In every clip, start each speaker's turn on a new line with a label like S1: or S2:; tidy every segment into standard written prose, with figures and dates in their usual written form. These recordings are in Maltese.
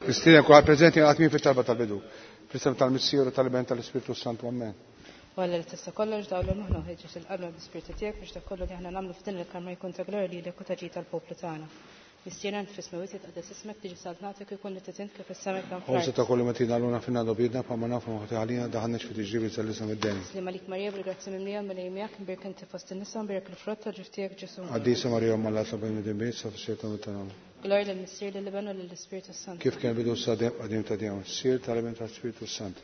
S1: Nistieden kulħadd preżenti għal tmiem fit-talba tal-bidu. Fl-isem tal-Missier u tal-Iben tal-Ispirtu Santu. Amen.
S2: U Alla li tista' kollox dawlu moħħna u ħeġġeġ il-qalbna bl-Ispirtu tiegħek biex dak kollu li aħna nagħmlu f'din il-kamra jkun ta' glorja lilek u ta' ġid tal-poplu tagħna. Missierna int fis-smewwiet jitqaddes ismek, tiġi saltnatek ikun li trid int kif fis-sema hekk hawn
S1: Ħobża
S2: fl-art.
S1: ta' kull matina għaluna finna dobidna pa ma nafu maħti għalina daħannex fi tiġribi tal-isem id-deni.
S2: Sliem għalik Marija bil-grazzja mimlija Mulej miegħek, imbierek inti fost in-nisa, imbierek il-frott tal-ġuf tiegħek Ġesù.
S1: Qaddisa Marija Omm Alla tlob għal midinbin issa fis-siegħa ta' mewtna. Amen.
S2: Glorja lill-Missier, lill-Iben u lill-Ispirtu Santu.
S1: Kif kien bidu sa dejjem qadim ta' dejjem, sir tal-Iben tal-Ispirtu Sant.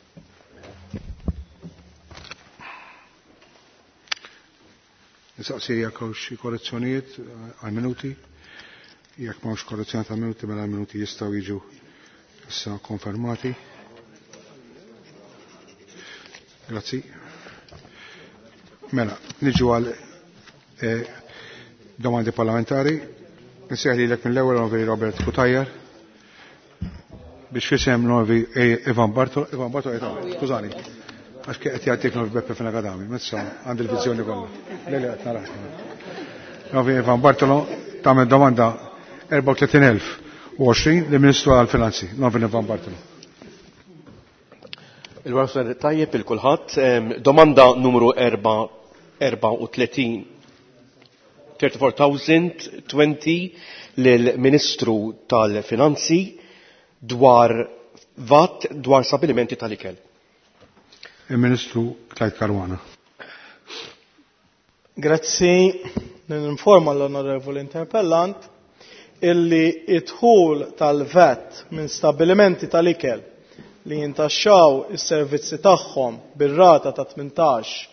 S1: Nistaqsi jekk hawn xi korrezzjonijiet għal minuti. Jekk m'hawnx korrezzjoni ta' minuti mela l-minuti jistgħu jiġu issa konfermati. Grazzi. Mela, niġu għal domandi parlamentari. Nsejħ lilek mill-ewwel Onorevoli Robert Cutajar biex fisem l-Onorevoli Ivan Bartolo, Ivan Bartolo qed skużani, għax qed jagħtik l-Onorevoli Beppe Fenech Adami, mezza għandi l-viżjoni kollha. Le le qed narax. L-Onorevoli Ivan Bartolo tagħmel domanda 34,020 lill-Ministru għall-Finanzi, l-Onorevoli Ivan Bartolo.
S3: Il-warsa tajjeb il kulħadd, domanda numru 34, 34,020 lill-Ministru tal-Finanzi dwar VAT dwar stabilimenti tal-ikel.
S1: Il-Ministru Clyde Caruana.
S4: Grazzi, ninforma l-Onorevoli Interpellant illi id-dħul tal-VAT minn stabilimenti tal-ikel li jintaxxaw is-servizzi tagħhom bir-rata ta' 18%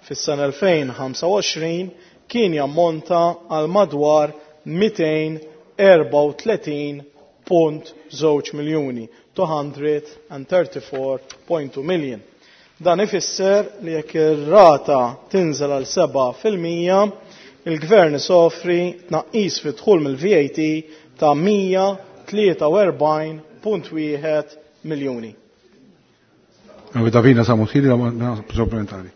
S4: fis-sena 2025 kien jammonta għal madwar 234.2 miljuni, 234.2 million. Dan ifisser li jekk ir-rata tinżel għal 7%, il-gvern isofri tnaqqis fi dħul mill-VAT ta' 143.1 miljuni.
S1: Davina Samutili, supplementari.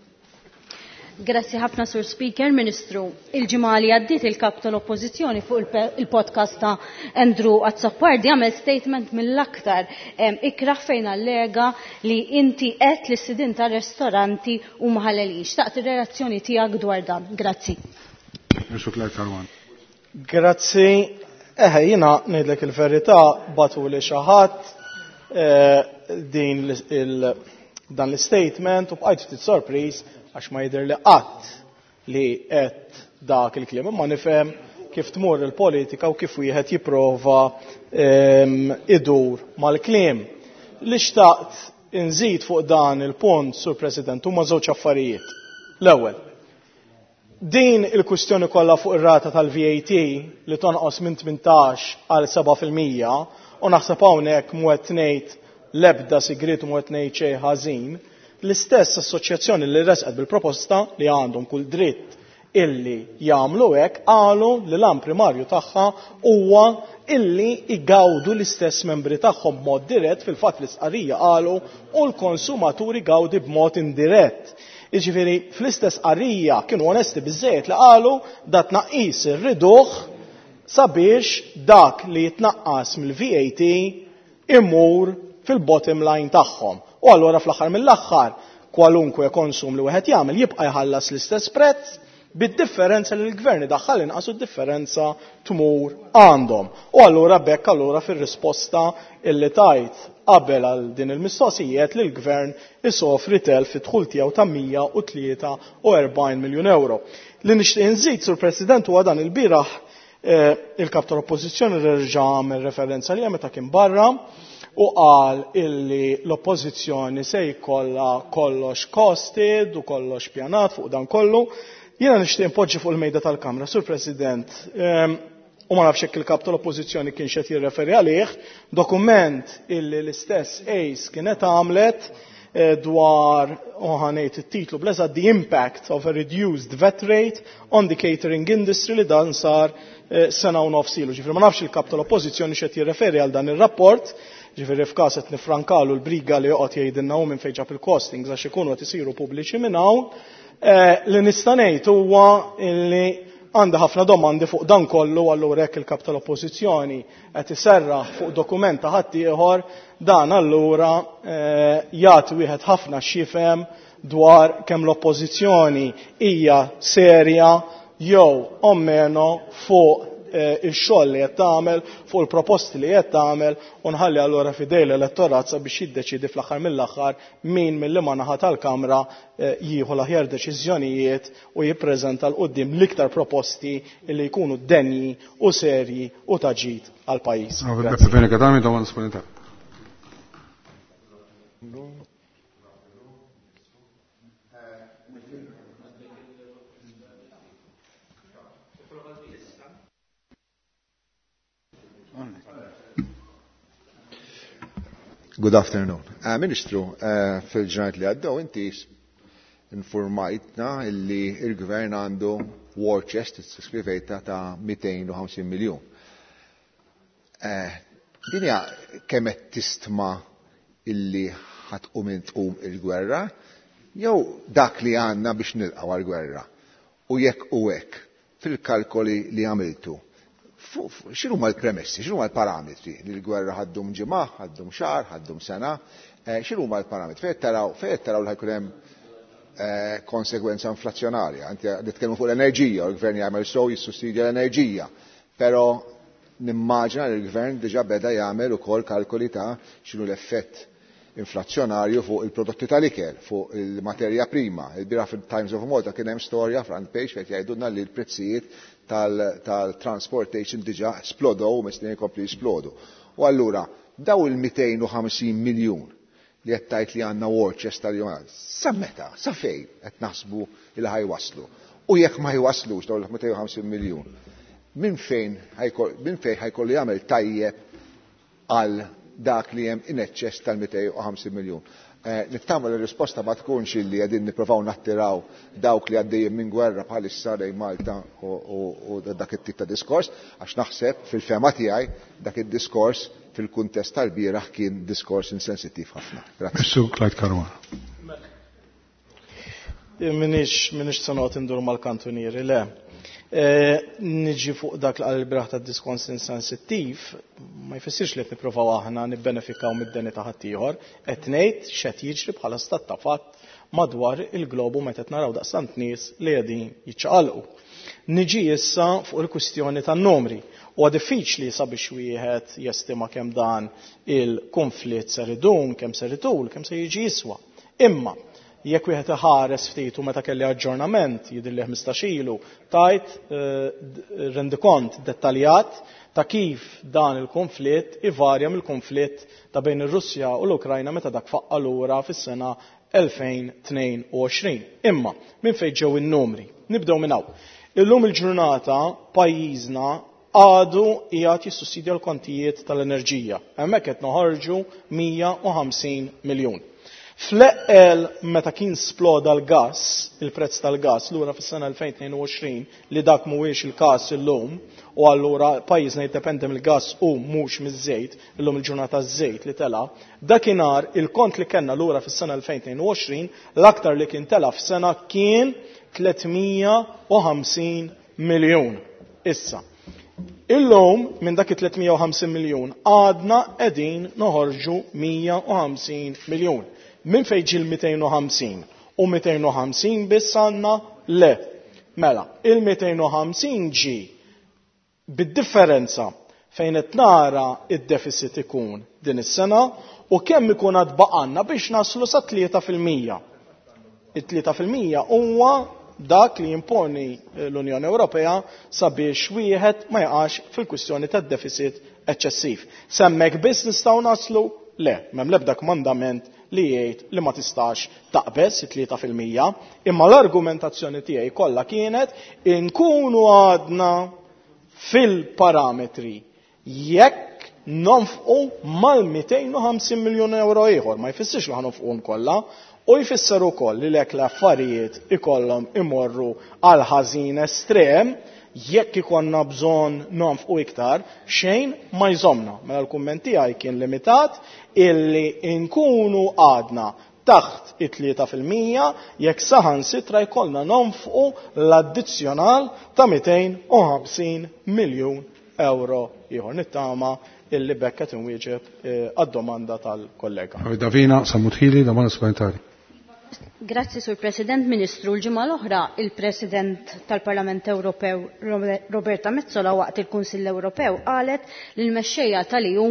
S5: Grazzi ħafna Sur Speaker, Ministru. Il-ġimgħa li għaddiet il-kap tal-Oppożizzjoni fuq il-podcast ta' Andrew Azzopardi għamel statement mill-aktar ikraħ fejn allega li inti qed li sidin ta' ristoranti u maħalelin. Xtaqt ir-reazzjoni tiegħek dwar dan. Grazzi.
S1: Ministru Clyde Caruana.
S4: Grazzi. Eħe, jiena ngħidlek il-verità batu li xi ħadd din dan l-statement u bqajt ftit sorpriż għax ma jidher li qatt li qed dak il-kliem, imma nifhem kif tmur il-politika u kif wieħed jipprova idur mal-kliem. Li xtaqt inżid fuq dan il-punt, Sur President, huma żewġ affarijiet. L-ewwel, din il-kwistjoni kollha fuq ir-rata tal-VAT li tonqos minn 18 għal 7%, u naħseb hawnhekk mhu qed ngħid l-ebda sigriet u mhu qed ngħid xejn ħażin, l-istess assoċjazzjoni li resqet bil-proposta li għandhom kull dritt illi jagħmlu hekk qalu li l-għan primarju tagħha huwa illi igawdu l-istess membri tagħhom b'mod dirett, fil-fatt l-istqarrija qalu u l-konsumaturi gawdi b'mod indirett. Jiġifieri fl-istess qarrija kienu onesti biżżejjed li qalu da tnaqqis irriduh sabiex dak li jitnaqqas mill-VAT imur fil-bottom line tagħhom. U allura fl-aħħar mill-aħħar kwalunkwe konsum li wieħed jagħmel jibqa' jħallas l-istess prezz bid-differenza li l-gvern idaħħal inqas u d-differenza tmur għandhom. U allura bekk allura fir-risposta illi tajt qabel għal din il-mistoqsijiet li l-gvern isofri telf fid-dħul tiegħu ta' 143 miljun euro. Li nixtieq inżid, Sur President, huwa dan il-bieraħ il-kap tal-Oppożizzjoni reġa' għamel referenza li meta kien barra u qal illi l-Oppożizzjoni se jkollha kollox costed u kollox pjanat fuq dan kollu. Jiena nixtieq inpoġġi fuq il-mejda tal-Kamra, Sur President, u ma nafx hekk il-kap tal-Oppożizzjoni kien xed jirreferi għalih, dokument illi l-istess ACE kienet għamlet dwar, u ħanejt it-titlu bl-eżatt, The Impact of a Reduced VAT Rate on the Catering Industry, li dan sar sena u nofs ilu. Ġifieri ma nafx il-kap tal-Oppożizzjoni xed jirreferi għal dan ir-rapport, ġifieri f'każ qed nifrankalu l-briga li joqgħod jgħidilna hu minn fejn ġab il-costings għax ikunu qed isiru pubbliċi minn hawn. Li nista' ngħid huwa illi Għandi ħafna domandi fuq dan kollu, allura jekk il-kap tal-Oppożizzjoni qed iserraħ fuq dokument ta' ħaddieħor, dan allura jagħti wieħed ħafna x'jifhem dwar kemm l-Oppożizzjoni hija serja jew o meno fuq ix-xogħol li qed tagħmel, fuq il-proposti li qed tagħmel, u nħalli allura f'idej l-elettorat sabiex jiddeċiedi fl-aħħar mill-aħħar min mill-liema naħa tal-Kamra jieħu l-aħjar deċiżjonijiet u jippreżenta 'l quddiem l-iktar proposti li jkunu denji u serji u ta' ġid għall-pajjiż. Grazzi.
S6: Good afternoon. Ministru, fil-ġranet li għaddew inti informajtna illi il-gvern għandu war chest, scrivejta ta' 250 miljon. Dinja kemm qed tistma illi ħatqum tqum il-gwerra, jew dak li għandna biex nilqgħu għall-gwerra. U jekk u hekk, fil-kalkoli li għamiltu, x'inhuma l-premessi, x'inhuma l-parametri li l-gwerra ħaddum ġimgħa, ħaddum xahar, ħaddum sena, x'inhuma l-parametri? Fejn taraw li ħajkun hemm konsegwenza inflazzjonarja? Inti nitkellmu fuq l-enerġija, u l-gvern jagħmel sew jissussidja l-enerġija, però nimmaġina li l-gvern diġà beda jagħmel ukoll kalkoli ta' x'inhu l-effett inflazzjonarju fuq il-prodotti tal-ikel, fuq il-materja prima. Il-bieraħ fil-Times of Malta kien hemm storja front page fejn jgħidulna li l-prezzijiet tal-transportation diġà splodow u mistennijin jkompli jisplodu. U allura daw il-250 miljun li qed tgħid li għandna war chest tal-jum, sa meta, sa fejn qed naħsbu li ħajwaslu? U jekk ma jwaslux dawn il-250 miljun, minn fejn ħajkollu jagħmel tajjeb għal dak li hemm in eċċess tal-250 miljun? Nittama li r-risposta ma tkunx illi qegħdin nippruvaw nattiraw dawk li għaddejjin minn gwerra bħalissa lejn Malta u dak it-tip ta' diskors, għax naħseb fil-fema tiegħi dak id-diskors fil-kuntest tal-bieraħ kien diskors insensittiv ħafna. Grazzi.
S1: Mr. Clyde Caruana.
S4: Minix se noqgħod indur mal-kantunieri, le. Niġi fuq dak li qal il-bieraħ ta' diskors insensittiv, ma jfissirx li qed nippruvaw aħna nibbenefikaw mid-deni ta' ħaddieħor, qed ngħid x'qed jiġri bħala stat ta' fatt madwar il-globu meta qed naraw daqstant nies li qegħdin jiċċaqalqu. Niġi issa fuq il-kwistjoni tan-numri. Huwa diffiċli sabiex wieħed jestima kemm dan il-konflitt ser idum, kemm ser itul, kemm se jiġi jiswa. Imma jekk wieħed iħares ftit u meta kelli aġġornament jidhirli 15 ilu, tajt rendikont dettaljat ta' kif dan il-konflitt ivarja mill-konflitt ta' bejn ir-Russja u l-Ukrajna meta dak faqqa lura fis-sena 2022. Imma minn fejn ġew in-numri? Nibdew minn hawn. Illum il-ġurnata pajjiżna għadu qiegħed jissussidja l-kontijiet tal-enerġija. Hemmhekk qed noħorġu 150 miljun. Fl-eqqel meta kien sploda l-gas, il-prezz tal-gas lura fis-sena 2022, li dak mhuwiex il-każ illum, u allura pajjiżna jiddependi mill-gas u mhux miż-żejt, illum il-ġurnata ż-żejt li tela', dakinhar il-kont li kellna lura fis-sena 2022, l-aktar li kien tela' f'sena kien 350 miljun. Issa, illum minn dak it-350 miljun għadna qegħdin noħorġu 150 miljun. Minn fejn ġie l-250? U 250 biss għandna? Le. Mela, il-250 ġie bid-differenza fejn qed nara id-deficit ikun din is-sena u kemm ikun għad baqanna biex naslu sa tlieta fil-mija. It-tlieta fil-mija huwa dak li jimponi l-Unjoni Ewropea sabiex wieħed ma jaqax fil-kwistjoni tad-deficit eċċessiv. Semmek biss nistgħu naslu? Le, m'hemm l-ebda kmandament li jgħid li ma tistax taqbeż it-tlieta fil-mija, imma l-argumentazzjoni tiegħi kollha kienet inkunu għadna fil-parametri jekk nonfqu mal-250 miljun euro ieħor, ma jfissirx li ħanonfquhom kollha, u jfisser ukoll li lek l-affarijiet ikollhom imorru għal ħażin estrem, jekk ikonna bżonn nonfqu iktar, xejn ma jżomna. Mela l-kumment tiegħi kien limitat illi nkunu għadna taħt it-3% jekk saħansitra jkollna nonfqu l-addizzjonal ta' 250 miljun euro ieħor. Nittama illi b'hekk qed inwieġeb għad-domanda tal-kollega.
S1: Davina Sammut Hili, domanda supplementari.
S5: Grazzi, Sur President. Ministru, l-ġimgħa l-oħra il-President tal-Parlament Ewropew Roberta Metsola waqt il-Kunsill Ewropew qalet lill-mexxejja tal-EU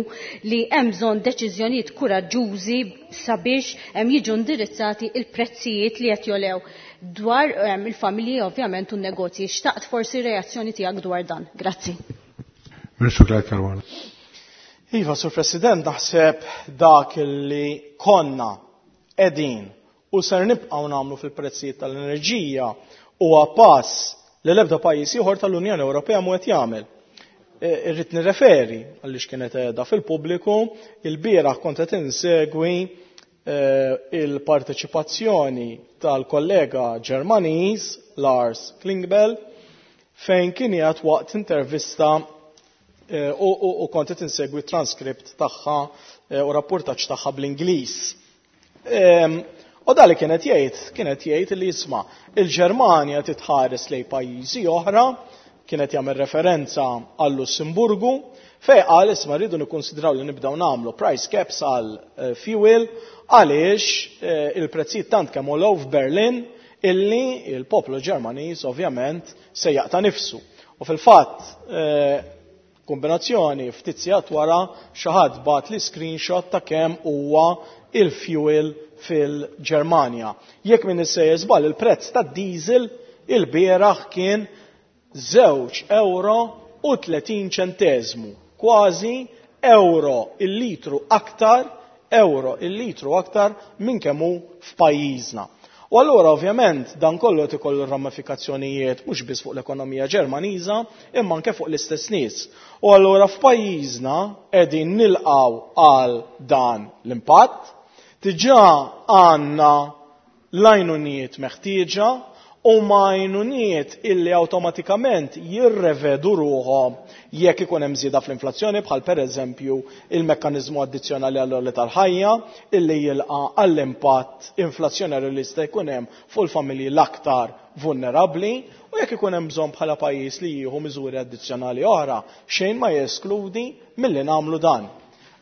S5: li hemm bżonn deċiżjonijiet kuraġġużi sabiex jiġu indirizzati il-prezzijiet li qed jolew dwar il-familji ovvjament u n-negozji. Xtaqt forsi reazzjoni tiegħek dwar dan. Grazzi.
S1: Ministru Clyde Caruana.
S4: Iva, Sur President, naħseb dak li konna qegħdin u ser nibqgħu nagħmlu fil-prezzijiet tal-enerġija huwa pass li l-ebda pajjiż ieħor tal-Unjoni Ewropea mhu qed jagħmel. Irrid nirreferi għaliex kienet qiegħda fil-pubbliku, il-bieraħ kont qed insegwi il-parteċipazzjoni tal-kollega Ġermaniż Lars Klingbeil fejn kien qiegħed waqt intervista u kont qed insegwi transkript tagħha u rapportaġġ tagħha bl-Ingliż. U dali kienet jgħid li jisma' il-Ġermanja titħares lejn pajjiżi oħra, kienet jagħmel referenza għal-Lussemburgu, fej qal isma' rridu nikkonsidraw li nibdew nagħmlu price caps għal fuel għaliex il-prezzijiet tant kemm għolew f'Berlin illi il-poplu Ġermaniż ovvjament se jaqta' nifsu. U fil-fatt kombinazzjoni ftit sigħat wara xi ħadd bagħat li screenshot ta' kemm huwa il-fuel fil-Ġermanja. Jekk min issejjer żball il-prezz tad-diesel il-bieraħ kien żewġ euro u tletin ċenteżmu, kważi euro il-litru aktar, euro il-litru aktar minn kemm hu f'pajjiżna. U allura ovvjament dan kollu qed ikollu ramifikazzjonijiet mhux biss fuq l-ekonomija Ġermaniża imma anke fuq l-istess nies. U allura f'pajjiżna qegħdin nilqgħu għal dan l-impatt, diġà għandna l-għajnuniet meħtieġa u ma għajnuniet illi awtomatikament jirrevedu ruħhom jekk ikun hemm żieda fl-inflazzjoni bħal pereżempju il-mekkaniżmu addizzjonali għall-għoli tal-ħajja illi jilqa' għall-impatt inflazzjonarju li jista' jkun hemm fuq il-familji l-aktar vulnerabbli u jekk ikun hemm bżonn bħala pajjiż li jieħu miżuri addizzjonali oħra xejn ma jeskludi milli nagħmlu dan.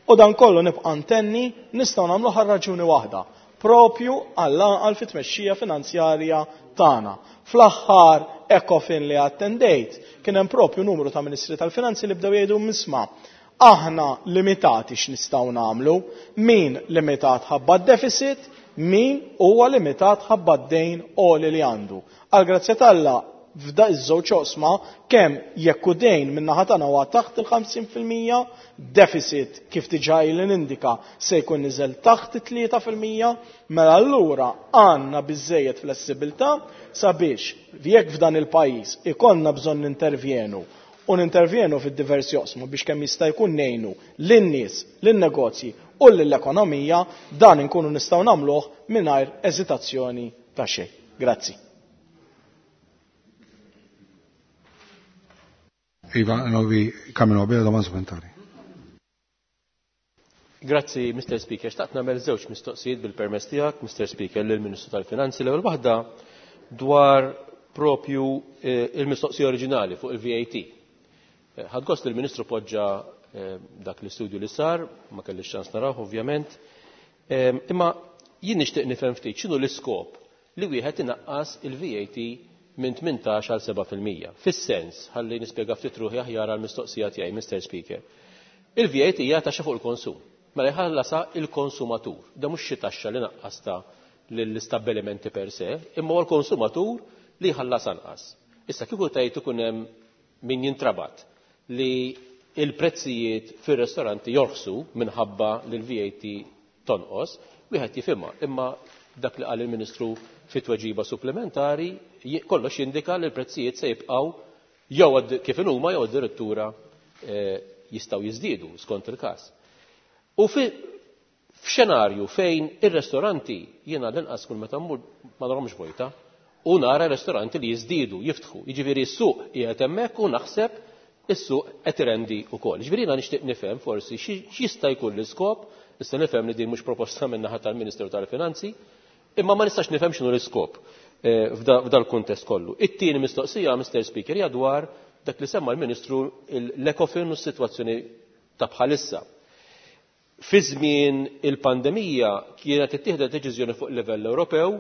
S4: U dan kollu nibqa' ntenni nistgħu nagħmlu ħal raġuni waħda, propju għall-għaqal fit-tmexxija finanzjarja tagħna. Fl-aħħar ECOFIN li attendejt kien hemm propju numru ta' Ministri tal-Finanzi li bdew jgħidu misma' aħna limitati x'nistgħu nagħmlu, min limitat ħabba d-deficit, min huwa limitat ħabba d-dejn għoli li għandu. Għal grazzja t'Alla f'da iż-żewġ oqsma kemm jekk hu dejn min-naħa tagħna huwa taħt il-50 fil-mija, deficit kif diġà ili nindika se jkun niżel taħt it-tlieta fil-mija, mela allura għandna biżżejjed flessibilità sabiex jekk f'dan il-pajjiż ikollna bżonn nintervjenu u nintervjenu fid-diversi oqsma biex kemm jista' jkun ngħinu lin-nies, lin-negozji u lill-ekonomija, dan inkunu nistgħu nagħmluh mingħajr eżitazzjoni ta' xejn. Grazzi.
S1: Iva, novi Camino Abela, domanda supplementari.
S3: Grazzi, Mr. Speaker. Xtaqt nagħmel żewġ mistoqsijiet bil-permess tiegħek, Mr. Speaker, lill-Ministru tal-Finanzi. L-ewwel waħda dwar propju il-mistoqsija oriġinali fuq il-VAT. Ħadd gost li l-Ministru poġġa dak l-istudju li sar, ma kellix ċans naraw ovvjament. Imma jien nixtieq nifhem ftit x'inhu l-iskop li wieħed inaqqas il-VAT minn tmintax għal seba' fil-mija. Fis-sens, ħalli nispjega ftit ruħi aħjar għall-mistoqsija tiegħi, Mr. Speaker. Il-VAT hija taxxa fuq il-konsum. Mela jħallasha il-konsumatur. Da mhux xi taxxa li naqqasta lill-istabbilimenti per se, imma huwa l-konsumatur li jħallas anqas. Issa kieku tgħid ikun hemm min jintrabat li il-prezzijiet fir-ristoranti jorħsu minħabba li l-VAT tonqos, wieħed jifhimha, imma dak li qal il-Ministru fit-tweġiba supplementari kollox jindika li l-prezzijiet se jibqgħu jew kif inhuma jew addirittura jistgħu jiżdiedu skont il-każ. U f'xenarju fejn ir-ristoranti jiena l-inqas kull meta mmur ma narhomx vojta, u nara ristoranti li jiżdiedu, jiftħu. Jiġifieri s-suq qiegħed hemmhekk u naħseb is-suq qed irendi wkoll. Jiġifieri jiena nixtieq nifhem forsi x'jista' jkun l-iskop Nista' nifhem li din mhux proposta min-naħa tal-Ministeru tal-Finanzi, imma ma nistax nifhem x'inhu l-iskop f'dal-kuntest kollu. It-tieni mistoqsija, Mr. Speaker, hija dwar dak li semma l-Ministru, l-Ecofin u s-sitwazzjoni ta' bħalissa. Fi żmien il-pandemija kienet ittieħdet deċiżjoni fuq livell Ewropew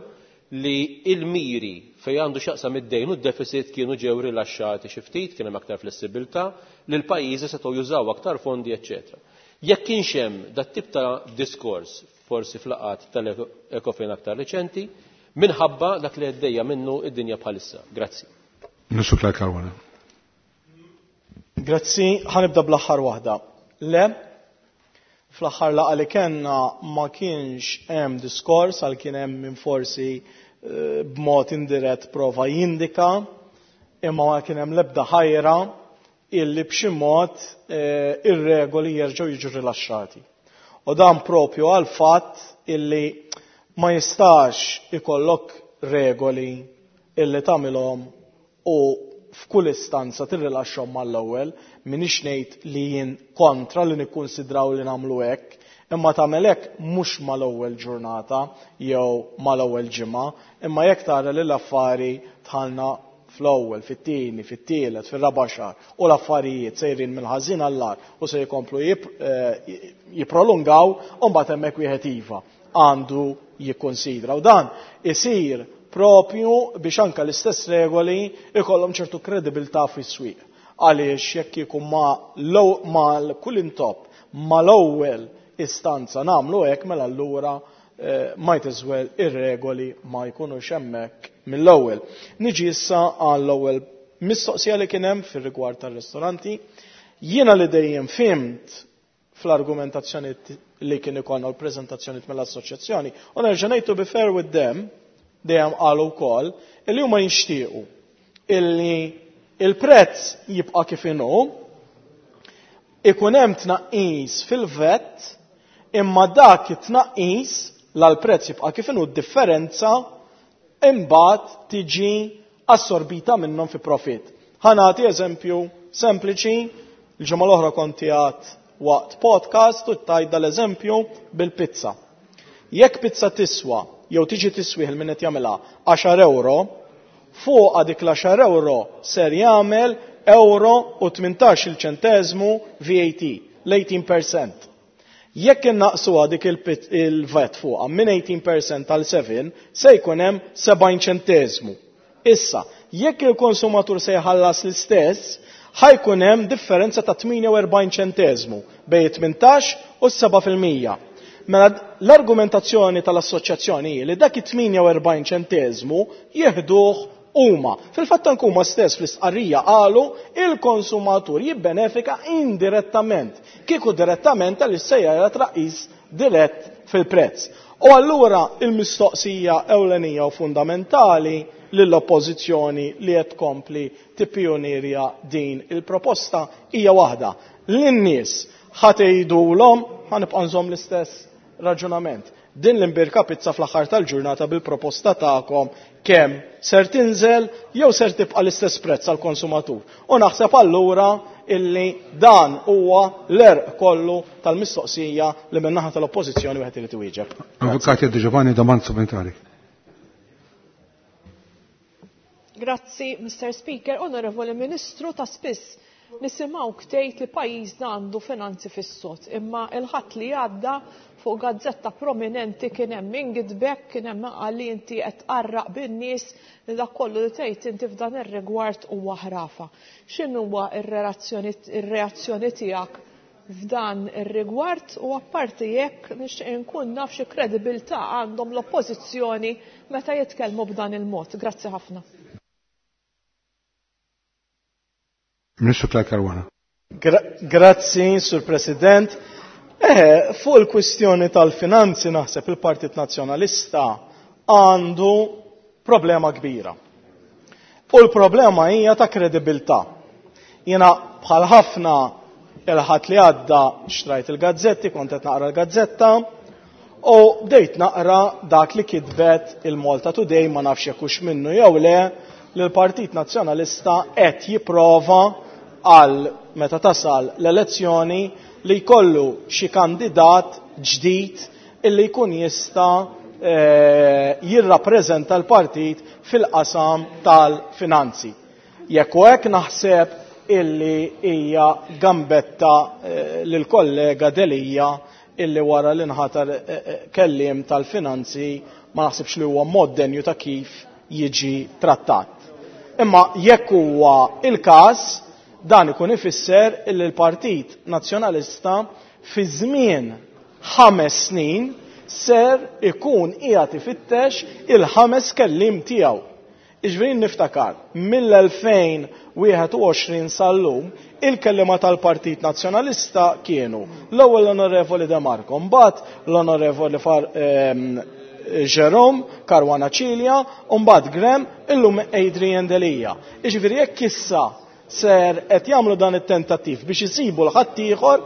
S3: li il-miri fejn għandu x'jaqsam id-dejn u d-deficit kienu ġew rilaxxati xi ftit, kien hemm aktar flessibilità, li l-pajjiżi setgħu jużaw aktar fondi, eċċetera. Jekk kienx hemm dat tip ta' diskors forsi f'laqgħat tal-Ecofin aktar reċenti, minħabba dak li għaddejja minnu id-dinja bħalissa. Grazzi.
S1: Ministru Clyde Caruana.
S4: Grazzi, ħa nibda bl-aħħar waħda. Le, fl-aħħar laqgħa li kellna ma kienx hemm diskors għal kien hemm min forsi b'mod indirett prova jindika, imma ma kien hemm l-ebda ħajra illi b'xi mod ir-regoli jerġgħu jiġu rilaxxati. U dan propju għal fatt illi ma jistax ikollok regoli illi tagħmilhom u f'kull istanza tirrilaxxhom mal-ewwel. M'iniex ngħid li jien kontra li nikkunsidraw li nagħmlu hekk, imma tagħmel hekk mhux mal-ewwel ġurnata jew mal-ewwel ġimgħa, imma jekk tara li l-affari dħalna fl-ewwel, fit-tieni, fit-tielet, fir-raba' xahar u l-affarijiet sejrin mill-ħażin għall-agħar u se jkomplu jipprolungaw, u mbagħad hemmhekk wieħed iva għandu jikkonsidra. U dan isir propju biex anka l-istess regoli ikollhom ċertu kredibilità fis-swieq. Għaliex jekk ikun ma kull intop mal-ewwel istanza nagħmlu hekk, mela allura might as well ir-regoli ma jkunux hemmhekk mill-ewwel. Niġi issa għall-ewwel mistoqsija li kien hemm fir-rigward tar-ristoranti. Jiena li dejjem fhimt fl-argumentazzjoni li kien ikollna l-preżentazzjoni mill-assoċjazzjoni, u nerġa' ngħid to be fair with them, dejjem qalu wkoll illi huma jixtiequ illi il-prezz jibqa' kif inhu, ikun hemm tnaqqis fil-VAT, imma dak it-tnaqqis l-prezz jibqa' kif inhu, d-differenza imbagħad tiġi assorbita minnhom fi profit. Ħa nagħti eżempju sempliċi, il-ġimgħa l-oħra kont qiegħed waqt podcast u tajt dal-eżempju bil-pizza. Jekk pizza tiswa jew tiġi tiswih il-min qed jagħmilha 10 euro, fuq dik l-10 euro ser jagħmel euro u 18 ċenteżmu VAT, l-18%. Jekk innaqsuha dik il-VAT fuqha minn 18% għal 7, se jkun hemm 70 ċenteżmu. Issa, jekk il-konsumatur se jħallas l-istess, ħa jkun hemm differenza ta' 48 ċenteżmu bejn 18 u 7%. Mela l-argumentazzjoni tal-assoċjazzjoni hi li dak it-48 ċenteżmu jieħduh huma. Fil-fatt anke huma stess fl-istqarrija qalu il-konsumatur jibbenefika indirettament, kieku direttament għal sejja tnaqqis dirett fil-prezz. U allura il-mistoqsija ewlenija u fundamentali lill-oppożizzjoni li qed tkompli tippionirja din il-proposta hija waħda. Lin-nies ħa tgħidulhom, ħa nibqa' nżomm l-istess raġunament. Din l-imbirka pizza fl-aħħar tal-ġurnata bil-proposta tagħkom kemm ser tinżel jew ser tibqa' l-istess prezz għall-konsumatur. U naħseb allura illi dan huwa l-għerq kollu tal-mistoqsija li min-naħa tal-oppożizzjoni wieħed irid iwieġeb.
S1: Avukat Di Giovanni, domanda supplementari.
S7: Grazzi, Mr. Speaker. Onorevoli Ministru, ta' spiss nisimgħu tgħid li pajjiżna għandu finanzi fis-sod, imma il-Ħadd li għadda fuq gazzetta prominenti kien hemm min gidbek, kien hemm qal li inti qed tqarraq bin-nies, li dak kollu li tgħid inti f'dan ir-rigward huwa ħrafa. X'inhuwa ir-reazzjoni tiegħek f'dan ir-rigward u apparti jekk nixtieq inkun naf xi kredibilità għandhom l-oppożizzjoni meta jitkellmu b'dan il-mod. Grazzi ħafna.
S1: Ministru Clyde Caruana.
S4: Grazzi, Sur President. Fuq il-kwistjoni tal-finanzi naħseb il-Partit Nazzjonalista għandu problema kbira. U l-problema hija ta' kredibilità. Jiena bħal ħafna il-Ħadd li għadda xtrajt il-gazzetti, kont qed naqra l-gazzetta, u bdejt naqra dak li kitbet il-Malta Today, ma nafx jekk hux minnu jew le, li l-Partit Nazzjonalista qed jipprova għal meta tasal l-elezzjoni li jkollu xi kandidat ġdid illi jkun jista' jirrappreżenta l-partit fil-qasam tal-finanzi. Jekk u hekk naħseb illi hija gambetta lill-kollega Delia illi wara li nħatar kelliem tal-finanzi ma naħsibx li huwa mod denju ta' kif jiġi trattat. Imma jekk huwa il-każ, dan ikun ifisser illi l-Partit Nazzjonalista fi żmien 5 snin ser ikun qiegħed ifittex il-5 kelliem tiegħu. Jiġifieri niftakar, mill-2021 sal-lum, il-kellima tal-Partit Nazzjonalista kienu l-ewwel l-Onorevoli De Marco, mbagħad l-Onorevoli Jerome Caruana Cilia, u mbagħad Graham, illum Adrian Delia. Jiġifieri jekk issa ser qed jagħmlu dan it-tentattiv biex isibu l-ħaddieħor,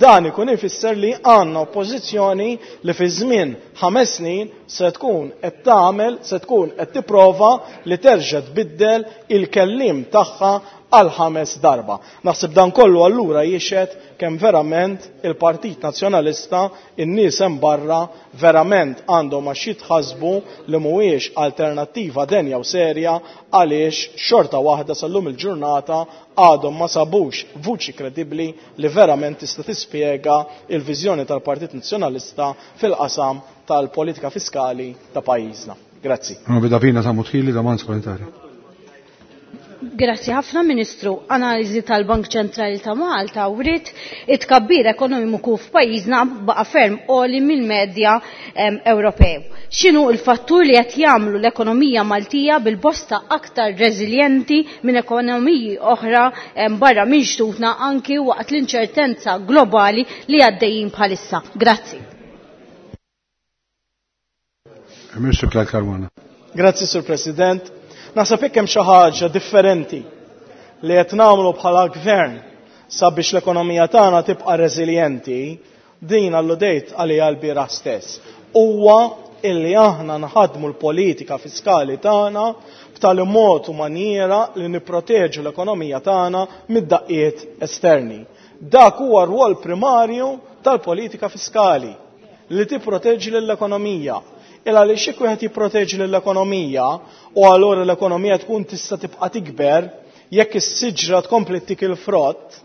S4: dan ikun ifisser li għandna oppożizzjoni li fi żmien 5 snin se tkun qed tagħmel, se tkun qed tipprova li terġa' tbiddel il-kelliem tagħha għal 5 darba. Naħseb dan kollu allura jixhed kemm verament il-Partit Nazzjonalista, in-nies hemm barra verament għandhom għax jitħassbu li mhuwiex alternattiva denja u serja għaliex xorta waħda sal-lum il-ġurnata għadhom ma sabux vuċi kredibbli li verament tista' tispjega il-viżjoni tal-Partit Nazzjonalista fil-qasam tal-politika fiskali ta' pajjiżna. Grazzi.
S1: Onorevole Davina Sammut-Hili, domanda supplementare.
S5: Grazzi ħafna, Ministru. Analiżi tal-Bank Ċentrali ta' Malta wriet it-tkabbir ekonomiku f'pajjiżna baqa' ferm għoli mill-medja Ewropew. X'inhu l-fattur li qed jagħmlu l-ekonomija Maltija bil-bosta aktar reżiljenti minn ekonomiji oħra barra minn xtutna anki waqt l-inċertenza globali li għaddejjin bħalissa? Grazzi.
S1: Ministru Clyde Caruana.
S4: Grazzi, Sur President. Naħseb jekk hemm xi ħaġa differenti li qed nagħmlu bħala gvern sabiex l-ekonomija tagħna tibqa' reżiljenti, din alludejt għaliha l-bieraħ stess. Huwa illi aħna nħadmu l-politika fiskali tagħna b'tali mod u maniera li nipproteġu l-ekonomija tagħna mid-daqqiet esterni. Dak huwa r-rwol primarju tal-politika fiskali li tipproteġi lill-ekonomija. Il għaliex jekk wieħed jipproteġi lill-ekonomija u allura l-ekonomija tkun tista' tibqa' tikber jekk is-siġra tkompli tik il-frott,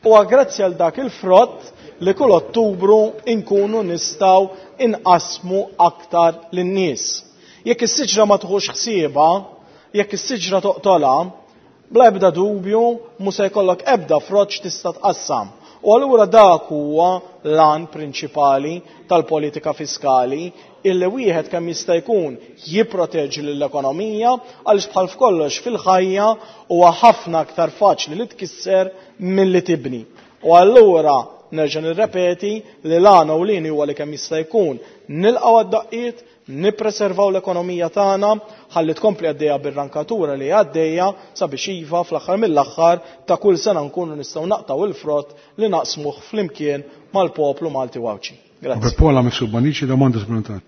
S4: huwa grazzi għal dak il-frott li kull Ottubru inkunu nistgħu inqasmu aktar lin-nies. Jekk is-siġra ma tħux ħsiebha, jekk is-siġra toqtolha, bla ebda dubju mhu se jkollok ebda frott x'tista' tqassam. U allura dak huwa l-għan prinċipali tal-politika fiskali, illi wieħed kemm jista' jkun jipproteġi lill-ekonomija, għaliex bħal f'kollox fil-ħajja huwa ħafna aktar faċli li tkisser milli tibni. U allura nerġa' nirrepeti li l-għan ewlieni huwa li kemm jista' jkun nilqgħu għad-daqqiet, nippreservaw l-ekonomija tagħna ħalli tkompli għaddejja bir-rankatura li għaddejja sabiex iva fl-aħħar mill-aħħar ta' kull sena nkunu nistgħu naqtaw il-frott li naqsmuh flimkien mal-poplu Malti u Għawdxi. Grazzi.
S1: Paola Mifsud Bonnici, domanda supplementare.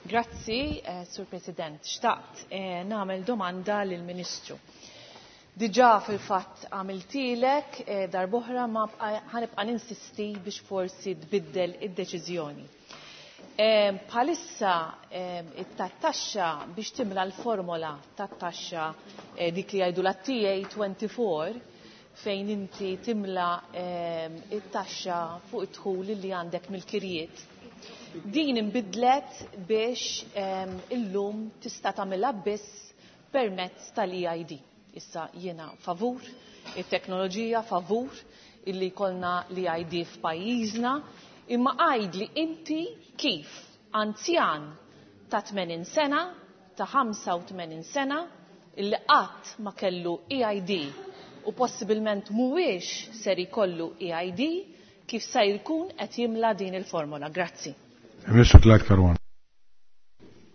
S8: Grazzi, Sur President. Xtaqt nagħmel domanda lill-Ministru. Diġà fil-fatt għamiltilek darb'oħra ma ħanibqa' ninsisti biex forsi tbiddel id-deċiżjoni. Bħalissa it-taxxa biex timla l-formola tat-taxxa dik li jgħidu la TA24 fejn inti timla it-taxxa fuq id-dħul li għandek mill-kirjiet. Din inbidlet biex illum tista' tagħmilha biss permezz tal-EID. Issa jiena favur it-teknoloġija, favur illi jkollna l-EID f'pajjiżna, imma għajdli inti kif anzjan ta' 80 sena, ta' 85 sena, illi qatt ma kellu EID u possibilment mhuwiex ser ikollu EID, kif se jkun qed jimla din il-formola. Grazzi.
S1: Ministru Clyde Caruana.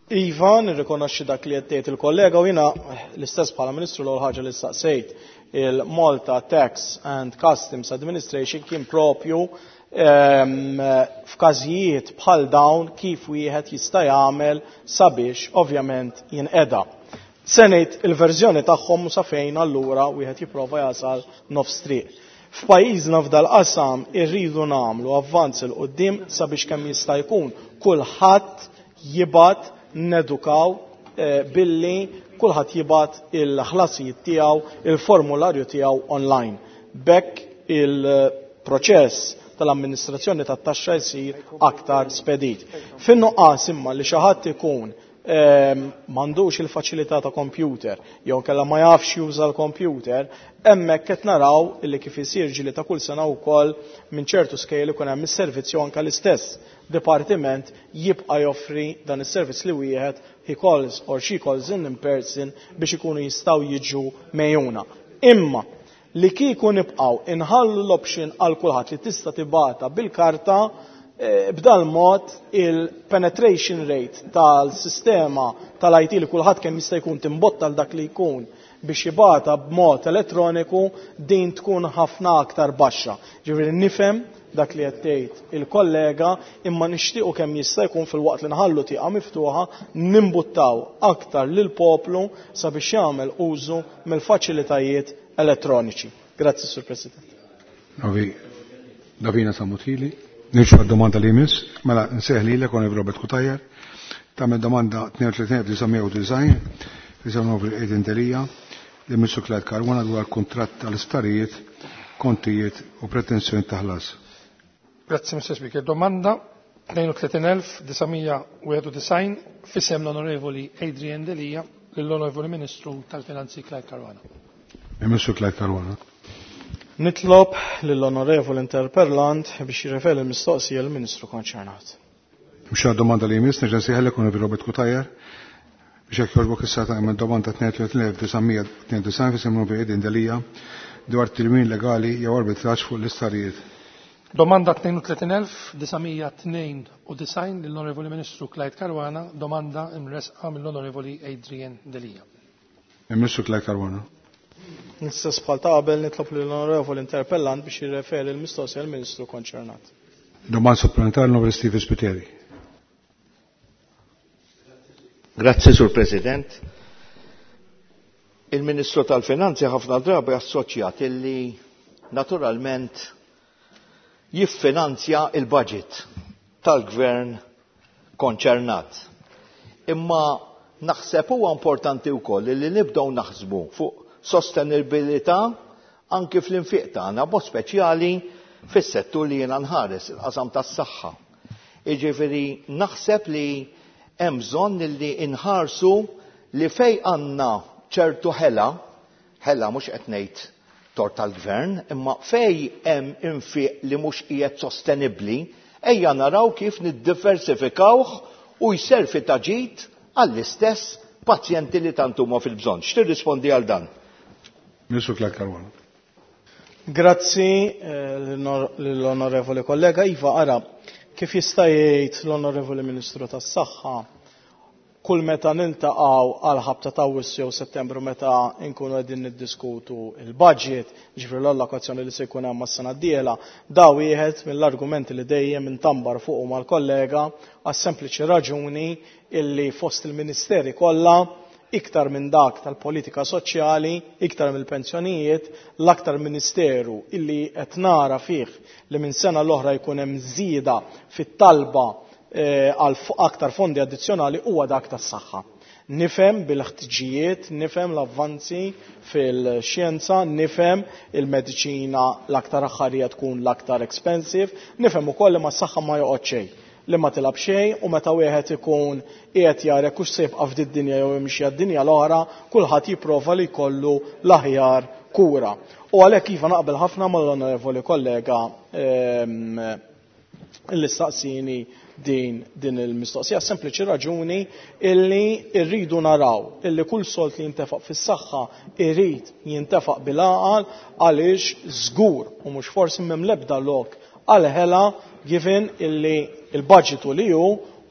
S4: Iva, nirrikonoxxi dak li qed tgħid il-kollega u jiena l-istess bħala Ministru l-ewwel ħaġa li staqsejt il-Malta Tax and Customs Administration kien propju f'każijiet bħal dawn kif wieħed jista' jagħmel sabiex ovvjament jinqeda. Se ngħid il-verżjoni tagħhom u sa fejn allura wieħed jipprova jasal nofs triq. F'pajjiżna f'dal-qasam irridu nagħmlu avvanz 'il quddiem sabiex kemm jista' jkun kulħadd jibgħat nedukaw billi kulħadd jibgħat il-ħlasijiet tiegħu, il-formularju tiegħu online. B'hekk il-proċess tal-amministrazzjoni tat-taxxa jsir aktar spedit. Fin-nuqqas imma li xi ħadd ikun m'għandux il-faċilità ta' computer jew kella ma jafx juża l-computer, hemmhekk qed naraw illi kif isir ġili ta' kull sena wkoll minn ċertu skejjel ikun hemm is-servizz jew anke l-istess dipartiment jibqa' joffri dan is-servizz li wieħed he calls or she calls in person biex ikunu jistgħu jiġu mejjuna. Imma li kieku nibqgħu inħallu l-option għal kulħadd li tista' tibgħatha bil-karta, b'dal mod il-penetration rate tal-sistema tal-IT li kulħadd kemm jista' jkun timbotta għal dak li jkun biex jibgħatha b'mod elettroniku din tkun ħafna aktar baxxa. Ġifieri nifhem dak li qed tgħid il-kollega imma nixtiequ kemm jista' jkun fil-waqt li nħallu tieqa miftuħa nimbuttaw aktar lill-poplu sabiex jagħmel użu mill-faċilitajiet elettroniċi. Grazzi, Sur President.
S1: Novi, Davina Samutili. Nimxu għad-domanda li jmiss, mela nsejħ lilek Onorevoli Robert Cutajar, tagħmel domanda 32990 fi Onorevoli Adrian Delia li Ministru Clyde Caruana dwar kuntratt tal-isptarijiet, kontijiet u pretensjoni ta' ħlas.
S9: Grazzi, Mr. Speaker. Domanda 32991 fisem l-Onorevoli Adrian Delia lill-Onorevoli Ministru tal-Finanzi Clyde Caruana.
S1: Ministru Clyde Caruana.
S4: Nitlob lill-Onorevoli Interpellant biex jirreferi l-mistoqsija lill-Ministru konċernat.
S1: Mhux domanda li jmiss, nerġa' nsejħlek Onorevoli Robert Cutajar biex jekk jogħġbok issa tagħmel domanda 32992 fisem l-Onorevoli Adrian Delia dwar tilwim legali jew arbitraġġ fuq l-istarijiet.
S9: Domanda 32992 lill-Onorevoli Ministru Clyde Caruana, domanda imresqa mill-Onorevoli Adrian Delia.
S1: Il-Ministru Clyde Caruana.
S4: L-istess bħal ta' qabel nitlob lill-Onorevoli Interpellant biex jirreferi l-mistoqsija lill-Ministru konċernat.
S1: Domanda supplementari l-Onorevoli Stephen Spiteri.
S10: Grazzi, Sur President. Il-Ministru tal-Finanzi ħafna drabi assoċjat illi naturalment jiffinanzja il-budget tal-gvern konċernat. Imma naħseb huwa importanti wkoll li nibdew naħsbu fuq sostenibilità anki fl-infiq tagħna, b'mod speċjali fis-settur li jiena nħares, il-qasam tas-saħħa. Jiġifieri naħseb li hemm bżonn li nħarsu li fej għandna ċertu ħela, ħela mhux qed ngħid tort tal-gvern, imma fej hemm infiq li mhux qiegħed sostenibbli, ejja naraw kif niddiversifikawh u jservi ta' ġid għall-istess pazjenti li tant huma fil-bżonn. X'tirrispondi għal dan?
S1: Ministru Clyde Caruana.
S4: Grazzi l-onorevoli kollega. Iva, ara, kif jista' jgħid l-onorevoli Ministru tas-Saħħa, kull meta niltaqgħu għal ħabta ta' Awwissu jew Settembru meta nkunu qegħdin niddiskutu il-budget, ġifieri l-allokazzjoni li se jkun hemm mas-sena d-dieħla, da wieħed mill-argumenti li dejjem intambar fuqu mal-kollega għas-sempliċi raġuni illi fost il-ministeri kollha iktar minn dak tal-politika soċjali, iktar mill-pensjonijiet, l-aktar ministeru illi qed nara fih li minn sena l-oħra jkun hemm żieda fit-talba għal aktar fondi addizzjonali huwa dak tas-saħħa. Nifhem bil-ħtiġijiet, nifhem l-avvanzi fil-xjenza, nifhem il-mediċina l-aktar aħħarija tkun l-aktar expensive, nifhem ukoll li mas-saħħa ma joqgħod xejn, li ma tilab xejn u meta wieħed ikun qiegħed jara jekk hux se jibqa' f'did dinja jew jimxi għad-dinja l-oħra, kulħadd jipprova li jkollu l-aħjar kura. U għalhekk iva naqbel ħafna mal-onorevoli kollega li staqsini din il-mistoqsija, sempliċi raġuni illi rridu naraw illi kull sold li jintefaq fis-saħħa irid jintefaq bil-għaqal għaliex żgur u mhux forsi m'hemm l-ebda lok għal-ħela given illi il-budget li hu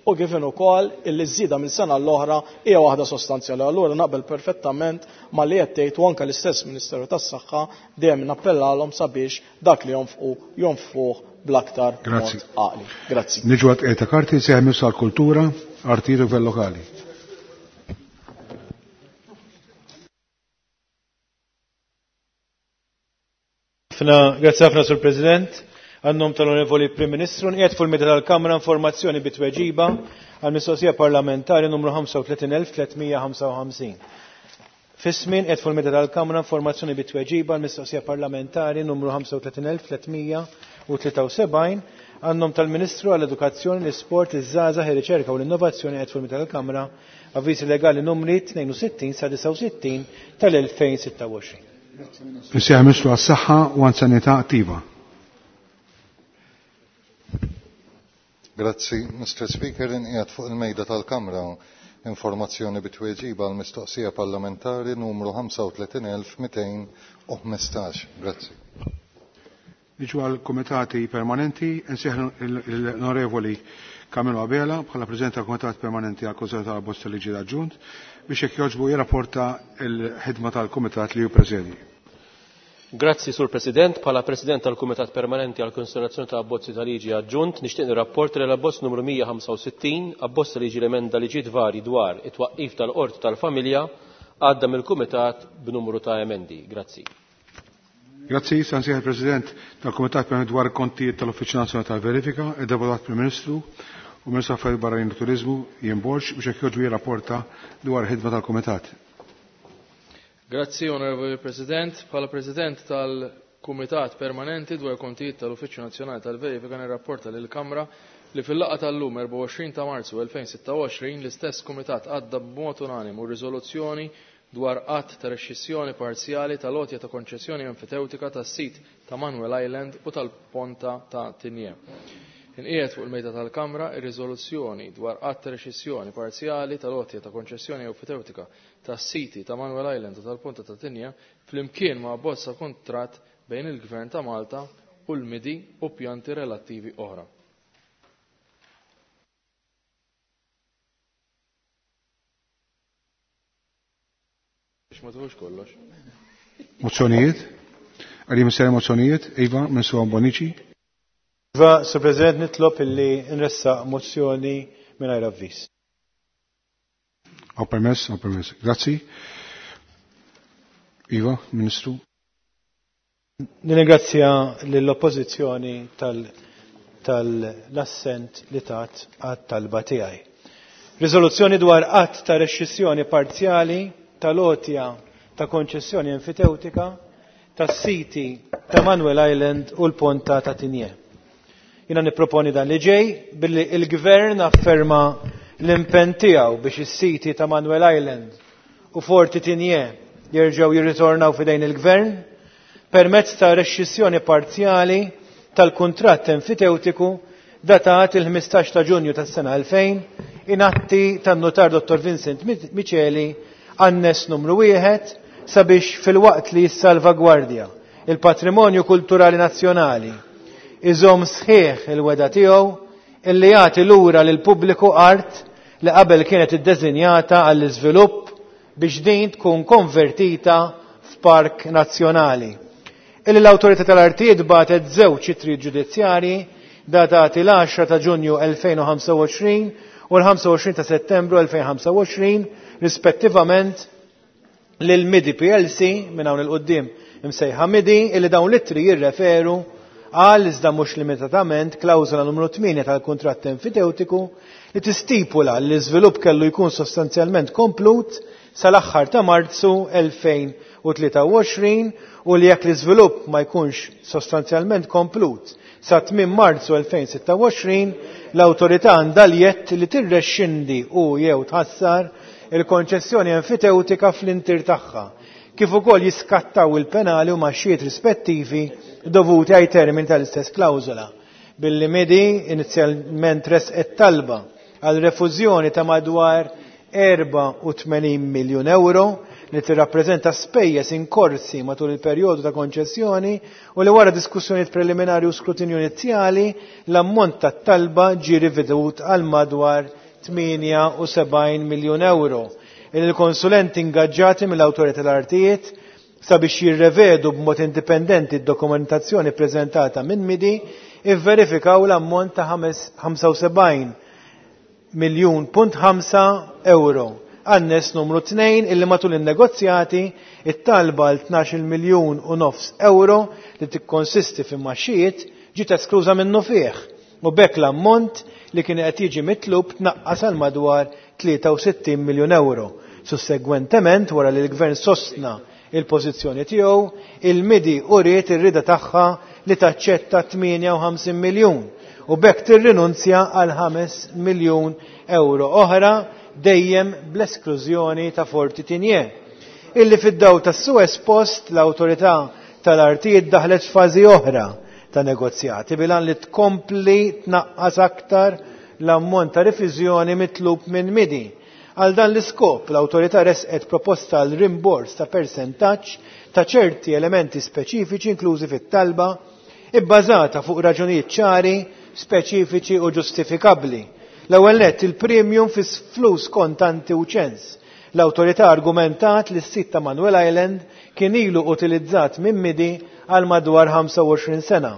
S4: u given ukoll illi żieda minn sena l-oħra hija waħda sostanzjali. Allura naqbel perfettament ma li qed tgħid u anke l-istess Ministeru tas-Saħħa dejjem nappellalhom sabiex dak li jonfqu jonfquh bl-aktar mod
S1: Grazzi.
S4: għaqli. Grazzi.
S1: Niġu għat qiegħda karti se jmiss għall-kultura, artijiet u gvern lokali.
S11: Grazzi ħafna, Sur President. Għan-nom tal-Onorevoli Prim Ministru, nqiegħed fuq il-mejda tal-Kamra informazzjoni bi tweġiba għal mistoqsija parlamentari numru 35355. F'ismi nqiegħed fuq il-mejda tal-Kamra informazzjoni bi tweġiba għal mistoqsija parlamentari numru 35373 għan-nom tal-Ministru għall-Edukazzjoni, l-Isport, iż-Żgħażagħ, ir-Riċerka u l-Innovazzjoni qiegħed fuq il-mejda tal-Kamra avviżi legali numri 62 sa 69 tal-2026.
S1: Insejjaħ Ministru għas-Saħħa u Anzjanità Attiva.
S12: Grazzi, Mr. Speaker, inqiegħed fuq il-mejda tal-Kamra informazzjoni bi tweġiba għal mistoqsija parlamentari numru 35215. Grazzi.
S1: Niġu għal komitati permanenti, insejjaħ l-Onorevoli Camillo Abela bħala President tal-Komitat Permanenti għal Konsulta tal Bosta Liġi Aġġunt biex jekk jogħġbu jirrapporta l-ħidma tal-Kumitat li hu presedi.
S3: Grazzi, Sur President. Bħala President tal-Kumitat Permanenti għal Konsiderazzjoni ta' Abbozzi ta' Liġi Aġġunt, nixtieq nirrapporta li l-abbozz numru 165, abbozz ta' liġi l-emenda liġijiet vari dwar it-twaqqif tal-Qorti tal-Familja, għadda mill-Kumitat b'numru ta' emendi. Grazzi.
S1: Grazzi, sansieħ il-President tal-Kumitat Permanenti dwar kontijiet tal-Uffiċċju Nazzjonali tal-Verifika, id-Deputat Prim Ministru u Ministru Affarijiet Barranin u Turiżmu Ian Borg biex jekk jogħġbu jirrapporta dwar il-ħidma tal-Kumitat.
S13: Grazzi, Onorevoli President. Bħala President tal-Kumitat Permanenti dwar kontijiet tal-Uffiċċju Nazzjonali tal-Verifika nirrapporta lill-Kamra li fil-laqgħa tal-lum 24 ta' Marzu 2026 l-istess Kumitat għadda b'mod unanimu riżoluzzjoni dwar att ta' rexxissjoni parzjali tal-għotja ta' konċessjoni enfitewtika tas-sit ta' Manuel Island u tal-Ponta ta' Tinje. Inqiegħed fuq il-mejda tal-Kamra ir-riżoluzzjoni dwar att ta' rexxissjoni parzjali tal-għotja ta' konċessjoni enfitewtika tas-siti ta' Manuel Island u tal-Ponta ta' Tinja flimkien ma' bozza kuntratt bejn il-Gvern ta' Malta u l-MIDI u pjanti relattivi oħra. Biex ma tuħux kollox.
S1: Mozzjonijiet? Għalli missera mozzjonijiet? Iva, Ministru Bonnici.
S11: Iva, Sur President, nitlob illi nressaq mozzjoni mingħajr avviż.
S1: Għaw permess, għaw permess. Grazzi. Iva, Ministru.
S11: Nirringrazzja lill-Oppożizzjoni tal-assent li tat għat-talba tiegħi. Riżoluzzjoni dwar att ta' rexxissjoni parzjali tal-għotja ta' konċessjoni enfitewtika tas-siti ta' Manuel Island u l-Ponta ta' Tinje. Jiena nipproponi dan li ġej billi il-Gvern afferma l-impenn tiegħu biex is-siti ta' Manuel Island u Forti Tinje jerġgħu jirritornaw f'idejn il-Gvern permezz ta' rexxissjoni parzjali tal-kuntratt enfitewtiku datat il-15 ta' Ġunju tas-sena 2000 in atti tan-notar Dr. Vincent Miceli annes numru 1 sabiex filwaqt li jissalvagwardja il-patrimonju kulturali nazzjonali iżomm sħiħ il-weda tiegħu illi jagħti lura lil pubbliku art li qabel kienet iddeżinjata għall-iżvilupp biex din tkun konvertita f'park nazzjonali. Illi l-Awtorità tal-Artijiet bagħtet żewġ ittri ġudizzjarji datati l-10 ta' Ġunju 2025 u l-25 ta' Settembru 2025 rispettivament lil MIDI PLC minn hawn il-qudiem imsejħa MIDI illi dawn l-ittri jirreferu għal iżda mhux limitatament klawżola numru 8 tal-kuntratt enfiteutiku li tistipula li l-iżvilupp kellu jkun sostanzjalment komplut sal-aħħar ta' Marzu 2023 u li jekk l-iżvilupp ma jkunx sostanzjalment komplut sa tmiem Marzu 2026 l-awtorità għandha l-jett li tirrexxindi u jew tħassar il-konċessjoni enfitewtika fl-intir tagħha kif ukoll jiskattaw il-penali u maxxijiet rispettivi dovuti għaj termin tal-istess klawżola. Billi MIDI inizjalment resqet talba għal refużjoni ta' madwar 84 miljun euro li tirrappreżenta spejjeż inkorsi matul il-perjodu ta' konċessjoni u li wara diskussjonijiet preliminari u skrutinju inizjali l-ammont tat-talba ġie rivedut għal madwar 78 miljun euro. Il-konsulenti ingaġġati mill-Awtorità tal-Artijiet sabiex jirrevedu b'mod indipendenti d-dokumentazzjoni preżentata minn MIDI ivverifikaw l-ammont ta' 75 miljun punt ħamsa euro. Anness numru 2 illi matul in-negozjati it-talba għal 12 miljun u nofs euro li tikkonsisti fi maxijiet ġiet eskluża minnu fih u b'hekk l-ammont li kien qed jiġi mitlub tnaqqas għal madwar 63 miljun euro. Sussegwentement, wara li l-Gvern sostna il-pożizzjoni tiegħu, il-MIDI uriet ir-rieda tagħha li taċċetta 58 miljun u b'hekk tirrinunzja għal 5 miljun euro oħra dejjem bl-esklużjoni ta' Forti Tigné. Illi fid-dawl tas-su espost l-Awtorità tal-Artijiet daħlet f'fażi oħra ta' negozjati bil-għan li tkompli tnaqqas aktar l-ammont ta' rifużjoni mitlub minn MIDI. Għal dan l-iskop, l-awtorità resqet proposta għal rimbors ta' persentaġġ ta' ċerti elementi speċifiċi inklużi fit-talba, ibbażata fuq raġunijiet ċari, speċifiċi u ġustifikabbli. L-ewwel nett il-premium fi flus kontanti u ċens. L-awtorità argumentat li s-sit ta' Manuel Island kien ilu utilizzat minn MIDI għal madwar 25 sena.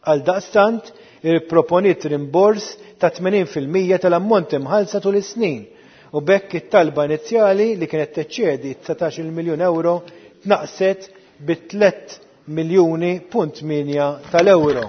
S11: Għal daqstant, ipproponiet rimbors ta' 80% tal-ammont imħallsa tul is-snin u b'hekk it-talba inizjali li kienet teċċedi 19 miljun euro tnaqqset bi 3 miljuni punt 8 tal-euro.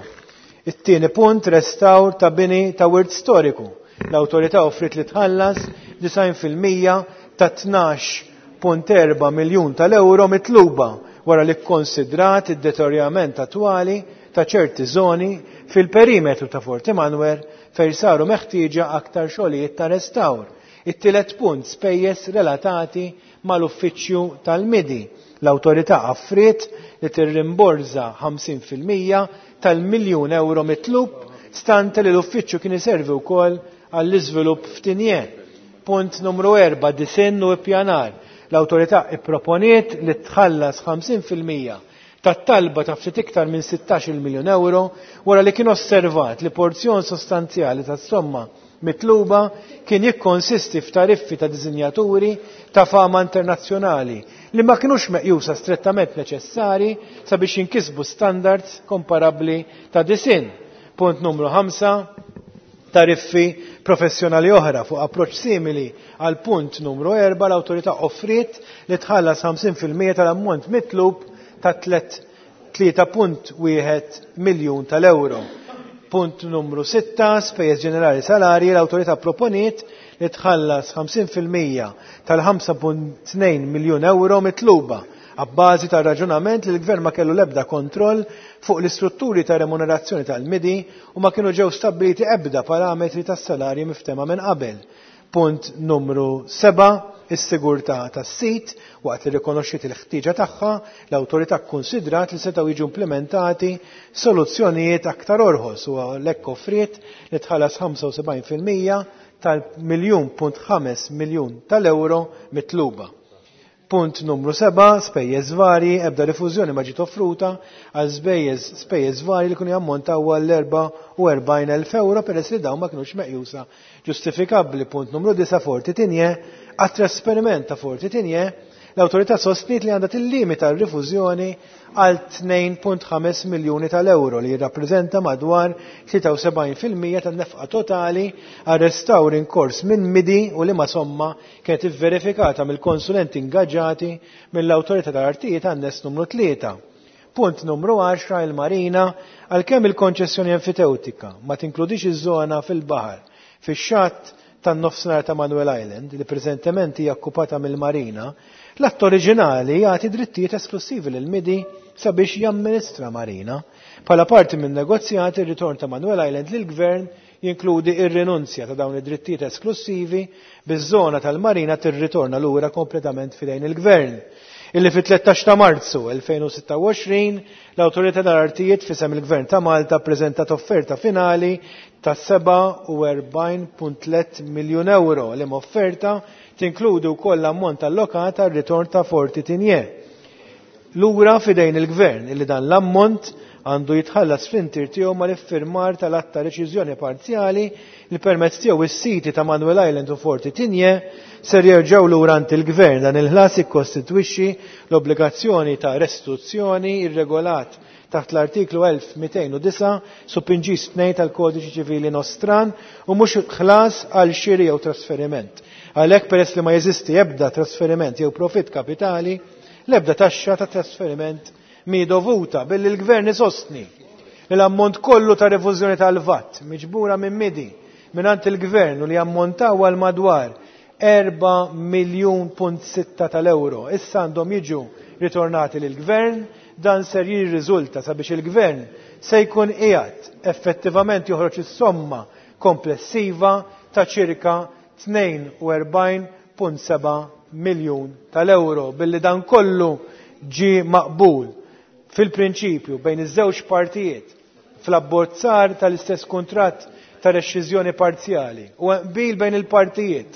S11: It-tieni punt restawr ta' bini ta' wirt storiku. L-awtorità offrit li tħallas 90% ta' 12.4 miljun tal-euro mitluba wara li kkonsidrat id-deterjament attwali ta' ċerti zoni fil-perimetru ta' Fort Emanuel fejn saru meħtieġa aktar xogħlijiet ta' restawr. It-tielet punt spejjeż relatati mal-uffiċċju tal-MIDI. L-awtorità offriet li tirrimborża 50% tal-miljun euro mitlub stante li l-uffiċċju kien iservi wkoll għall-iżvilupp f'Tinje. Punt numru 4, disinn u ippjanar. L-awtorità ipproponiet li tħallas 50% tat-talba ta' ftit iktar minn 16 miljun euro wara li kien osservat li porzjon sostanzjali tas-somma mitluba kien jikkonsisti f'tariffi ta' disinjaturi ta' fama internazzjonali li ma kinux meqjusa strettament neċessari sabiex jinkisbu standards komparabbli ta' disinn. Punt numru 5, tariffi professjonali oħra fuq approċċ simili għal punt numru 4 l-awtorità offriet li tħallas 50% tal-ammont mitlub ta' 3.1 miljun tal-euro. Punt numru 6, spejjeż ġenerali salarji, l-awtorità proponiet li tħallas 50% tal-5.2 miljun euro mitluba għabbażi ta' raġunament li l-gvern ma kellu l-ebda kontroll fuq l-istrutturi ta' remunerazzjoni tal-MIDI u ma kienu ġew stabbiliti ebda parametri tas-salarji miftema minn qabel. Punt numru 7, is-sigurtà tas-sit, waqt li rikonoxxiet il-ħtieġa tagħha, l-awtorità kkunsidrat li setgħu jiġu implementati soluzzjonijiet aktar orħos u għalhekk offriet li tħallas 75% tal-miljun punt ħames miljun tal-euro mitluba. Punt numru 7, spejjeż varji, ebda rifużjoni ma ġiet offruta għal spejjeż varji li kienu jammontaw għal 44,000 euro peress li dawn ma kinux meqjusa ġustifikabbli. Punt numru 9, Forti Tigné, għat-trasferiment ta' Forti Tigné, l-awtorità sostniet li għandha tillimita r-rifużjoni għal 2.5 miljuni tal-euro li jirrappreżenta madwar 73% tan-nefqa totali għal restawr in kors minn MIDI u liema somma kienet ivverifikata mill-konsulenti ingaġġati mill-awtorità tal-artijiet għan-nes numru 3. Punt numru 10, il-Marina, għalkemm il-konċessjoni enfiteutika ma tinkludix iż-żona fil-baħar fix-xatt tan-nofsinhar ta' Manuel Island li preżentement hija okkupata mill-Marina, l-att oriġinali jagħti drittijiet esklusivi lil MIDI sabiex jamministra Marina. Bħala parti minn negozjati, ir-ritorn ta' Manuel Island lill-Gvern jinkludi ir-rinunzja ta' dawn id-drittijiet esklusivi biż-żona tal-Marina tirritorna lura kompletament fidejn il-Gvern. Illi fit-13 ta' Marzu 2026 l-Awtorità tal-Artijiet fisem il-Gvern ta' Malta ppreżentat offerta finali ta' 47.3 miljun euro li offerta tinkludi wkoll l-ammont allokat għal ritorn ta' Forti Tigné. Lura fidejn il-Gvern illi dan l-ammont għandu jitħallas fl-intir tiegħu mal-iffirmar tal-att ta' reċiżjoni parzjali li permezz tiegħu is-siti ta' Manuel Island u Forti Tigné ser jerġgħu lura għand il-Gvern. Dan il-ħlas jikkostitwixxi l-obbligazzjoni ta' restituzzjoni irregolat taħt l-artiklu 1209 subinġis 2 tal-Kodiċi Ċivili Nostran u mhux ħlas għal xiri jew trasferiment. Għalhekk peress li ma jeżisti ebda trasferiment jew profitt kapitali, l-ebda taxxa ta' trasferiment mi dovuta billi l-gvern isostni li l-ammont kollu ta' rifużjoni tal-VAT miġbura minn midi mingħand il-gvern u li ammontaw għal madwar 4 miljun punt sitta tal-euro issa għandhom jiġu ritornati lill-gvern, dan ser jirriżulta sabiex il-gvern se jkun qiegħed effettivament joħroġ is-somma komplessiva ta' ċirka 42.7 miljun tal-euro billi dan kollu ġie maqbul fil-prinċipju bejn iż-żewġ partijiet fl-abbozzar tal-istess kuntratt ta' rexxiżjoni parzjali u hemm qbil bejn il-partijiet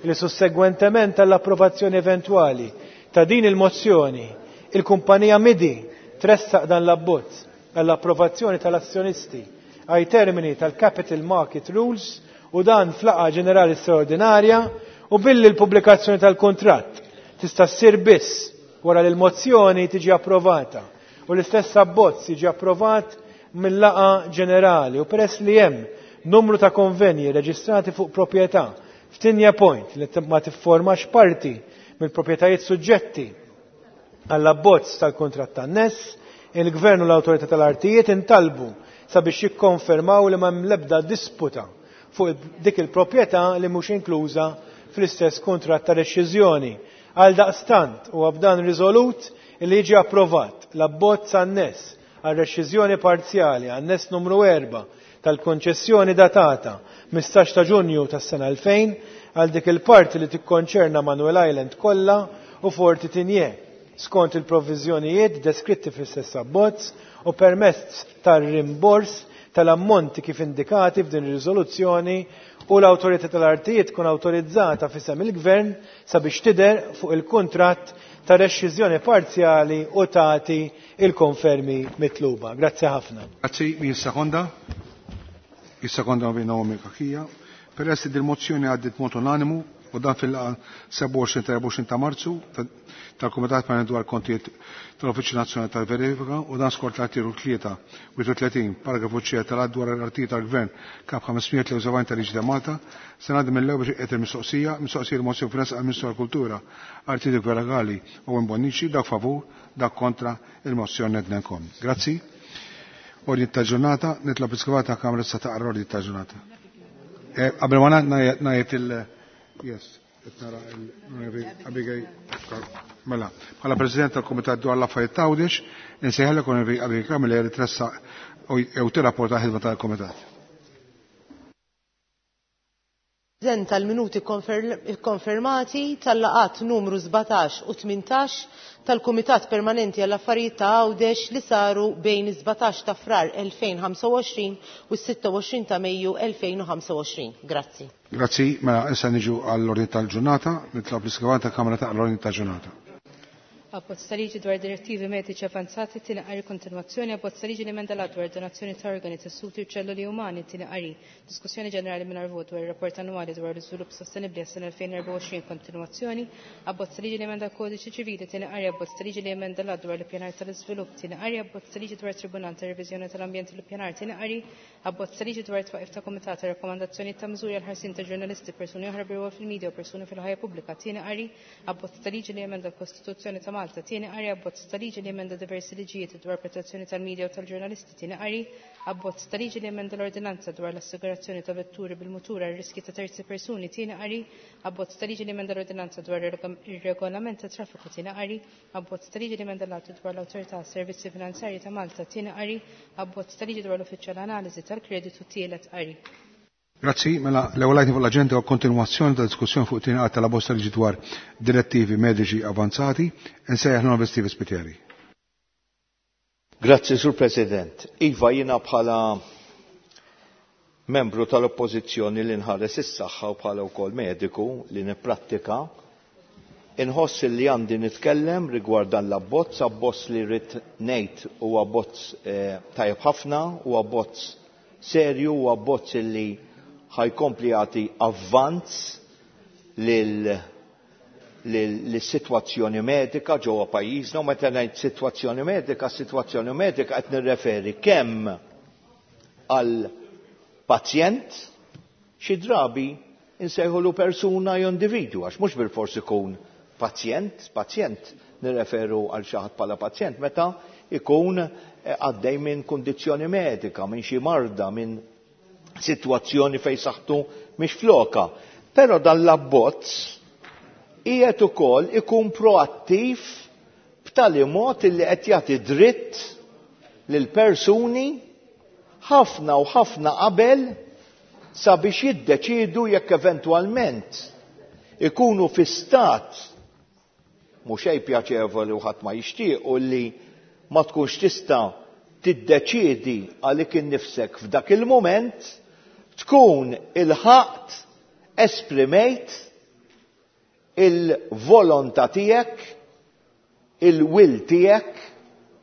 S11: li sussegwentement għall-approvazzjoni eventwali ta' din il-mozzjoni il-kumpanija Midi tressaq dan l-abbozz għall-approvazzjoni tal-azzjonisti ai termini tal-Capital Market Rules u dan f'laqgħa ġenerali straordinarja u billi l-pubblikazzjoni tal-kuntratt tista' ssir biss wara li l-mozzjoni tiġi approvata u l-istess abbozz jiġi approvat mil-laqgħa ġenerali u peress li hemm numru ta' konvenji reġistrati fuq proprjetà f'Tinja Point li ma tifformax parti mill-proprjetajiet suġġetti għall-abbozz tal-kuntratt anness, il-Gvern u l-Awtorità tal-Artijiet intalbu sabiex jikkonfermaw li ma hemm l-ebda disputa fuq dik il-proprjetà li mhux inkluża fl-istess kuntratt ta' rexxiżjoni. Għaldaqstant, huwa b'dan riżolut li jiġi approvat l-abbozz anness għar-rexxiżjoni parzjali, anness numru 4, tal-konċessjoni datata 15 ta' Ġunju tas-sena 2000 għal dik il-parti li tikkonċerna Manuel Island kollha u Forti Tigné, skont il-provviżjonijiet deskritti fl-istess abbozz u permezz tar-rimbors tal-ammonti kif indikati f'din ir-riżoluzzjoni u l-Awtorità tal-Artijiet tkun awtorizzata f'isem il-Gvern sabiex tidher fuq il-kuntratt ta' rexxiżjoni parzjali u tagħti l-konfermi mitluba. Grazzi ħafna.
S1: Grazzi, min jissekonda? Jissekonda Naomi Cachia. Peress li dil-mozzjoni għaddiet b'mod unanimu u dan fil-laqgħa 27 ta' 24 ta' Marzu tal-Kumitat Permanenti dwar Kontijiet tal-Uffiċċju Nazzjonali tal-Verifika u dan skont l-artikolu 33 paragrafu C tal-Att dwar l-Artijiet tal-Gvern Kap 573 tal-Liġi ta' Malta, se ngħaddi mill-ewwel biex inqiegħed il-mistoqsija, mistoqsija l-mozzjoni f'resqa għall-Ministru għall-Kultura, Artijiet u Legali Owen Bonnici, dak favur, dak kontra il-mozzjoni nednenkom. Grazzi. Ordni ta' ġurnata, nitlob iskrivat ta' Kamra sa taqra ordni ta' ġurnata. Qabel ma ngħid il- Yes, qed nara l-Onorevoli Abigail Mela, bħala President tal-Kumitat dwar l-Affarijiet ta' Għawdex, insejħalek Onorevoli Abigail Camilleri tressaq jew tirrapporta l-ħidma tal-Kumitat.
S8: Preżenta l-minuti kkonfermati tal-laqgħat numru 17 u 18 tal-Kumitat Permanenti għall-Affarijiet ta' Għawdex li saru bejn is-17 ta' Frar 2025 u s-26 ta' Mejju 2025. Grazzi.
S1: Grazzi, mela issa niġu għall-ordni tal-ġurnata, nitlob l-iskrivan tal-Kamra taqra l-ordni tal-ġurnata.
S2: Abbozz ta' liġi dwar direttivi mediċi avanzati tieni qari kontinwazzjoni abbozz ta' liġi li emenda l-att dwar donazzjoni ta' organi, tessuti u ċelloli umani tieni qari diskussjoni ġenerali mingħajr vot dwar ir-rapport annwali dwar l-iżvilupp sostenibbli għas-sena 2024 kontinwazzjoni abbozz ta' liġi li emenda l-kodiċi ċivili tieni qari abbozz ta' liġi li emenda l-att dwar l-ippjanar tal-iżvilupp tieni qari abbozz ta' liġi dwar tribunal ta' reviżjoni tal-ambjent u l-ippjanar tieni qari abbozz ta' liġi dwar it-twaqqif ta' kumitat ta' rakkomandazzjonijiet ta' miżuri għall-ħarsien ta' ġurnalisti persuni oħra bi rwol fil-media u persuni fil-ħajja pubblika tieni qari abbozz ta' liġi li jemenda l-Kostituzzjoni ta' Malta tieni qari abbozz ta' liġi li jemenda diversi liġijiet dwar protezzjoni tal-media u tal-ġurnalisti tieni qari abbozz ta' liġi li jemenda l-ordinanza dwar l-assigurazzjoni ta' vetturi bil-mutur għal riski ta' terzi persuni tieni qari abbozz ta' liġi li jemenda l-ordinanza dwar ir-regolament ta' traffiku tieni qari abbozz ta' liġi li jemenda l-att dwar l-Awtorità għas-Servizzi Finanzjarji ta' Malta tieni qari abbozz ta' liġi dwar l-Uffiċċju għall-Analiżi tal-Kreditu tielet qari.
S1: Grazzi, mela l-ewwel item fuq l-aġenda huwa kontinwazzjoni ta' diskussjoni fuq tieni qari tal-abbozz ta' liġi dwar direttivi mediċi avanzati. Insejjaħ l-Onorevoli Steve Spiteri.
S10: Grazzi, Sur President. Iva, jiena bħala membru tal-Oppożizzjoni li nħares is-saħħa u bħala wkoll mediku li nipprattika, inħoss li għandi nitkellem rigward dan l-abbozz, abbozz li rrid ngħid huwa abbozz tajjeb ħafna, huwa abbozz serju, huwa abbozz li ħajkompli jagħti avvanz lil lis-sitwazzjoni medika ġewwa pajjiżna u meta ngħid sitwazzjoni medika, sitwazzjoni medika qed nirreferi kemm għal pazjent xi drabi insejħulu persuna jew individwu għax mhux bilfors ikun pazjent, pazjent nirreferu għal xi ħadd bħala pazjent meta ikun għaddej minn kundizzjoni medika, minn xi marda, minn sitwazzjoni fejn saħħtu mhix floka. Però dan l-abbozz qiegħed ukoll ikun proattiv b'tali mod illi qed jagħti dritt lil persuni ħafna u ħafna qabel sabiex jiddeċiedu jekk eventwalment ikunu fi stat mhux xejn pjaċevoli u ħadd ma jixtiequ li ma tkunx tista' tiddeċiedi għalik innifsek f'dak il-mument, tkun ilħaqt esprimejt il-volontà tiegħek, il-will tiegħek,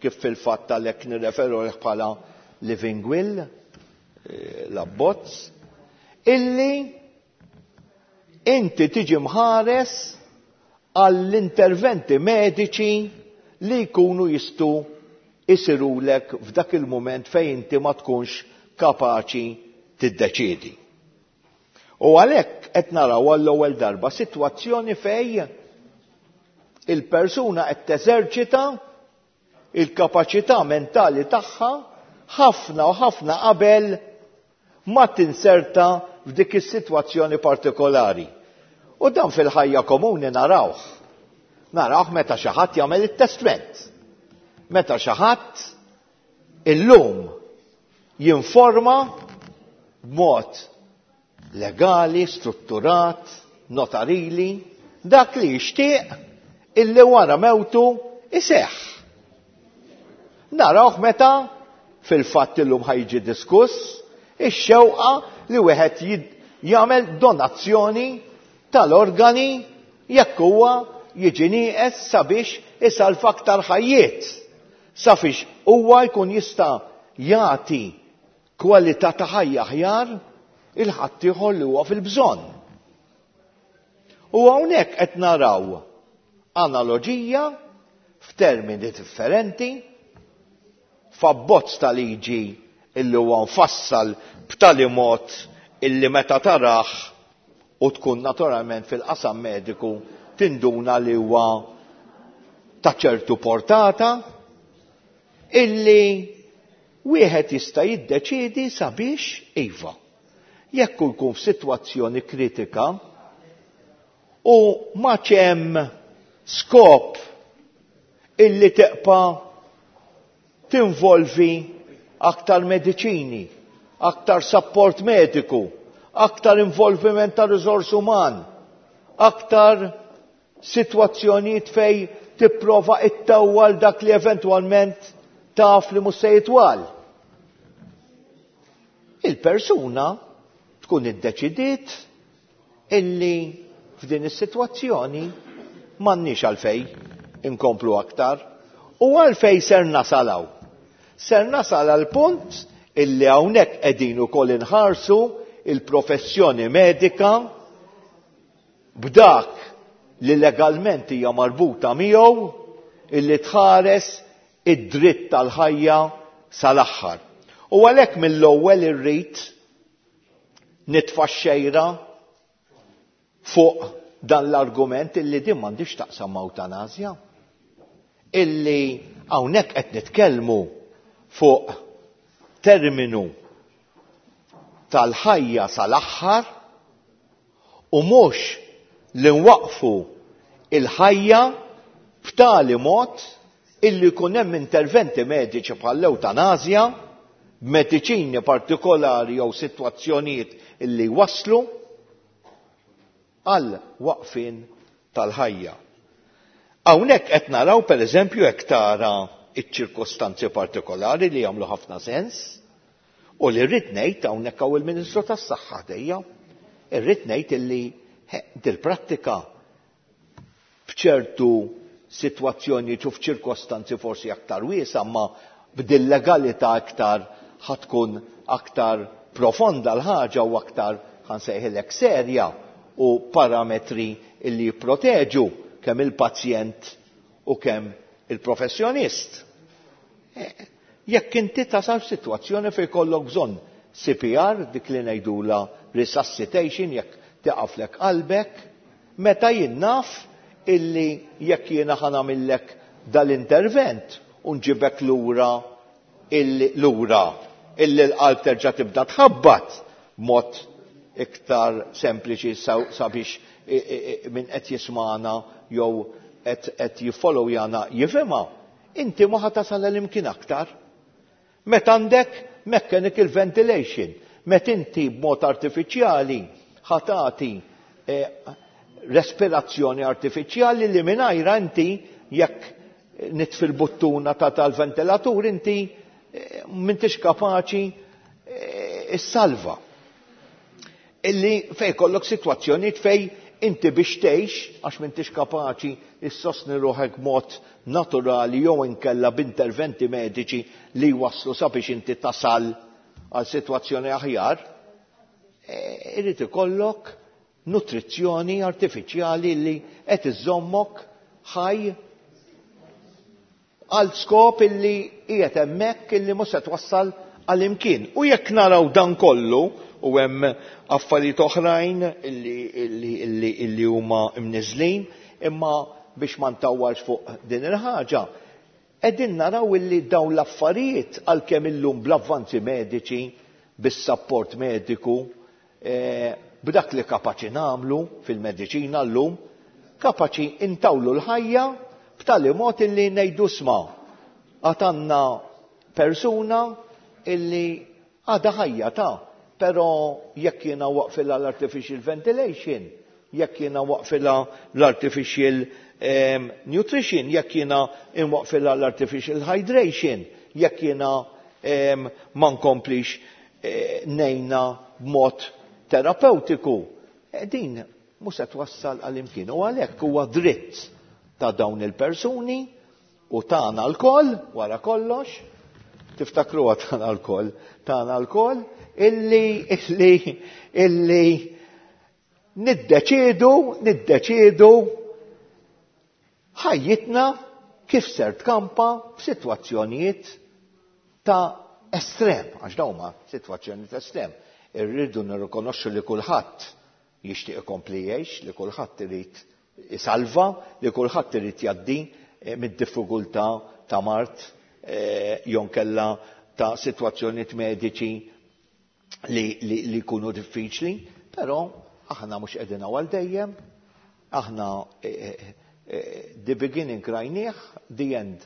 S10: kif fil-fatt għalhekk nirreferu għalih bħala living will, l-abbozz, illi inti tiġi mħares għall-interventi mediċi li jkunu jistgħu isirulek f'dak il-mument fejn inti ma tkunx kapaċi tiddeċiedi. U għalhekk qed naraw għall-ewwel darba sitwazzjoni fej il-persuna qed teżerċita il-kapaċità mentali tagħha ħafna u ħafna qabel ma tinserta f'dik is-sitwazzjoni partikolari. U dan fil-ħajja komuni narawh. Narawh meta xi ħadd jagħmel it-testment. Meta xi ħadd illum jinforma b'mod legali, strutturat, notarili, dak li jixtieq illi wara mewtu iseħħ. Narawh meta fil-fatt illum ħajġi diskuss ix-xewqa li wieħed jagħmel donazzjoni tal-organi jekk huwa jiġi nieqes sabiex isalva aktar ħajjiet, sabiex huwa jkun jista' jagħti kwalità ta' ħajja aħjar il-ħaddieħor li huwa fil-bżonn. U hawnhekk qed naraw analoġija f'termini differenti f'abbozz ta' liġi illi huwa mfassal b'tali mod illi meta tarah u tkun naturalment fil-qasam mediku tinduna li huwa ta' ċertu portata illi wieħed jista' jiddeċiedi sabiex iva. Jekk hu jkun f'sitwazzjoni kritika u ma hemm skop illi teqpa' tinvolvi aktar mediċini, aktar support mediku, aktar involviment ta' riżors uman, aktar sitwazzjonijiet fej tipprova ittawwal dak li eventwalment taf li mhux se jitwal. Il-persuna tkun iddeċidiet illi f'din is-sitwazzjoni m'għandniex għalfej inkomplu aktar u għalfej ser nasalaw. Ser nasal għal punt illi hawnhekk qegħdin ukoll inħarsu il-professjoni medika b'dak li legalment hija marbuta miegħu illi tħares id-dritt tal-ħajja sal-aħħar. U għalhekk mill-ewwel irrid nitfa' xejra fuq dan l-argument illi din m'għandix taqsam ma' ewtanasja. Illi hawnhekk qed nitkellmu fuq terminu tal-ħajja sal-aħħar u mhux li nwaqfu il-ħajja b'tali mod illi jkun hemm interventi mediċi bħall-ewtanasja, b'mediċini partikolari jew sitwazzjonijiet illi waslu għal waqfien tal-ħajja. Hawnhekk qed naraw pereżempju jekk tara iċ-ċirkostanzi partikolari li jagħmlu ħafna sens u li rrid ngħid hawnhekk hawn il-Ministru tas-Saħħa ħdejja, irrid ngħid illi dil-prattika f'ċertu sitwazzjonijiet u f'ċirkostanzi forsi aktar wiesa' ma b'dil-legalità aktar ħatkun aktar profonda l-ħaġa u aktar ħansejħilek serja u parametri illi jipproteġu. kemm il-pazjent u kemm il-professjonist. Jekk inti tasal f'sitwazzjoni fejn jkollok bżonn CPR, dik li ngħidulha resuscitation, jekk tiqaflek qalbek, meta jien naf illi jekk jiena ħa nagħmillek dal-intervent u nġibek lura illi lura illi l-qalb terġa' tibda tħabbat b'mod iktar sempliċi sabiex min qed jismagħna jew qed jiffollowjana jifhimha, inti ma ħa tasal għal imkien aktar. Meta għandek mechanical ventilation, meta inti b'mod artifiċjali ħa tagħti respirazzjoni artifiċjali li mingħajrha inti jekk nitfi l-buttuna ta' tal-ventilatur inti m'intix kapaċi issalva. Illi fej kollok sitwazzjonijiet fej inti biex tgħix għax m'intix kapaċi issostni ruħek mod naturali jew inkella b'interventi mediċi li jwasslu sabiex inti tasal għal sitwazzjoni aħjar, irid ikollok nutrizzjoni artifiċjali li qed iżommok ħaj għal skop illi qiegħed hemmhekk illi mhux se twassal għal imkien. U jekk naraw dan kollu u hemm affarijiet oħrajn illi huma mniżlin, imma biex ma ntawwalx fuq din il-ħaġa, qegħdin naraw illi dawn l-affarijiet għalkemm illum bl-avvanzi mediċi, bis-sapport mediku, b'dak li kapaċi nagħmlu fil-mediċina llum, kapaċi intawlu l-ħajja b'tali mod illi ngħidu sma' għad għandna persuna illi għadha ħajja ta', però jekk jiena waqfilha l-artificial ventilation, jekk jiena waqfilha l-artificial nutrition, jekk jiena inwaqfilha l-artificial hydration, jekk jiena ma nkomplix ngħinha b'mod terapeutiku, din mhux se twassal għal imkien. U għalhekk huwa dritt ta' dawn il-persuni u tagħna lkoll, wara kollox, tiftakruha tagħna lkoll, tagħna lkoll, illi niddeċiedu ħajjitna kif ser tkampa f'sitwazzjonijiet ta' estrem, għax dawn huma sitwazzjonijiet estrem. Irridu nirrikonoxxu li kulħadd jixtieq ikompli jgħix, li kulħadd irid isalva, li kulħadd irid jgħaddi mid-diffikultà ta' mard jew kella ta' sitwazzjonijiet mediċi li jkunu diffiċli, però aħna mhux qegħdin għal dejjem, aħna the beginning rajnieh, the end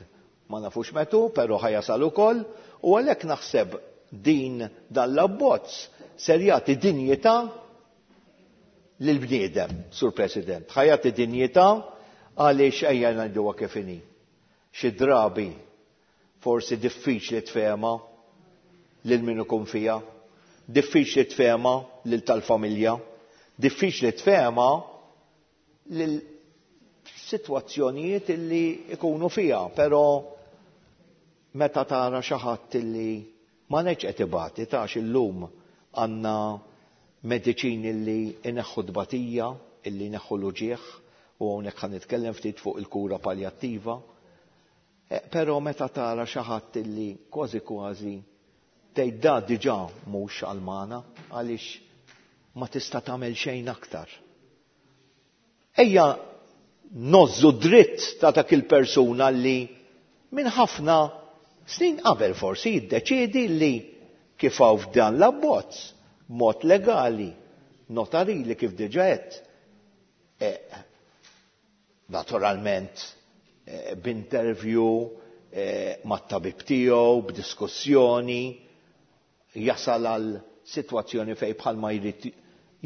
S10: ma nafux metu, però ħajasal ukoll, u għalhekk naħseb din dan l-abbozz ser jagħti dinjità lill-bniedem, Sur President. Ħa jagħti dinjità għaliex ejja ngħiduha kif inhi. Xi drabi forsi diffiċli tfehma lil min ikun fiha, diffiċli tfehma lil tal-familja, diffiċli tfehma lil sitwazzjonijiet illi ikunu fiha, però meta tara xi ħadd illi ma ngħidx qed ibati, tax illum għandna mediċini li ineħħu tbatija, illi ineħħu l-uġigħ, u hawnhekk ħa nitkellem ftit fuq il-kura paljattiva. Però meta tara xi ħadd illi kważi kważi tgħid da diġà mhux għal-magħna għaliex ma tista' tagħmel xejn aktar. Ejja nozzu dritt ta' dak il-persuna li minn ħafna snin qabel forsi jiddeċiedi li kif hawn f'dan l-abbozz mod legali, notarili kif diġà għedt, naturalment b'interview mat-tabib tiegħu, b'diskussjoni, jasal għal sitwazzjoni fejn bħalma jrid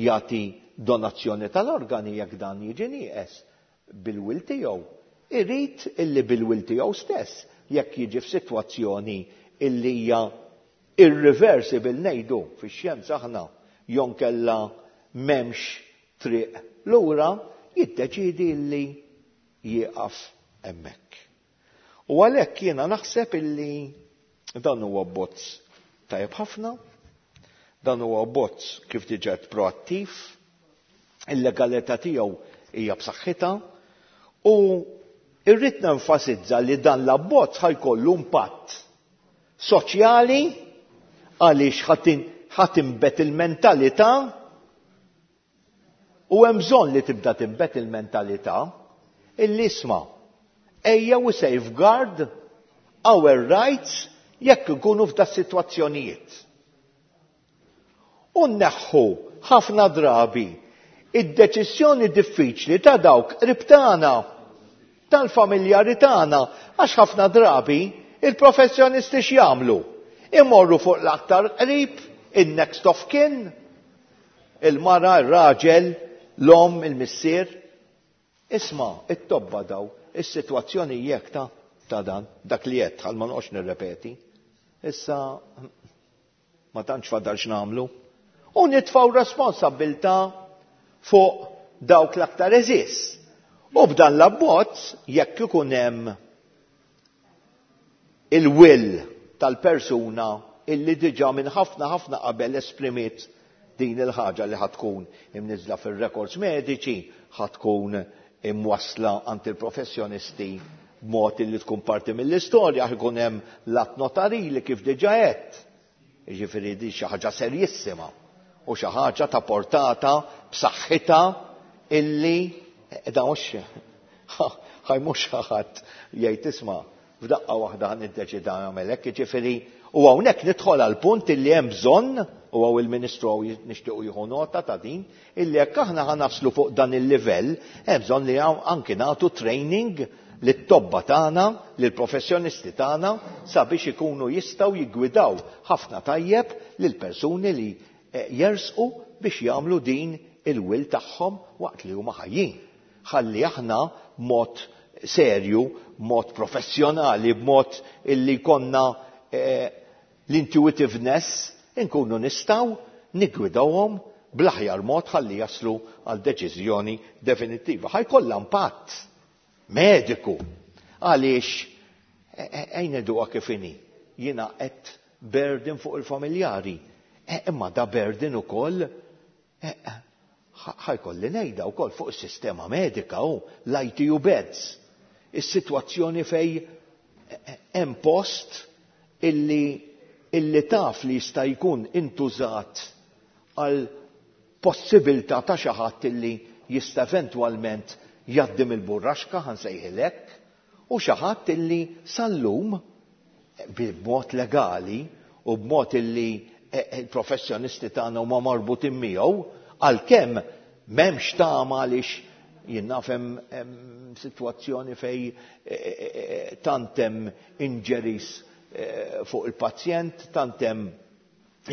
S10: jagħti donazzjoni tal-organi jekk dan jiġi nieqes bil-will tiegħu. Irid illi bil-will tiegħu stess jekk jiġi f'sitwazzjoni illi hija irreversible ngħidu fix-xjenza aħna jonkella m'hemmx triq lura, jiddeċiedi illi jieqaf hemmhekk. U għalhekk jiena naħseb illi dan huwa abbozz tajjeb ħafna, dan huwa abbozz kif diġà proattiv, il-legalità tiegħu hija b'saħħitha U irrid nenfasizza li dan l-abbozz ħa jkollu impatt soċjali għaliex ħa tinbet il-mentalità u hemm bżonn li tibda tinbet il-mentalità illi isma' ejja we safeguard our rights jekk ikunu f'da sitwazzjonijiet. U nneħħu ħafna drabi id-deċiżjoni diffiċli ta' dawk qrib tagħna, tal-familjari tagħna, għax ħafna drabi il-professjonisti x'jagħmlu? Imorru fuq l-aktar qrib, in-next of kin, il-mara, ir-raġel, l-omm, il-missier. Isma', it-tobba daw, is-sitwazzjoni jekk ta' ta' dan, dak li għedt, ħalli ma noqgħodx nirrepeti. Issa ma tantx fadal x'nagħmlu. U nitfgħu responsabbiltà fuq dawk l-aktar għeżież. U b'dan l-abbozz jekk ikun hemm il-will tal-persuna illi diġà minn ħafna ħafna qabel esprimiet din il-ħaġa li ħa tkun imniżżla fir-records mediċi, ħa tkun imwassla għand il-professjonisti b'mod illi tkun parti mill-istorja, ħa jkun hemm l-att notarili kif diġà għedt. Jiġifieri din xi ħaġa serjissima u xi ħaġa ta' portata b'saħħitha illi da mhux ħaj mhux ħadd jgħid isma' f'daqqa waħda ħa niddeċida nagħmel hekk, jiġifieri u hawnhekk nidħol għal punt illi hemm bżonn u hawn il-Ministru hawn nixtiequ jieħu nota ta' din, illi jekk aħna ħa naslu fuq dan il-livell, hemm bżonn li anki nagħtu training lit-tobba tagħna, lill-professjonisti tagħna sabiex ikunu jistgħu jiggwidaw ħafna tajjeb lill-persuni li jersqu biex jagħmlu din il-will tagħhom waqt li huma ħajjin. Ħalli aħna b'mod serju, b'mod professjonali, b'mod illi jkollna l-intuitiveness inkunu nistgħu niggwidawhom bl-aħjar mod ħalli jaslu għal deċiżjoni definittiva. Ħa jkollha impatt mediku għaliex ejn ngħiduha kif inhi. Jiena qed burden fuq il-familjari. Imma da burden ukoll ħa jkolli ngħidha wkoll fuq is-sistema medika u l-ITU beds. Is-sitwazzjoni fej hemm post illi taf li jista' jkun intużat għal possibilità ta' xi ħadd illi jista' eventwalment jgħaddi mill-burraxka ħa nsejħilek u xi ħadd illi sal-lum b'mod legali u b'mod illi il-professjonisti tagħna huma marbutin miegħu għalkemm m'hemmx tama għaliex jien naf hemm sitwazzjoni fej tant hemm injuries fuq il-pazjent, tant hemm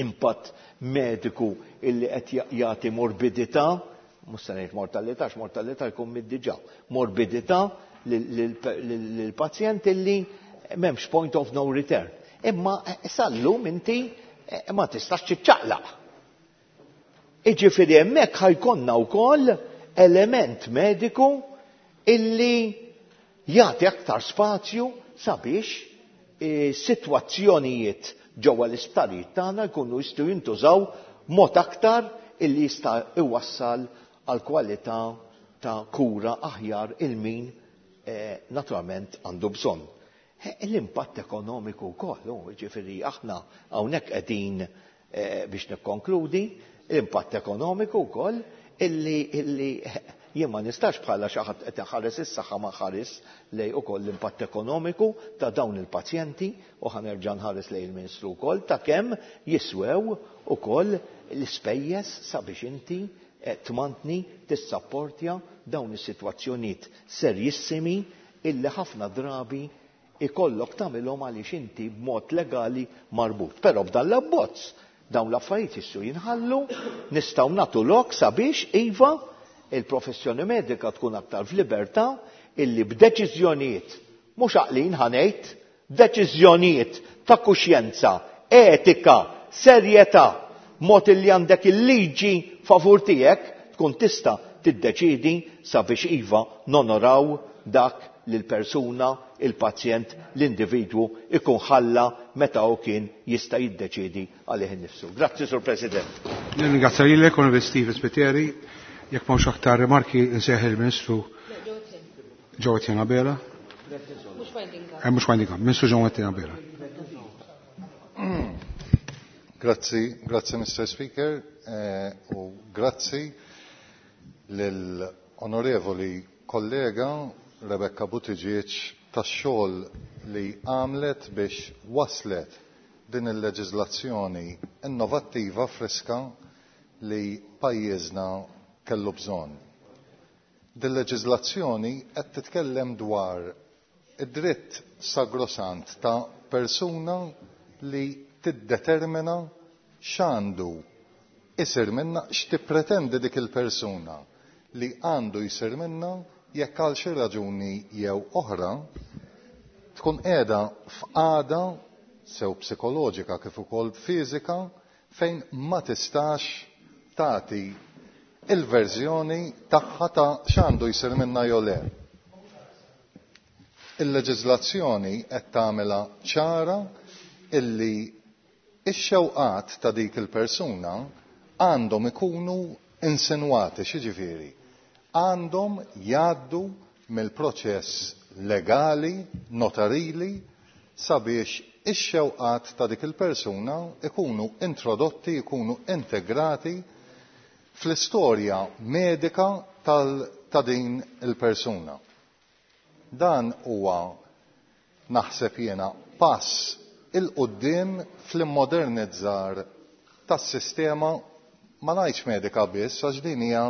S10: impatt mediku illi qed jagħti morbidità, mhux se ngħid mortalità, għax mortalità jkun miet diġà, morbidità lill-pazjent illi m'hemmx point of no return. Imma sal-lum inti ma tistax tiċċaqlaq. Iġifieri hemmhekk ħa jkollna wkoll element mediku illi jagħti aktar spazju sabiex sitwazzjonijiet ġewwa l-isptarijiet tagħna jkunu jistgħu jintużaw mod aktar illi jista' iwassal għal kwalità ta' kura aħjar il min naturalment għandu bżonn. L-impatt ekonomiku wkoll, jiġifieri aħna hawnhekk qegħdin biex nikkonkludi, l-impatt ekonomiku wkoll illi jien ma nistax bħala xi ħadd qed iħares is-saħħa ma nħares lej ukoll l-impatt ekonomiku ta' dawn il-pazjenti u ħa nerġa' nħares lejn il-Ministru wkoll ta' kemm jiswew ukoll l-ispejjeż sabiex inti tmantni tissapportja dawn is-sitwazzjonijiet serjissimi illi ħafna drabi ikollok tagħmilhom għaliex inti b'mod legali marbut. Però b'dan l-abbozz dawn l-affarijiet jistgħu jinħallu, nistgħu nagħtu lok sabiex iva il-professjoni medika tkun aktar f'libertà illi b'deċiżjonijiet mhux għaqlin ħa ngħid, deċiżjonijiet ta' kuxjenza, etika, serjetà, mod illi għandek il-liġi favur tiegħek tkun tista' tiddeċidi sabiex iva nonoraw dak li l-persuna, il-pazjent, l-individwu ikun ħalla meta hu kien jista' jiddeċiedi għalih innifsu. Grazzi, Sur President.
S1: Nirringrazzja lilek, Onorevoli Steve Spiteri. Jekk m'hawnx aktar rimarki nsejjaħ il-Ministru. Jo Etienne Abela.
S2: Mhux winding up.
S1: Mhux winding up, Ministru Jo Etienne Abela.
S12: Grazzi, grazzi Mr. Speaker, u grazzi lill-onorevoli kollega Rebecca Buttigieg tax-xogħol li għamlet biex waslet din il-leġiżlazzjoni innovattiva friska li pajjiżna kellu bżonn. Din leġiżlazzjoni qed titkellem dwar id-dritt sagrosant ta' persuna li tiddetermina x'għandu isir minna, x'tippretendi dik il-persuna li għandu jsir minna jekk għal xi raġuni jew oħra tkun qiegħda f'qagħda sew psikoloġika kif ukoll fiżika fejn ma tistax tagħti il-verżjoni tagħha ta' x'għandu jsir minna jew le. Il-leġiżlazzjoni qed tagħmilha ċara illi ix-xewqat ta' dik il-persuna għandhom ikunu insinwati, x'jiġifieri għandhom jgħaddu mill-proċess legali, notarili, sabiex ix-xewqat ta' dik il-persuna ikunu introdotti, ikunu integrati fl-istorja medika ta' din il-persuna. Dan huwa, naħseb jiena, pass il-quddiem fl-immodernizzar tas-sistema, ma ngħidx medika biss, għax din hija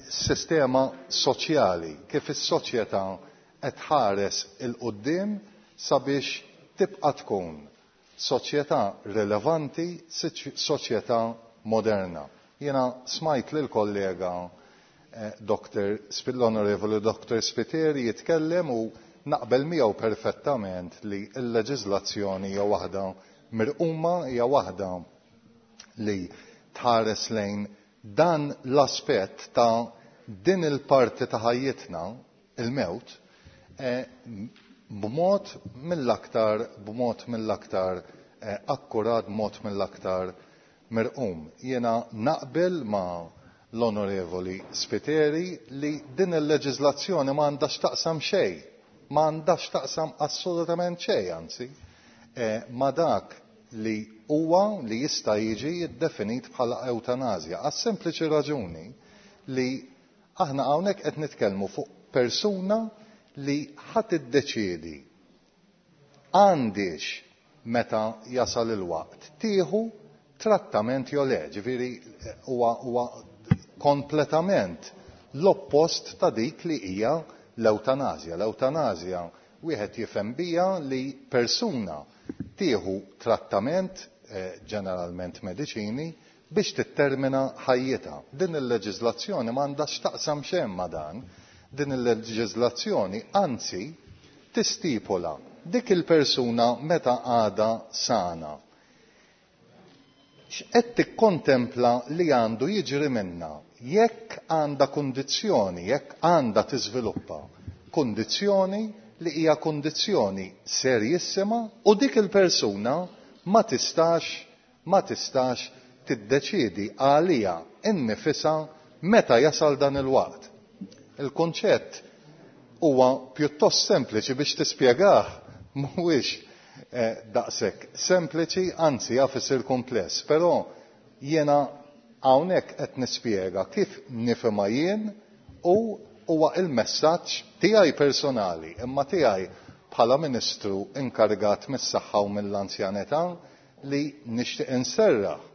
S12: sistema soċjali, kif is-soċjetà qed tħares il-quddiem sabiex tibqa' tkun soċjetà rilevanti, soċjetà moderna. Jiena smajt lil kollega Dr. l-Onorevoli Dr. Spiteri jitkellem u naqbel miegħu perfettament li l-leġiżlazzjoni hija waħda mirquma, hija waħda li tħares lejn dan l-aspett ta' din il-parti ta' ħajjitna, il-mewt, b'mod mill-aktar, b'mod mill-aktar akkurat, b'mod mill-aktar mirqum. Jiena naqbel ma' l-Onorevoli Spiteri li din il-leġiżlazzjoni ma għandha x'taqsam xejn, ma għandha x'taqsam assolutament xejn, anzi, ma' dak li huwa li jista' jiġi ddefinit bħala eutanazja, għas-sempliċi raġuni li aħna hawnhekk qed nitkellmu fuq persuna li ħadd iddeċiedi għandix meta jasal il-waqt tieħu trattament jew le, ġifieri huwa kompletament l-oppost ta' dik li hija l-eutanazja. L-eutanazja wieħed jifhem bija li persuna tieħu trattament, ġeneralment mediċini, biex tittermina ħajjitha. Din il-leġiżlazzjoni ma għandha x'taqsam xejn ma' dan. Din il-leġiżlazzjoni anzi tistipula dik il-persuna meta għadha sana. X'qed tikkontempla li għandu jiġri minna jekk għandha kundizzjoni, jekk għandha tiżviluppa kundizzjoni li hija kundizzjoni serjissima u dik il-persuna ma tistax tiddeċiedi għalija innifisha meta jasal dan il-waqt. Il-kunċett huwa pjuttost sempliċi biex tispjegah, mhuwiex daqshekk sempliċi, anzi jaf isir kumpless, però jiena hawnhekk qed nispjega kif nifhimha jien u huwa il-messaġġ tiegħi personali, imma tiegħi bħala Ministru inkarigat mis-saħħa u mill-anzjanità li nixtieq inserraħ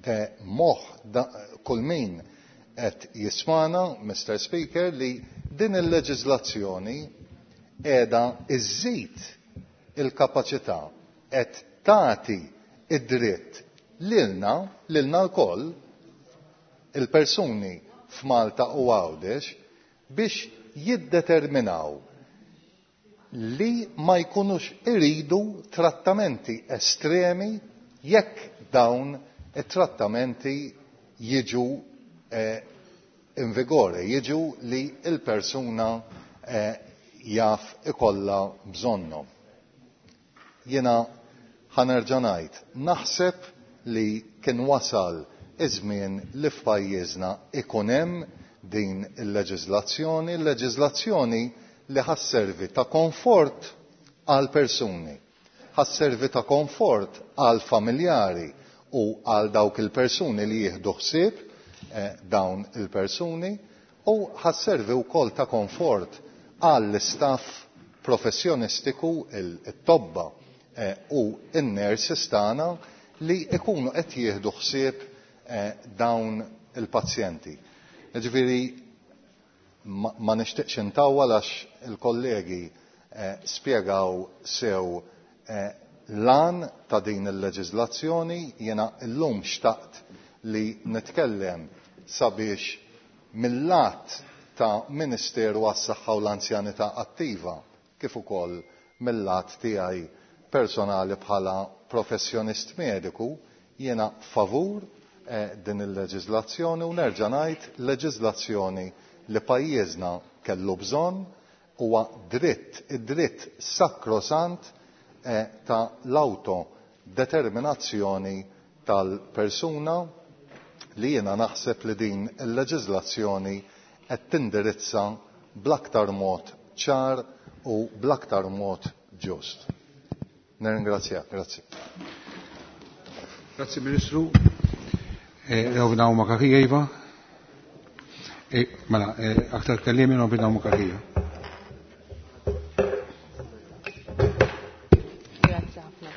S12: moħħ kull min qed jismana, Mr. Speaker, li din il-leġiżlazzjoni qiegħda iżżid il-kapaċità, qed tagħti id-dritt lilna lkoll, il-persuni f'Malta u Għawdex, biex jiddeterminaw li ma jkunux iridu trattamenti estremi jekk dawn it-trattamenti jiġu in vigore, jiġu li il-persuna jaf ikollha bżonnhom. Jiena ħanerġa' ngħid, naħseb li kien wasal iż-żmien li f'pajjiżna ikun hemm din il-leġiżlazzjoni, leġiżlazzjoni li ħa sservi ta' konfort għal persuni, ħa sservi ta' konfort għal familjari u għal dawk il-persuni li jieħdu ħsieb dawn il-persuni u ħa sservi wkoll ta' konfort għall-istaff professjonistiku, it-tobba u n-nurses tagħna li jkunu qed jieħdu ħsieb dawn il-pazjenti. Jiġifieri ma nixtieqx intawwal għax il-kollegi spjegaw sew l-għan ta' din il-leġiżlazzjoni. Jiena llum xtaqt li nitkellem sabiex mill-lat ta' Ministeru għas-Saħħa u l-Anzjanità Attiva kif ukoll mill-lat tiegħi personali bħala professjonist mediku jiena favur din il-leġiżlazzjoni u nerġa' ngħid leġiżlazzjoni li pajjiżna kellu bżonn huwa dritt, id-dritt sakrosant ta' l-autodeterminazzjoni tal-persuna li jiena naħseb li din il-leġiżlazzjoni qed tindirizza bl-aktar mod ċar u bl-aktar mod ġust. Nirringrazzjak, grazzi.
S1: Grazzi Ministru. Rovna u Makakija, Iva. Mela, aktar kellimi Rovna u Makakija.
S8: Grazzi ħafna.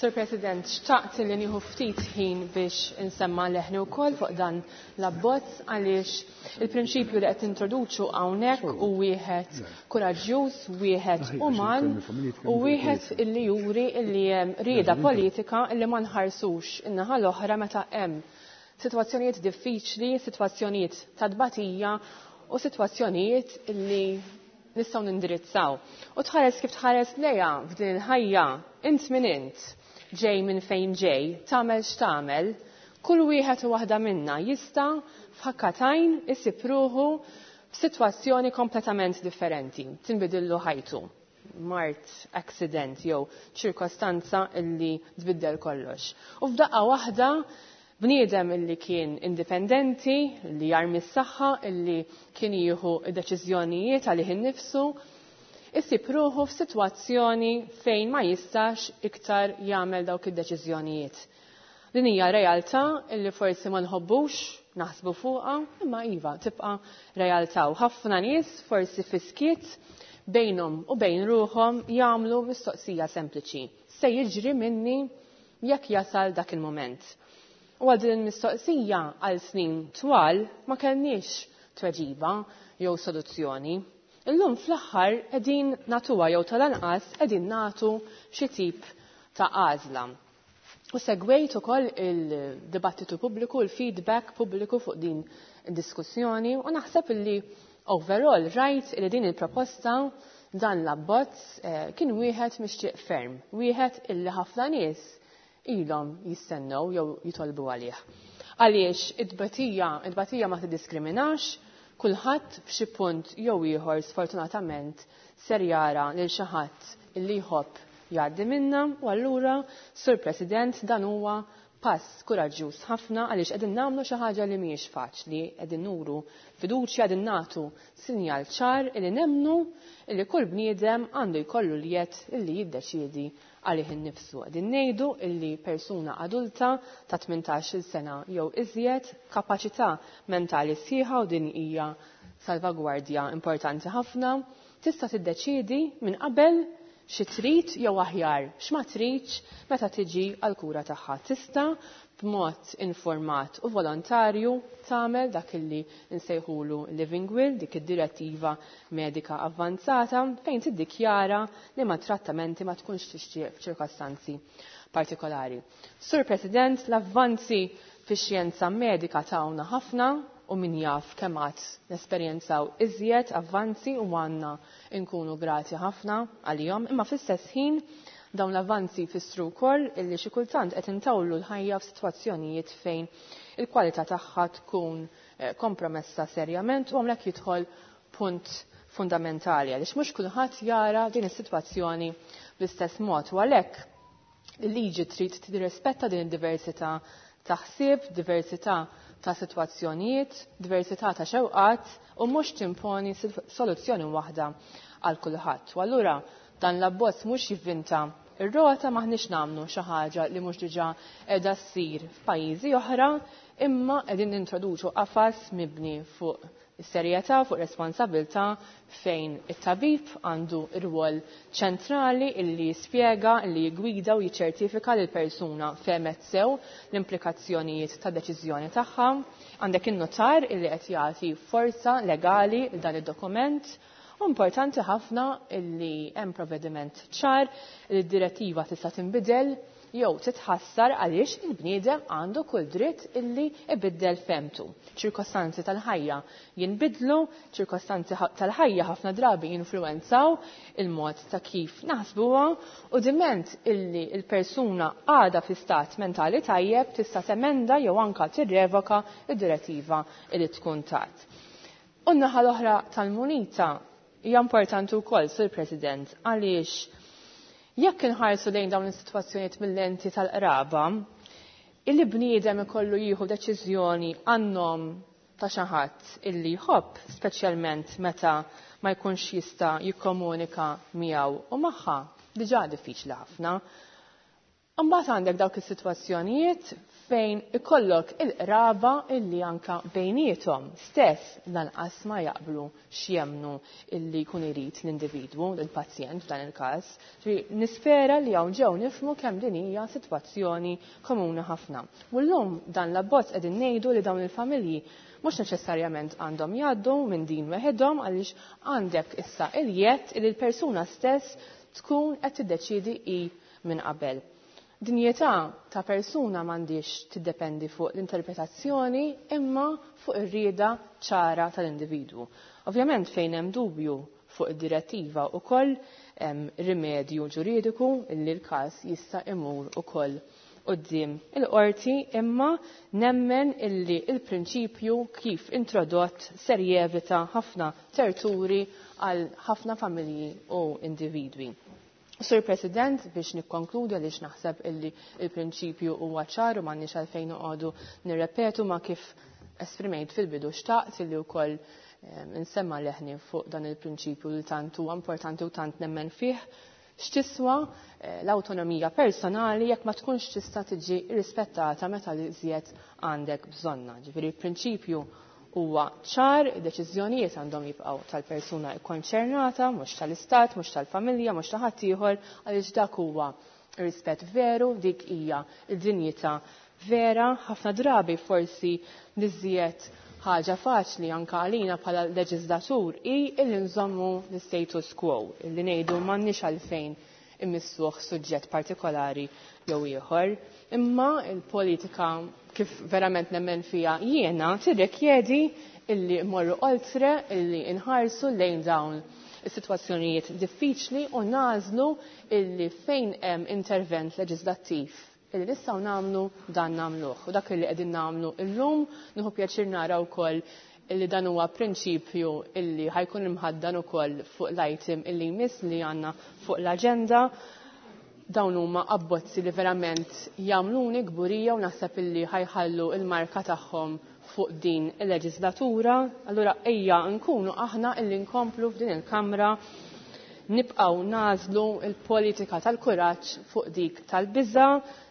S8: Sir President, xtaqt li nieħu ftit ħin biex insemma leħni wkoll fuq dan l-abbozz għaliex il-prinċipju li qed introduċu hawnhekk hu wieħed kuraġġjuż, wieħed uman u wieħed illi juri illi hemm rieda politika illi ma nħarsux in-naħa l-oħra meta hemm sitwazzjonijiet diffiċli, sitwazzjonijiet ta' tbatija u sitwazzjonijiet illi nistgħu nindirizzaw. U tħares kif tħares lejha f'din il-ħajja, int min int, ġej minn fejn ġej, tagħmel x'tagħmel, kull wieħed u waħda minna jista' f'ħakkatajn isib ruħu f'sitwazzjoni kompletament differenti, tinbidillu ħajtu. Mart, accident jew ċirkostanza illi tbiddel kollox. U f'daqqa waħda bniedem illi kien indipendenti, illi jarmi s-saħħa, illi kien jieħu deċiżjonijiet għalih innifsu, isib ruħu f'sitwazzjoni fejn ma jistax iktar jagħmel dawk id-deċiżjonijiet. Din hija realtà illi forsi ma nħobbux naħsbu fuqha, imma iva tibqa' realtà u ħafna nies forsi fiskiet bejnhom u bejn ruħhom jagħmlu mistoqsija sempliċi. Se jiġri minni jekk jasal dak il-moment. U għal din il-mistoqsija għal snin twal ma kellniex tweġiba jew soluzzjoni. Illum fl-aħħar qegħdin nagħtuha jew tal-anqas qegħdin nagħtu xi tip ta' għażla. U segwejt ukoll il-dibattitu pubbliku, il-feedback pubbliku fuq din id-diskussjoni u naħseb illi overall rajt illi din il-proposta dan l-abbozz kien wieħed mixtieq ferm, wieħed illi ħafna nies ilhom jistennew jew jitolbu għalih. Għaliex it-tbatija ma tiddiskriminax, kulħadd f'xi punt jew ieħor sfortunatament ser jara lil xi ħadd illi jħobb jgħaddi minna u allura, Sur President, dan huwa pass kuraġġjuż ħafna għaliex qegħdin nagħmlu xi ħaġa li mhijiex faċli, qegħdin nuru fiduċja, qegħdin nagħtu sinjal ċar illi nemmnu illi kull bniedem għandu jkollu l-jedd illi jiddeċiedi għalih innifsu. Qegħdin ngħidu illi persuna adulta ta' 18-il sena jew iżjed, kapaċità mentali sħiħa u din hija salvagwardja importanti ħafna, tista' tiddeċiedi minn qabel xi trid jew aħjar x'ma tridx meta tiġi għall-kura tagħha. Tista' b'mod informat u volontarju tagħmel dak illi nsejħulu living will, dik id-direttiva medika avvanzata fejn tiddikjara li ma trattamenti ma tkunx tixtieq f'ċirkostanzi partikolari. Sur President, l-avvanzi fix-xjenza medika tawna ħafna u min jaf kemm għad nesperjenzaw iżjed avvanzi u għandna nkunu grati ħafna għalihom, imma fl-istess ħin dawn l-avvanzi jfissru wkoll illi xi kultant qed intawlu l-ħajja f'sitwazzjonijiet fejn il-kwalità tagħha tkun kompromessa serjament u hawnhekk jidħol punt fundamentali għaliex mhux kulħadd jara din is-sitwazzjoni bl-istess mod u għalhekk Il-liġi trid tirrispetta din id-diversità ta' ħsieb, diversità ta' sitwazzjonijiet, diversità ta' xewqat u mhux timponi soluzzjoni waħda għal kulħadd. U allura dan l-abbozz mhux jivvinta ir-rota, maħniex nagħmlu xi ħaġa li mhux diġà qiegħda ssir f'pajjiżi oħra, imma qegħdin nintroduċu qafas mibni fuq is-serjetà, fuq responsabilità, fejn it-tabib għandu rwol ċentrali illi jispjega, illi jigwida u jiċċertifika li l-persuna fehmet sew l-implikazzjonijiet ta' deċiżjoni tagħha. Għandek in-notar illi qed jagħti forza legali l dan id-dokument. U importanti ħafna illi hemm provvediment ċar li d-direttiva tista' tinbidel jew titħassar għaliex il-bniedem għandu kull dritt illi ibiddel femtu. Ċirkostanzi tal-ħajja jinbidlu, ċirkostanzi tal-ħajja ħafna drabi jinfluwenzaw il-mod ta' kif naħsbuha, u diment illi il-persuna għadha fi stat mentali tajjeb tista' temenda jew anka tirrevoka id-direttiva illi tkun tat. U n-naħa l-oħra tal-munita hija importanti wkoll, Sur President, għaliex jekk inħarsu lejn dawn is-sitwazzjonijiet mill-lenti tal-qraba, illi bniedem ikollu jieħu deċiżjoni għan-nom ta' xi ħadd illi jħobb, speċjalment meta ma jkunx jista' jikkomunika miegħu u magħha, diġà diffiċli ħafna. Imbagħad għandek dawk is-sitwazzjonijiet fejn ikollok il-qraba illi anka bejniethom stess lanqas ma jaqblu x'jemnu illi jkun irid l-individwu, il-pazjent f'dan il-każ. Ġifieri nispera li hawn ġew nifhmu kemm din hija sitwazzjoni komuni ħafna. U llum dan l-abbozz qegħdin ngħidu li dawn il-familji mhux neċessarjament għandhom jgħaddu minn din weħidhom, għaliex għandek issa il-jett li l-persuna stess tkun qed tiddeċiedi hi minn qabel. Dinjità ta' persuna m'għandix tiddependi fuq l-interpretazzjoni imma fuq ir-rieda ċara tal-individwu. Ovvjament fejn hemm dubju fuq id-direttiva wkoll hemm rimedju ġuridiku illi l-każ jista' imur ukoll quddiem il-qorti, imma nemmen illi il-prinċipju kif introdott ser jevita ħafna terturi għal ħafna familji u individwi. Sur President, biex nikkonkludi għaliex naħseb illi il-prinċipju huwa ċar u m'għandniex għalfejn noqogħdu nirrepetu ma kif esprimejt fil-bidu, xtaqt illi wkoll insemma leħni fuq dan il-prinċipju li tant huwa importanti u tant nemmen fih. X'tiswa l-awtonomija personali jekk ma tkunx tista' tiġi rispettata meta li żjed għandek bżonna. Ġifieri il-prinċipju huwa ċar, id-deċiżjonijiet għandhom jibqgħu tal-persuna kkonċernata, mhux tal-istat, mhux tal-familja, mhux ta' ħaddieħor, għaliex dak huwa rispett veru, dik hija d-dinjità vera. Ħafna drabi forsi niżjed ħaġa faċli anka għalina bħala leġislatur hi illi nżommu l-status quo, illi ngħidu m'għandniex għalfejn immissuh suġġett partikolari jew ieħor, imma il-politika kif verament nemmen fija jiena tirrikjedi illi mmorru oltre, illi nħarsu lejn dawn is-sitwazzjonijiet diffiċli u nażlu illi fejn hemm intervent leġislattiv illi nistgħu nagħmlu dan nagħmluh. U dak illi qegħdin nagħmlu illum, nieħu pjaċir nara wkoll illi dan huwa prinċipju illi ħajkun imħaddan ukoll fuq l-item illi jmiss li għandna fuq l-aġenda. Dawn huma abbozzi li verament jagħmluni kburija u naħseb illi ħajħallu il-marka tagħhom fuq din il-leġislatura. Allura ejja nkunu aħna illi nkomplu f'din il-Kamra nibqgħu nażlu il-politika tal-kuraġġ fuq dik tal-biża',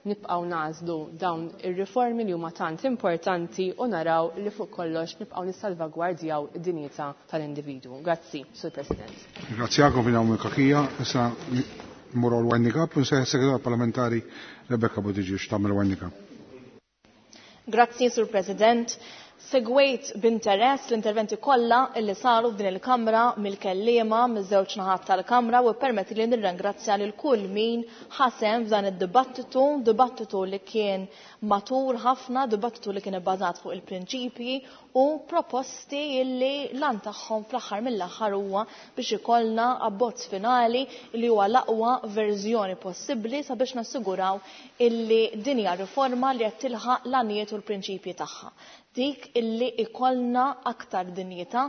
S8: nibqgħu nażlu dawn ir-riformi li huma tant importanti u naraw li fuq kollox nibqgħu nissalvagwardjaw id-dinjità tal-individwu. Grazzi, Sur President.
S1: Grazzi għakom fina hawn il-kakija. Issa mmur għal winding up u nsejħ segretar parlamentari Rebecca Buttigieg tagħmel winding up.
S14: Grazzi, Sur President. Segwejt b'interess l-interventi kollha illi saru f'din il-Kamra mill-kelliema miż-żewġ naħat tal-Kamra u permetti li nirringrazzja lil kull min ħasem f'dan id-dibattitu, dibattitu li kien matur ħafna, dibattitu li kien ibbażat fuq il-prinċipji u proposti illi lan tagħhom fl-aħħar mill-aħħar huwa biex ikollna abbozz finali li huwa l-aqwa verżjoni possibbli sabiex nassiguraw illi din hija riforma li qed tilħaq l-għanijiet u l-prinċipji tagħha. Dik Dik illi ikollna aktar dinjità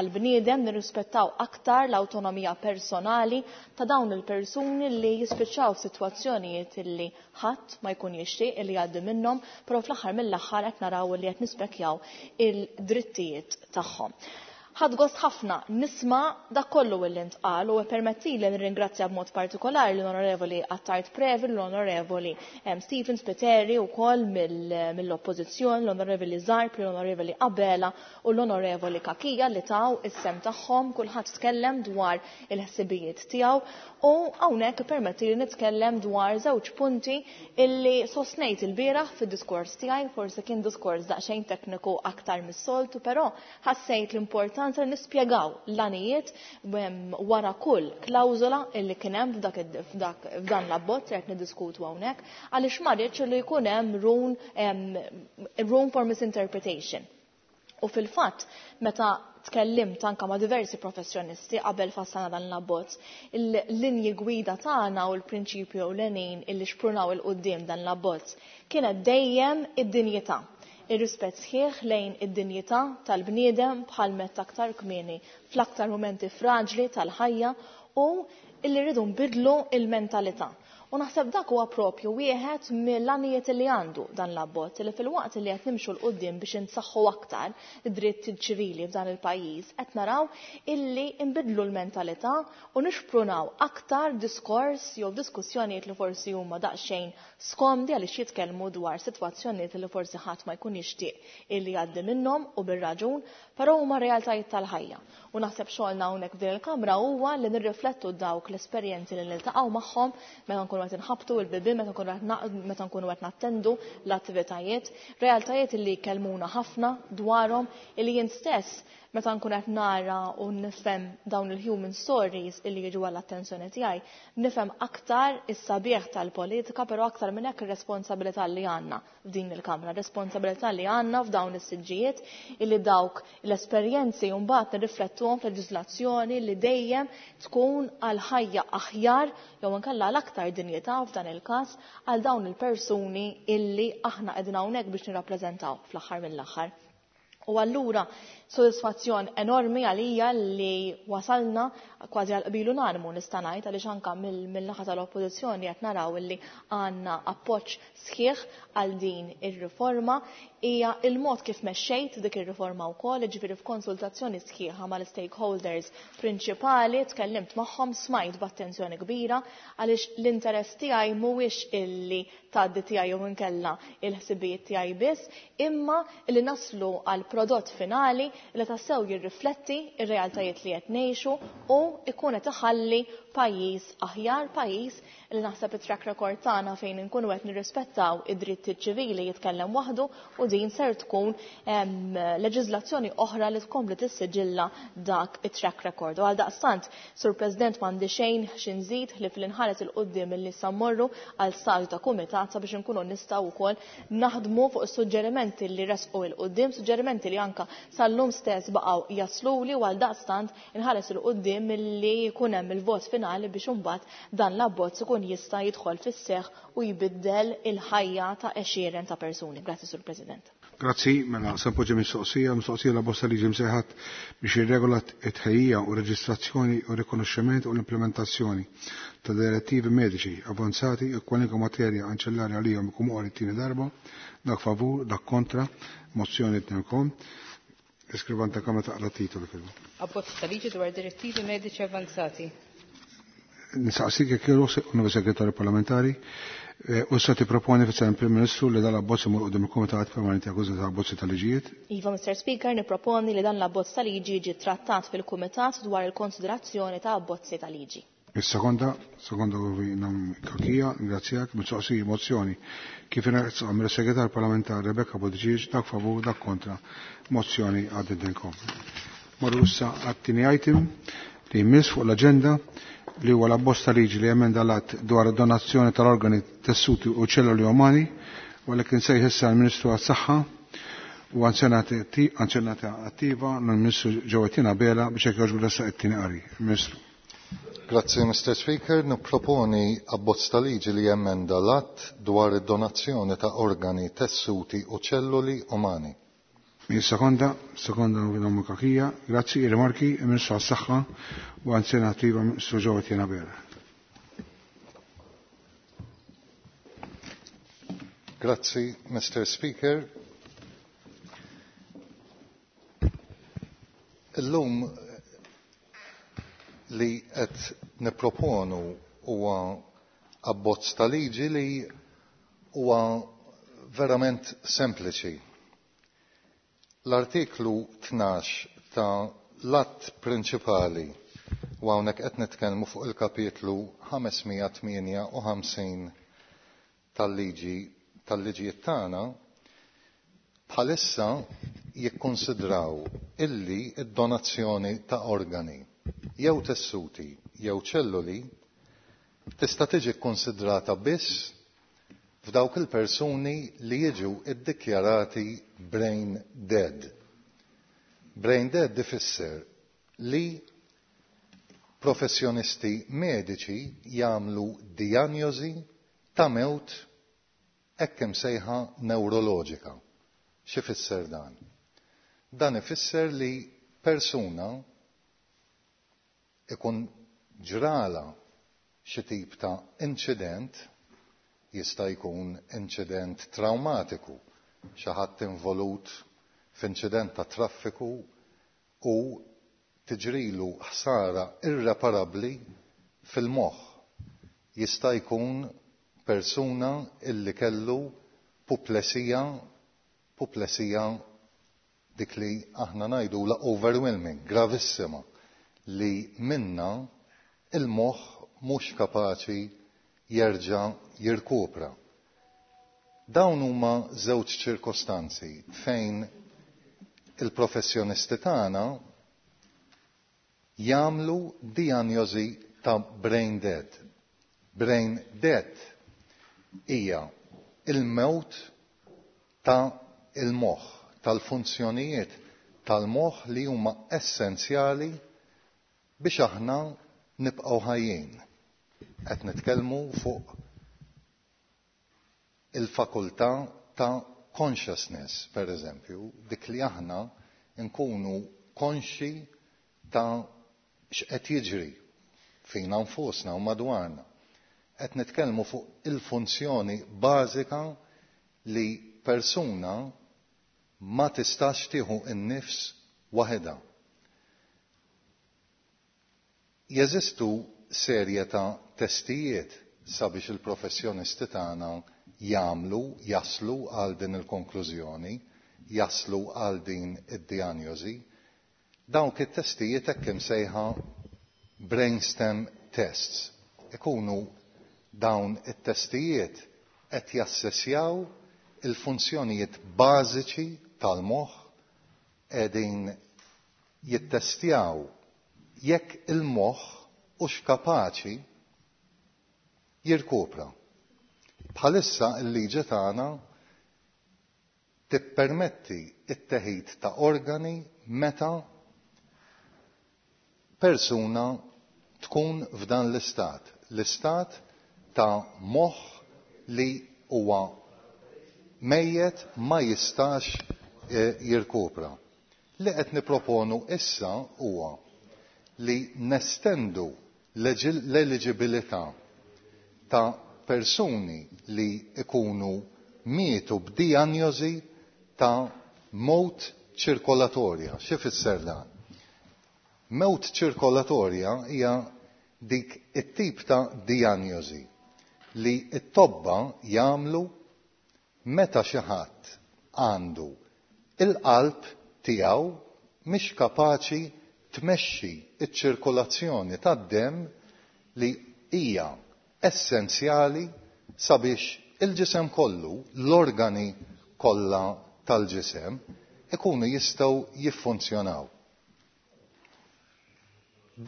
S14: għall-bniedem, nirrispettaw aktar l-awtonomija personali ta' dawn il-persuni li jispiċċaw f'sitwazzjonijiet illi ħadd ma jkun jixtieq illi jgħaddi minnhom, però fl-aħħar mill-aħħar qed naraw illi qed nispekjaw il-drittijiet tagħhom. Ħadt gost ħafna nisma' dak kollu illi ntqal u ippermettili nirringrazzja b'mod partikolari l-Onorevoli Attard Previ, l-Onorevoli Stephen Spiteri wkoll mill-Oppożizzjoni, l-Onorevoli Zarb, l-Onorevoli Abela u l-Onorevoli Cachia li taw is-sehem tagħhom, kulħadd tkellem dwar il-ħsibijiet tiegħu u hawnhekk ippermettili nitkellem dwar żewġ punti illi sostnejt ilbieraħ fid-diskors tiegħi, forsi kien diskors daqsxejn tekniku aktar mis-soltu, però ħassejt l-importanza li nispjegaw l-għanijiet wara kull klawżola illi kien hemm f'dak f'dan l-abbozz li qed niddiskutu hawnhekk għaliex ma rridx li jkun hemm room for misinterpretation. U fil-fatt, meta tkellimt anka ma' diversi professjonisti qabel fassalna dan l-abbozz, il-linji gwida tagħna u l-prinċipju ewlenin illi xprunaw 'il quddiem dan l-abbozz kienet dejjem id-dinjità. Ir-rispett sħiħ lejn id-dinjità tal-bniedem bħal mett aktar kmieni fl-aktar mumenti fraġli tal-ħajja u illi rridu nbiddlu l-mentalità. U naħseb dak huwa propju wieħed mill-għanijiet li għandu dan l-abbozz, li filwaqt li qed nimxu 'l quddiem biex insaħħu aktar id-dritt ċivili f'dan il-pajjiż, qed naraw illi nbiddlu l-mentalità u nixprunaw aktar diskors jew diskussjonijiet li forsi huma daqsxejn skomdi għaliex jitkellmu dwar sitwazzjonijiet li forsi ħadd ma jkun jixtieq illi jgħaddi minnhom u bir-raġun, però huma realtajiet tal-ħajja. U naħseb xogħolna hawnhekk f'din il-Kamra huwa li nirriflettu dawk l-esperjenzi li niltaqgħu magħhom meta nkunu qed inħabbtu il-bibien, meta nkunu qed meta nkunu qed nattendu l-attivitajiet, realtajiet li jkellmuna ħafna dwarhom illi jien stess meta nkun qed nara u nifhem dawn il-human stories illi jiġu għall-attenzjoni tiegħi, nifhem aktar is-sabiħ tal-politika, però aktar minn hekk ir-responsabilità li għandna f'din il-Kamra, responsabilità li għandna f'dawn is-siġġijiet illi dawk l-esperjenzi mbagħad nirriflettuhom f'leġiżlazzjoni li dejjem tkun għal ħajja aħjar jew inkella għal aktar dinjità f'dan il-każ għal dawn il-persuni illi aħna qegħdin hawnhekk biex nirrappreżentaw fl-aħħar mill-aħħar. U allura sodisfazzjon enormi għalija li wasalna kważi għal qbil unanimu nista' ngħid għaliex anke mill-naħa tal-Oppożizzjoni qed naraw illi għandna appoġġ sħiħ għal din ir-riforma. Hija il-mod kif mexxejt dik ir-riforma wkoll, jiġifieri f'konsultazzjoni sħiħa mal-stakeholders prinċipali, tkellimt magħhom, smajt b'attenzjoni kbira għaliex l-interess tiegħi mhuwiex illi tgħaddi tiegħi jew inkella il-ħsibijiet tiegħi biss, imma li naslu għal prodott finali li tassew jirrifletti r-realtajiet li qed ngħixu u jkun qed iħalli pajjiż aħjar, pajjiż li naħseb it-track record tagħna fejn inkunu qed nirrispettaw id-drittijiet ċivili jitkellem waħdu u din ser tkun leġiżlazzjoni oħra li tkompli tissiġilla dak it-track record. U għaldaqstant, Sur President, m'għandi xejn xi nżid ħlief li nħares 'il quddiem illi issa mmorru għal stadju ta' kumitat sabiex inkunu nistgħu wkoll naħdmu fuq is-suġġerimenti li resqu 'il quddiem, suġġerimenti li anke sal-lum stess baqgħu jasluli u għaldaqstant inħares 'il quddiem illi jkun hemm il-vot finali biex imbagħad dan l-abbozz ikun jista' jidħol fis-seħħ u jbiddel il-ħajja ta' għexieren ta' persuni. Grazzi, Sur President.
S1: Grazzi, mela se npoġġi mistoqsija, mistoqsija la bosta liġi msejħat biex jirregola t-tħejjija u reġistrazzjoni u rikonoxximent u l-implementazzjoni ta' direttivi mediċi avanzati u kwalunkwe materja anċellari għalihom ikun moqri t-tieni darba, dak favur, dak kontra, mozzjoni tnejnkom. Iskrivan ta' Kamra taqra titolu fil.
S2: Abbozz ta' liġi dwar direttivi mediċi avanzati.
S1: Nistaqsik jekk jogħġbok, Onorevoli Segretarju Parlamentari, u sa tipproponi fis-Sen Prim Ministru li dan l-abbozz imur quddiem il-Kumitat Permanenti għall ta' Abbozzi ta' Liġijiet?
S14: Iva, Mr. Speaker, nipproponi li dan l-abbozz ta' liġi jiġi trattat fil-Kumitat dwar il-konsiderazzjoni ta' abbozzi ta' liġi.
S1: Is-sekonda, sekonda nam Kakija, ringrazzjak, mistoqsija mozzjoni kif ingħaqad mill-Segretar Parlamentari Rebecca Buttigieg, dak favur, dak kontra, mozzjoni għaddidilkom. Marru issa għat-tieni item li jmiss fuq l-aġenda li huwa l-abbozz ta' liġi li emenda l-att dwar id-donazzjoni tal-organi, tessuti u ċelluli umani, u għalhekk insejħ issa l-Ministru għas-Saħħa u anzjanata attiva l-Ministru Ġewettina Abela biex hekk jogħġbu ressaq it-tieni qari. Ministru.
S12: Grazzi, Mr. Speaker. Nipproponi abbozz ta' liġi li jemenda l-att dwar id-donazzjoni ta' organi, tessuti u ċelluli umani.
S1: Min sekonda, sekonda Onorevoli Kakija, grazzi, rimarki, il-Ministru għas-Saħħa u Anzjana Attiva Ministru Ġewwa Tjena Bera.
S12: Grazzi, Mr. Speaker. Illum li qed nipproponu huwa abbozz ta' liġi li huwa verament sempliċi. L-artiklu 12 ta' l-att prinċipali u hawnhekk qed nitkellmu fuq il-kapitlu 558 tal-liġi tal-liġijiet tagħna bħalissa jikkonsidraw illi id-donazzjoni ta' organi jew tessuti jew ċelluli tista' tiġi kkonsidrata biss f'dawk il-persuni li jiġu iddikjarati brain dead. Brain dead ifisser li professjonisti mediċi jagħmlu dijanjosi ta' mewt hekk imsejħa neuroloġika. X'ifisser dan? Dan ifisser li persuna ikun ġrala xi tip ta' inċident, jista' jkun inċident traumatiku, xi ħadd involut f'inċident ta' traffiku u tiġrilu ħsara irreparabbli fil-moħħ. Jista' jkun persuna illi kellu puplesija, puplesija dik li aħna ngħidula overwhelming, gravissima, li minna il-moħħ mhux kapaċi jerġa' jirkupra. Dawn huma żewġ ċirkostanzi fejn il-professjonisti tagħna jagħmlu dijanjosi ta' brain dead. Brain dead hija il-mewt ta' il-moħħ, tal-funzjonijiet tal-moħħ li huma essenzjali biex aħna nibqgħu ħajjin. Qed nitkellmu fuq il-fakultà ta' consciousness, per eżempju, dik li aħna nkunu konxi ta' x'qed jiġri fina nfusna u madwarna. Qed nitkellmu fuq il-funzjoni bażika li persuna ma tistax tieħu n-nifs waħedha. Jeżistu serje ta' testijiet sabiex il-professjonisti tagħna jagħmlu, jaslu għal din il-konklużjoni, jaslu għal din id-dijanjosi. Dawk it-testijiet hekk imsejħa brainstem tests. Ikunu dawn it-testijiet qed jassessjaw il-funzjonijiet bażiċi tal-moħħ, qegħdin jittestjaw jekk il-moħħ hux kapaċi jirkupra. Bħalissa l-liġi tagħna tippermetti t-teħid ta' organi meta persuna tkun f'dan l-istat, l-istat ta' moħħ li huwa mejjet ma jistax jirkupra. Li qed niproponu issa huwa li nestendu l-eliġibilità ta' persuni li ikunu mietu b'dijanjosi ta' mewt ċirkolatorja. Xi fisser dan? Mewt ċirkolatorja hija dik it-tip ta' dijanjosi li t-tobba jagħmlu meta xi ħadd għandu il-qalb tiegħu mhix kapaċi tmexxi ċ-ċirkolazzjoni tad-demm li hija essenzjali sabiex il-ġisem kollu, l-organi kollha tal-ġisem, ikunu jistgħu jiffunzjonaw.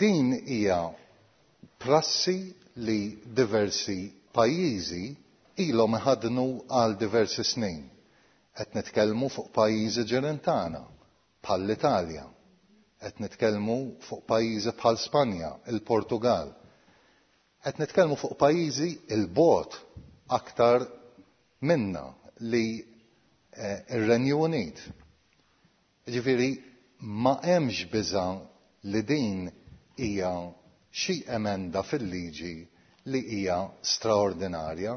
S12: Din hija prassi li diversi pajjiżi ilhom iħaddnu għal diversi snin. Qed nitkellmu fuq pajjiżi ġirien tagħna bħall-Italja, qed nitkellmu fuq pajjiżi bħal Spanja, il-Portugal. Qed nitkellmu fuq pajjiżi il-bogħod aktar minna li ir-Renju Unit. Jiġifieri ma hemmx biża' li din hija xi emenda fil-liġi li hija straordinarja.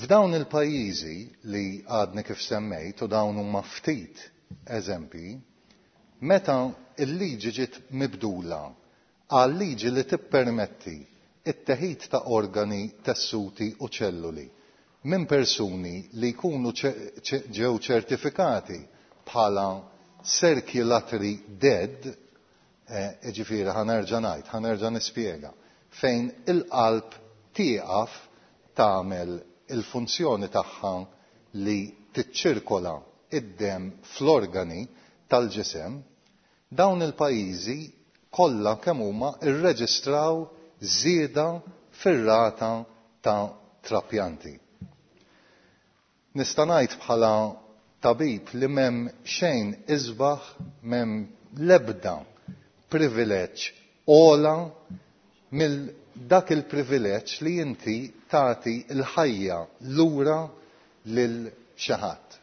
S12: F'dawn il-pajjiżi li għadni kif semmejt, u dawn huma ftit eżempji, meta l-liġi ġiet mibdula għal liġi li tippermetti t-teħid ta' organi, tessuti u ċelluli minn persuni li jkunu ġew ċertifikati bħala circulatory dead, jiġifieri ħa nerġa' ngħid, ħa nerġa' nispjega, fejn il-qalb tieqaf tagħmel il-funzjoni tagħha li tiċċirkola d-demm fl-organi tal-ġisem, dawn il-pajjiżi kollha kemm huma rreġistraw żieda fir-rata ta' trapjanti. Nista' ngħid bħala tabib li m'hemm xejn isbaħ, m'hemm l-ebda privileġġ ogħla mill dak il-privileġġ li inti tagħti l-ħajja lura lil xi ħadd.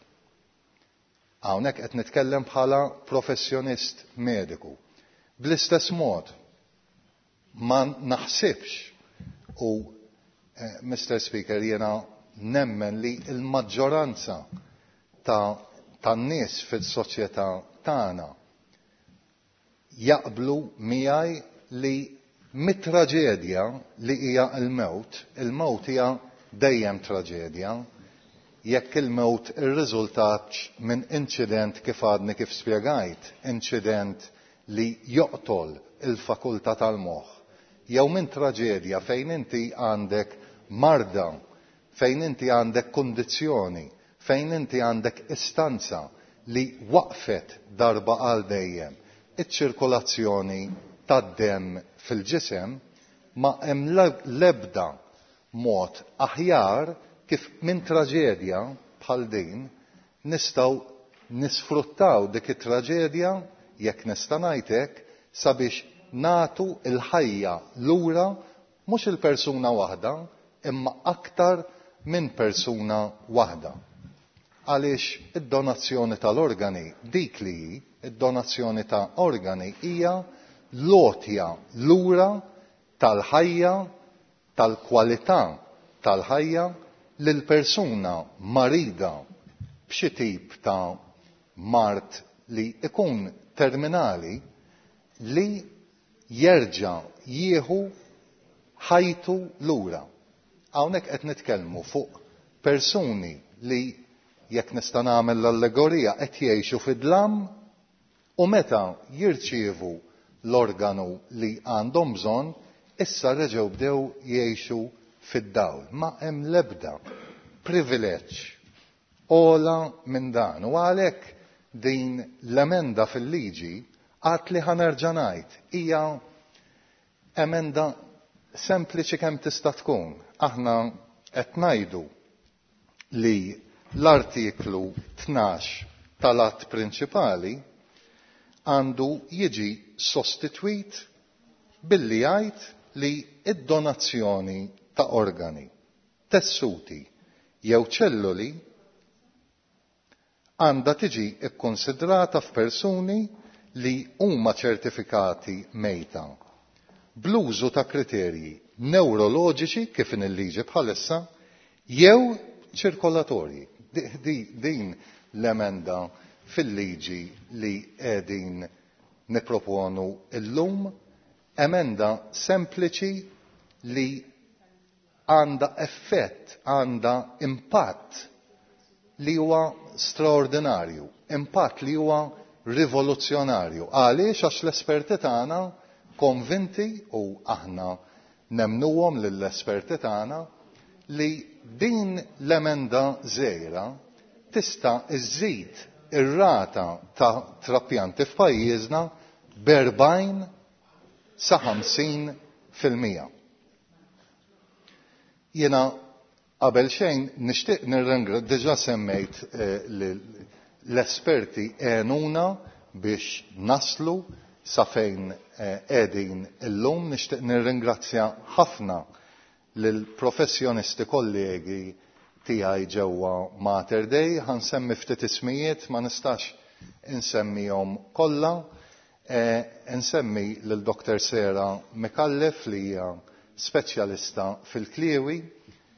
S12: Hawnhekk qed nitkellem bħala professjonist mediku. Bl-istess mod, ma naħsibx u Mister Speaker jiena nemmen li l-maġġoranza ta' tan-nies fis-soċjetà tagħna jaqblu miegħi li mit-traġedja li hija l-mewt, il-mewt hija dejjem traġedja, jekk il-mewt irriżultatx minn inċident kif għadni kif spjegajt, inċident li joqtol il-fakultà tal-moħħ, jew minn traġedja fejn inti għandek marda, fejn inti għandek kundizzjoni, fejn inti għandek istanza li waqfet darba għal dejjem iċ-ċirkolazzjoni tad-demm fil-ġisem, ma hemm l-ebda mod aħjar kif minn traġedja bħal din nistgħu nisfruttaw dik it-traġedja, jekk nista' ngħid hekk, sabiex nagħtu l-ħajja lura mhux il-persuna waħda imma aktar minn persuna waħda. Għaliex id-donazzjoni tal-organi dik li hi, id-donazzjoni ta' organi hija l-għotja lura tal-ħajja, tal-kwalità tal-ħajja lil persuna marida b'xi tip ta' mard li jkun terminali li jerġa' jieħu ħajtu lura. Hawnhekk qed nitkellmu fuq persuni li, jekk nista' nagħmel l-allegorija, qed jgħixu fid-dlam u meta jirċievu l-organu li għandhom bżonn, issa reġgħu bdew jgħixu fid-dawl. Ma hemm l-ebda privileġġ ogħla minn dan u għalhekk din l-emenda fil-liġi għad li ħa nerġa' ngħid hija emenda sempliċi kemm tista' tkun. Aħna qed ngħidu li l-artiklu 12 tal-att prinċipali għandu jiġi sostitwit billi jgħid li d-donazzjoni ta' organi, tessuti jew ċelloli għandha tiġi kkunsidrata f'persuni li huma ċertifikati mejta bl-użu ta' kriterji newroloġiċi kif inhi l-liġi bħalissa jew ċirkolatorji. Din l-emenda fil-liġi li qegħdin nipproponu llum, emenda sempliċi li għandha effett, għandha impatt li huwa straordinarju, impatt li huwa rivoluzzjonarju. Għaliex? Għax l-esperti tagħna konvinti u aħna nemmnuhom lill-esperti tagħna li din l-emenda żgħira tista' żżid ir-rata ta' trapjanti f'pajjiżna b'40 sa 50%. Jiena qabel xejn nixtieq nirringra diġà semmejt l-esperti għenuna biex naslu sa fejn qegħdin illum. Nixtieq nirringrazzja ħafna lill-professjonisti kollegi tiegħi ġewwa Mater Dei. Ħa nsemmi ftit ismijiet, ma nistax insemmihom kollha. Insemmi lil Dr. Sera Micallef li hija speċjalista fil-kliewi,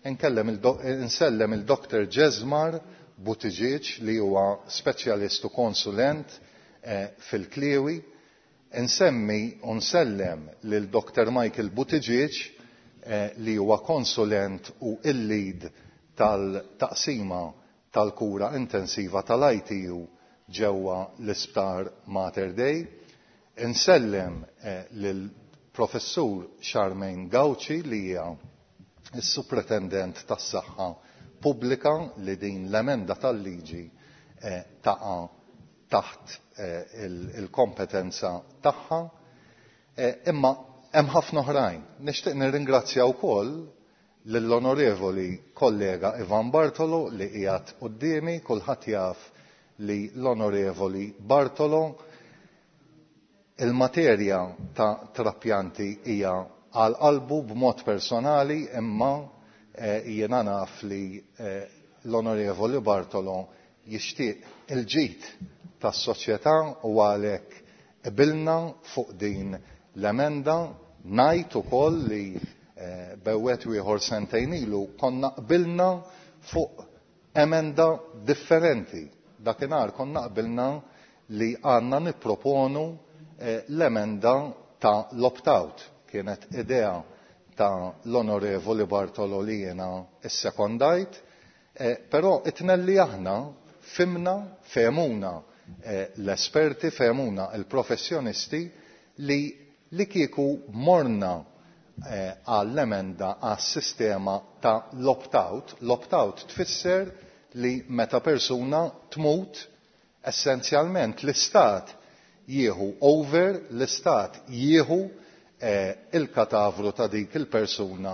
S12: insellem il-Dr. Jesmar Buttigieg li huwa speċjalist u konsulent fil-kliewi, insemmi u nsellem lil Dr. Michael Buttigieg li huwa konsulent u il-lead tal-taqsima tal-kura intensiva tal-ITU ġewwa l-Isptar Mater Dei. Insellem lil Professur Charmaine Gauci li hija s-Supretendent tas-Saħħa Pubblika li din l-emenda tal-liġi taqa' taħt il-kompetenza tagħha. Imma hemm ħafna oħrajn. Nixtieq nirringrazzja wkoll lill-Onorevoli kollega Ivan Bartolo li qiegħed quddiemi, kulħadd jaf li l-Onorevoli Bartolo il-materja ta' trapjanti hija għal qalbu b'mod personali, imma jiena naf li l-Onorevoli Bartolo jixtieq il-ġid tas-soċjetà u għalhekk qbilna fuq din l-emenda. Ngħid ukoll li bewwet ieħor sentejn ilu konna qbilna fuq emenda differenti. Dakinhar konna qbilna li għandna nipproponu l-emenda ta' l-opt-out. Kienet idea ta' l-Onorevoli Bartolo li jiena issekondajt, però it-tnejn li aħna fimna, fehmuna l-esperti, fehmuna l-professjonisti li kieku morna għall-emenda għas-sistema ta' l-opt-out. L-opt-out tfisser li meta persuna tmut, essenzjalment l-istat jieħu over, l-istat jieħu il-katavru ta' dik il-persuna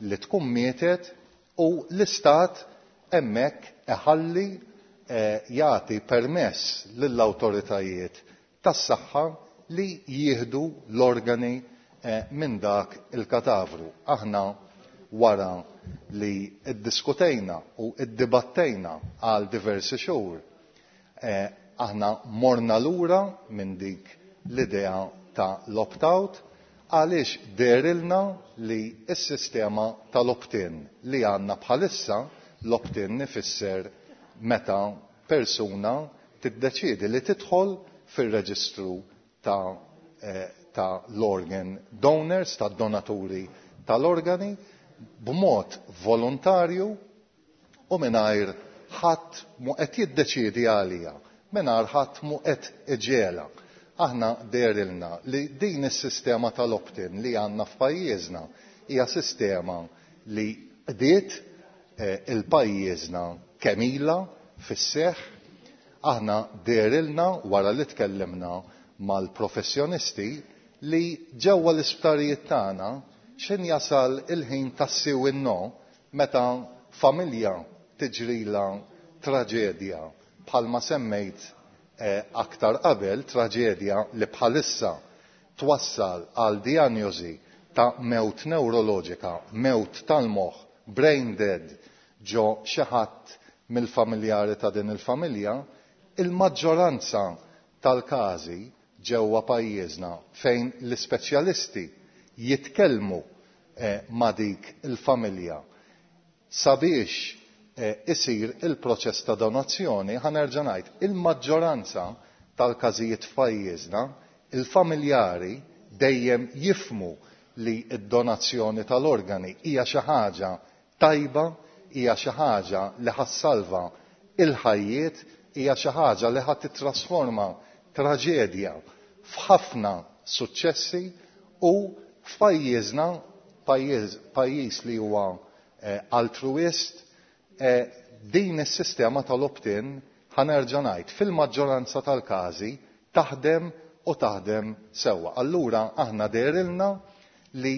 S12: li tkun mietet u l-istat hemmhekk iħalli jagħti permess lill-awtoritajiet tas-saħħa li jieħdu l-organi minn dak il-katavru. Aħna wara li iddiskutejna u iddibattejna għal diversi xhur, aħna morna lura minn dik l-idea ta' l-opt-out għaliex dehrilna li s-sistema tal-opt-in li għandna bħalissa, l-opt-in ifisser meta persuna tiddeċiedi li tidħol fir-reġistru ta' l-organ donors, ta' donaturi tal-organi, b'mod volontarju u mingħajr ħadd mu qed jiddeċiedi għalija, mingħajr ħadd mu qed iġegħelha. Aħna dehrilna li din is-sistema tal-opt-in li għandna f'pajjiżna hija sistema li qdiet il-pajjiżna kemm ilha fis-seħħ. Aħna dehrilna wara li tkellimna mal-professjonisti li ġewwa l-isptarijiet tagħna x'in jasal il-ħin tas-sì u no meta familja tiġrila traġedja bħalma semmejt aktar qabel, traġedja li bħalissa twassal għal diagnosi ta' mewt neuroloġika, mewt tal-moħħ, brain dead, ġo xi ħadd mill-familjari ta' din il-familja, il-maġġoranza tal-każi ġewwa pajjiżna fejn l-ispeċjalisti jitkellmu ma' dik il-familja sabiex isir il-proċess ta' donazzjoni, ħa nerġa' ngħid, il-maġġoranza tal-każijiet f'pajjiżna, il-familjari dejjem jifmu li d-donazzjoni tal-organi hija xi ħaġa tajba, hija xi ħaġa li ħa ssalva il-ħajjiet, hija xi ħaġa li ħa titrasforma traġedja f'ħafna suċċessi u f'pajjiżna, pajjiż li huwa altruist, din is-sistema tal-opt-in, ħa nerġa' ngħid, fil-maġġoranza tal-każi taħdem u taħdem sewwa. Allura aħna dehrilna li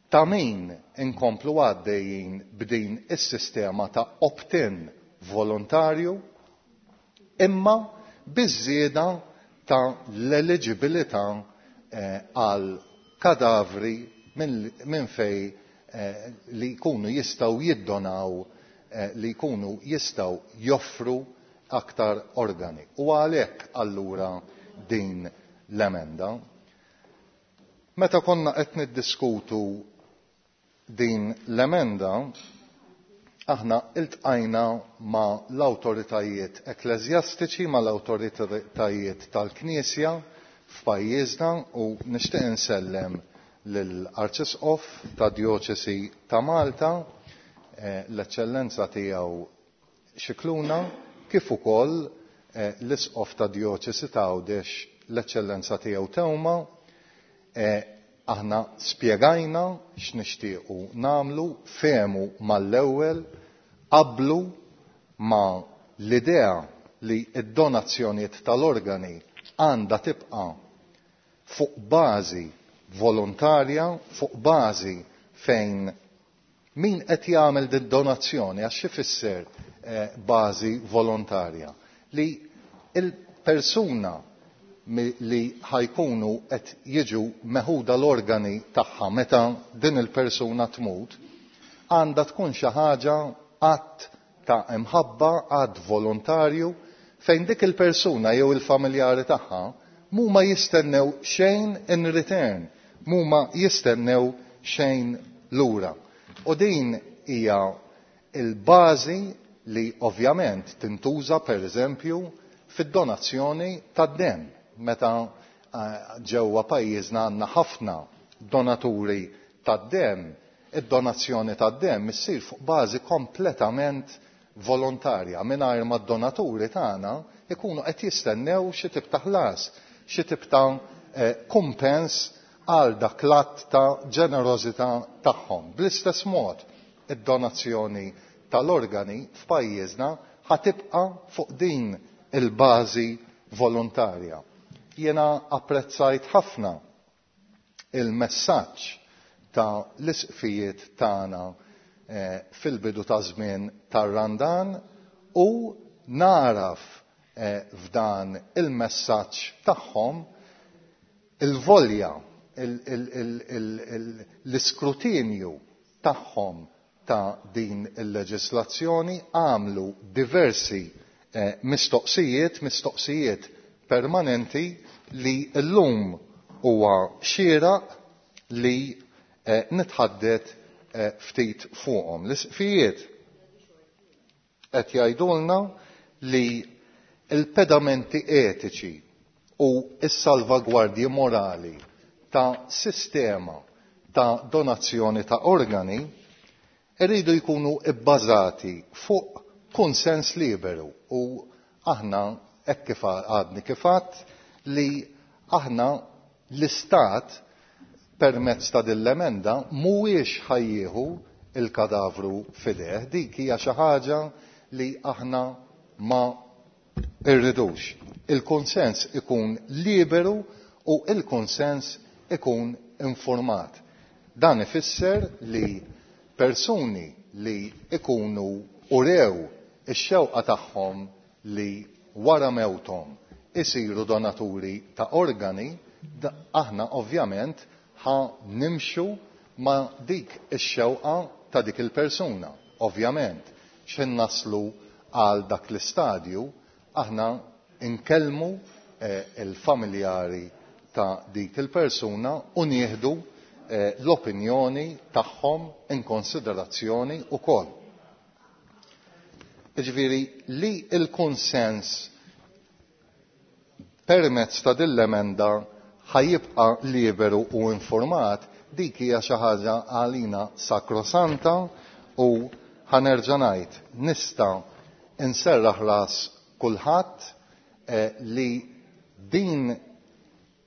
S12: ta' min inkomplu għaddejjin b'din is-sistema ta' opt-in volontarju imma biż-żieda ta' l-eligibilità għal kadavri minn fej li jkunu jistgħu jiddonaw, li jkunu jistgħu joffru. aktar organi. U għalhekk allura din l-emenda. Meta konna qed niddiskutu din l-emenda, aħna iltqajna ma' l-awtoritajiet ekkleżjastiċi, ma' l-awtoritajiet tal-Knisja f'pajjiżna u nixtieq insellem lill-Arċisqof tad-Djoċesi ta' Malta, l-Eċċellenza tiegħu Scicluna, kif ukoll l-Isqof tad-Djoċesi ta' Għawdex, l-Eċċellenza tiegħu Teuma. Aħna spjegajna x'nixtiequ nagħmlu, fehmu mal-ewwel, qablu ma' l-idea li d-donazzjonijiet tal-organi għandha tibqa' fuq bażi volontarja, fuq bażi fejn min qed jagħmel din donazzjoni, għax x'ifisser bażi volontarja, li l-persuna li ħajkunu qed jiġu meħuda l-organi tagħha meta din il-persuna tmut, għandha tkun xi ħaġa att ta' imħabba, att volontarju, fejn dik il-persuna jew il-familjari tagħha mhuma jistennew xejn in return, mhuma jistennew xejn lura. U din hija il-bażi li ovvjament tintuża per eżempju fid-donazzjoni tad-demm. Meta ġewwa pajjiżna għandna ħafna donaturi tad-demm, id-donazzjoni tad-demm issir fuq bażi kompletament volontarja, mingħajr ma d-donaturi tagħna ikunu qed jistennew xi tip ta' ħlas, xi tip ta' kumpens għal dak l-att ta' ġenerożità tagħhom. Bl-istess mod, id-donazzjoni tal-organi f'pajjiżna ħatibqa' fuq din il-bażi volontarja. Jiena apprezzajt ħafna il-messaġġ ta' l-isqfijiet tagħna fil-bidu ta' żmien tar-Randan u naraf f'dan il-messaġġ tagħhom il-volja, l-iskrutinju tagħhom ta' din il-leġislazzjoni. Għamlu diversi mistoqsijiet, mistoqsijiet permanenti li llum huwa xieraq li nitħaddet ftit fuqhom. L-isqfijiet qed jgħidulna li l-pedamenti etiċi u s-salvagwardji morali ta' sistema ta' donazzjoni ta' organi irridu jkunu bbażati fuq konsens liberu, u aħna hekk kif għadni kif għadt li aħna l-Istat permezz ta' din l-emenda mhuwiex ħajjieħu il-kadavru fideh, dik hija xi ħaġa li aħna ma rridux. Il-konsens ikun liberu u il-konsens ikun informat. Dan ifisser li persuni li ikunu urew ix-xewqa tagħhom li wara mewthom isiru donaturi ta' organi, aħna ovvjament ħa nimxu ma' dik ix-xewqa ta' dik il-persuna. Ovvjament, x'ħin naslu għal dak l-istadju, aħna nkellmu il-familjari ta' dik il-persuna u nieħdu l-opinjoni tagħhom in konsiderazzjoni wkoll. Jiġifieri li l-kunsens permezz ta' din l-emenda ħajibqa' liberu u informat, dik hija xi ħaġa għalina sakrosanta, u ħanerġa' ngħid nista' nserraħ ras kulħadd li din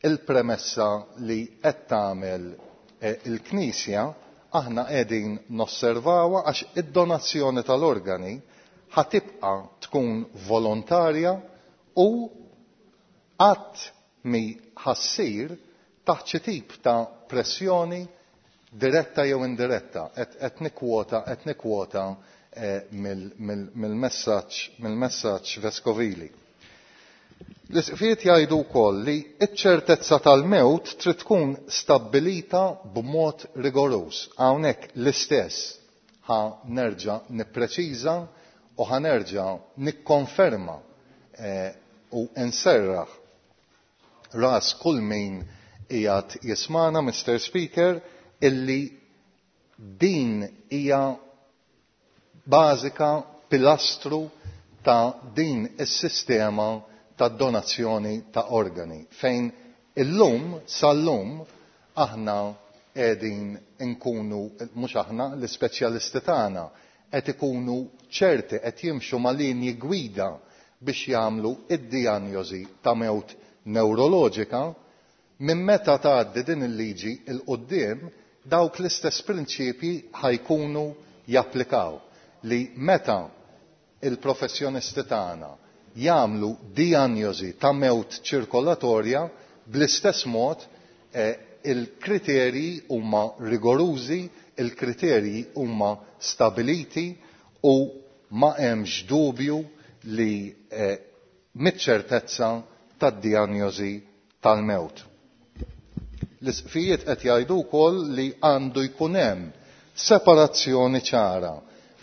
S12: il-premessa li qed tagħmel il-Knisja aħna qegħdin nosservawha, għax id-donazzjoni tal-organi ħatibqa' tkun volontarja u qatt mi ħassir taħt xi tip ta' pressjoni diretta jew indiretta. Qed nikkwota mill-messaġġ veskovili. L-isqfijiet jgħidu wkoll li ċ-ċertezza tal-mewt trid tkun stabbilita b'mod rigoruż. Hawnhekk l-istess ħa nerġa' nippreċiża u ħa nerġa' nikkonferma U nserraħ ras kull min qiegħed jismagħna, Mr. Speaker, illi din hija bażika pilastru ta' din is-sistema ta' donazzjoni ta' organi fejn illum sal-lum aħna qegħdin inkunu, mhux aħna, l-ispeċjalisti tagħna qed ikunu ċerti, qed jimxu ma' linji gwida biex jagħmlu id-dijanjosi ta' mewt newroloġika. Minn meta tgħaddi din il-liġi 'l quddiem, dawk l-istess prinċipji ħa jkunu japplikaw, li meta il-professjonisti tagħna jagħmlu dijanjosi ta' mewt ċirkolatorja, bl-istess mod il-kriterji huma rigorużi, il-kriterji huma stabiliti u ma hemmx dubju li miċ-ċertezza tad-dijanjosi tal-mewt. L-isqfijiet qed jgħidu wkoll li għandu jkun hemm separazzjoni ċara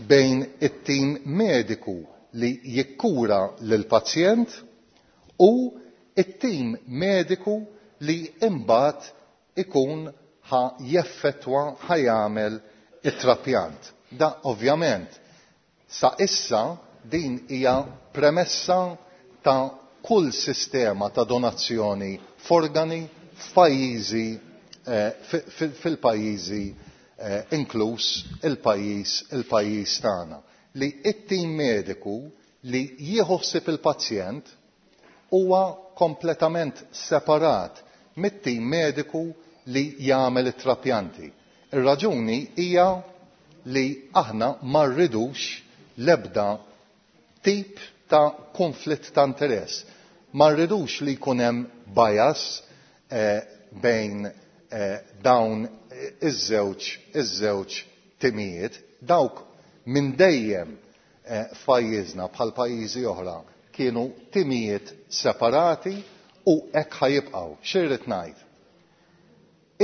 S12: bejn it-tim mediku li jikkura lill-pazjent u it-tim mediku li imbagħad ikun ħa jeffettwa, ħa jagħmel it-trapjant. Da ovvjament sa issa din hija premessa ta' kull sistema ta' donazzjoni f'organi f'pajjiżi, fil-pajjiżi, inkluż il-pajjiż tagħna, li it-tim mediku li jieħu ħsieb il-pazjent huwa kompletament separat mit-tim mediku li jagħmel it-trapjanti. Ir-raġuni hija li aħna ma rridux l-ebda tip ta' konflitt ta' interess. Ma rridux li jkun hemm bias bejn dawn iż-żewġ timijiet. Dawk minn dejjem f'pajjiżna bħal pajjiżi oħra kienu timijiet separati u hekk ħa jibqgħu. X'irrid ngħid?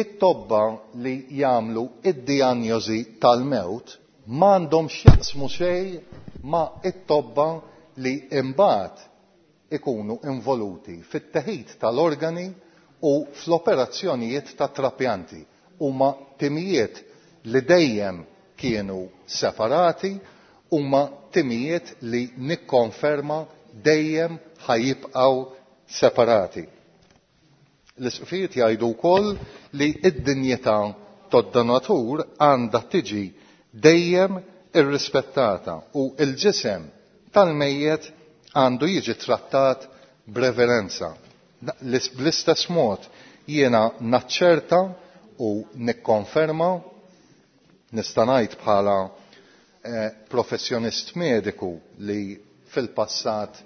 S12: It-tobba li jagħmlu id-dijanjosi tal-mewt m'għandhom x'jaqsmu xejn ma' it-tobba li imbagħad ikunu involuti fit-teħid tal-organi u fl-operazzjonijiet ta' trapjanti. Huma timijiet li dejjem kienu separati, huma timijiet li nikkonferma dejjem ħajibqgħu separati. L-isqfijiet jgħidu wkoll li id-dinjità tad-donatur għandha tiġi dejjem irrispettata u l-ġisem tal-mejjet għandu jiġi trattat b'reverenza. Bl-istess mod jiena naċċerta u nikkonferma, nista' ngħid bħala professjonist mediku li fil-passat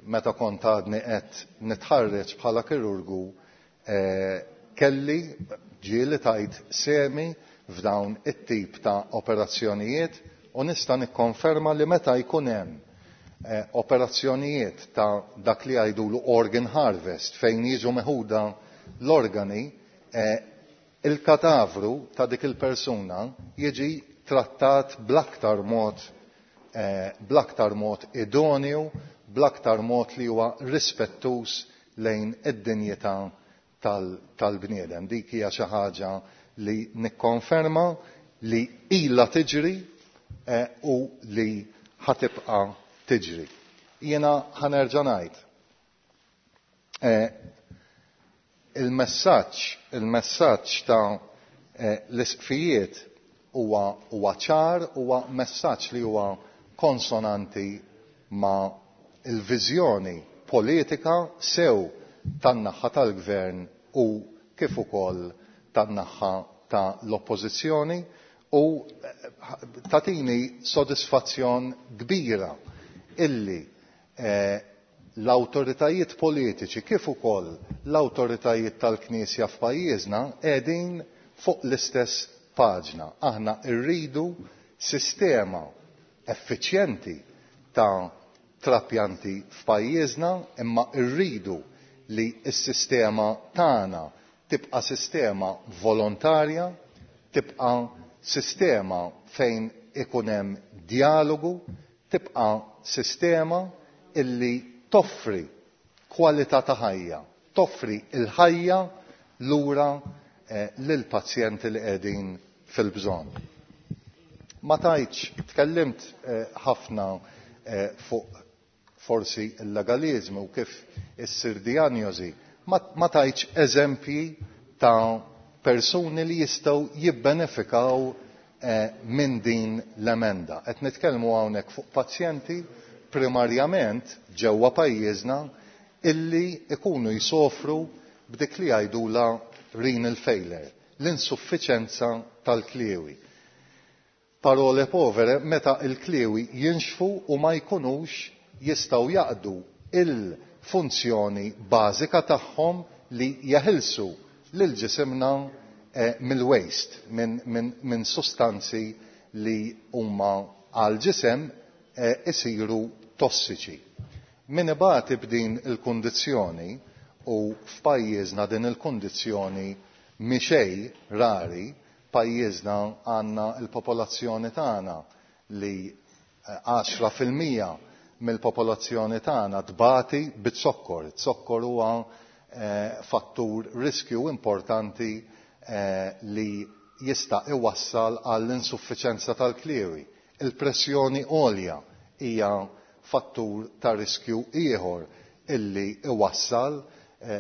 S12: meta kont għadni qed nitħarreġ bħala kirurgu, kelli ġieli tajt semi f'dawn it-tip ta' operazzjonijiet u nista' nikkonferma li meta jkun hemm operazzjonijiet ta' dak li jgħidulu organ harvest fejn jiġu meħuda l-organi, il-katavru ta' dik il-persuna jiġi trattat bl-aktar mod idonju, bl-aktar mod li huwa rispettuż lejn id-dinjità tal-bniedem. Dik hija xi ħaġa li nikkonferma li ilha tiġri u li ħatibqa' tiġri. Jiena ħanerġa' ngħid. Il-messaġġ ta' l-isqfijiet huwa ċar, huwa messaġġ li huwa konsonanti ma' il-viżjoni politika sew tan-naħa tal-gvern u kif ukoll tan-naħa ta' l-oppożizzjoni, u tatini sodisfazzjon kbira illi l-awtoritajiet politiċi kif ukoll l-awtoritajiet tal-Knisja f'pajjiżna qegħdin fuq l-istess paġna. Aħna rridu sistema effiċjenti ta' trapjanti f'pajjiżna, imma rridu li s-sistema tagħna tibqa' sistema volontarja, tibqa' sistema fejn ikun hemm dialogu, tibqa' sistema illi toffri kwalità ta' ħajja, toffri l-ħajja lura lill-pazjenti li qegħdin fil-bżonn. Ma tgħidx, tkellimt ħafna fuq forsi l-legaliżmu u kif issir dijanjosi, ma tgħidx eżempji ta' persuni li jistgħu jibbenefikaw minn din l-emenda. Qed nitkellmu hawnhekk fuq pazjenti primarjament ġewwa pajjiżna illi ikunu jsofru b'dik li jgħidulha renal failure, l-insuffiċenza tal-kliewi. Parole povere, meta l-kliewi jinxfu u ma jkunux jistgħu jaqdu l-funzjoni bażika tagħhom li jeħilsu lil ġisimna mill-waste, minn sustanzi li huma għall-ġisem isiru tossiċi. Min ibati b'din il-kundizzjoni, u f'pajjiżna din il-kundizzjoni mhi xejn rari, pajjiżna għandna l-popolazzjoni tagħna li 10% mill-popolazzjoni tagħna tbati biz-zokkor. Iz-zokkor huwa fattur riskju importanti li jista' iwassal għall-insuffiċenza tal-kliewi. Il-pressjoni għolja hija fattur ta' riskju ieħor illi iwassal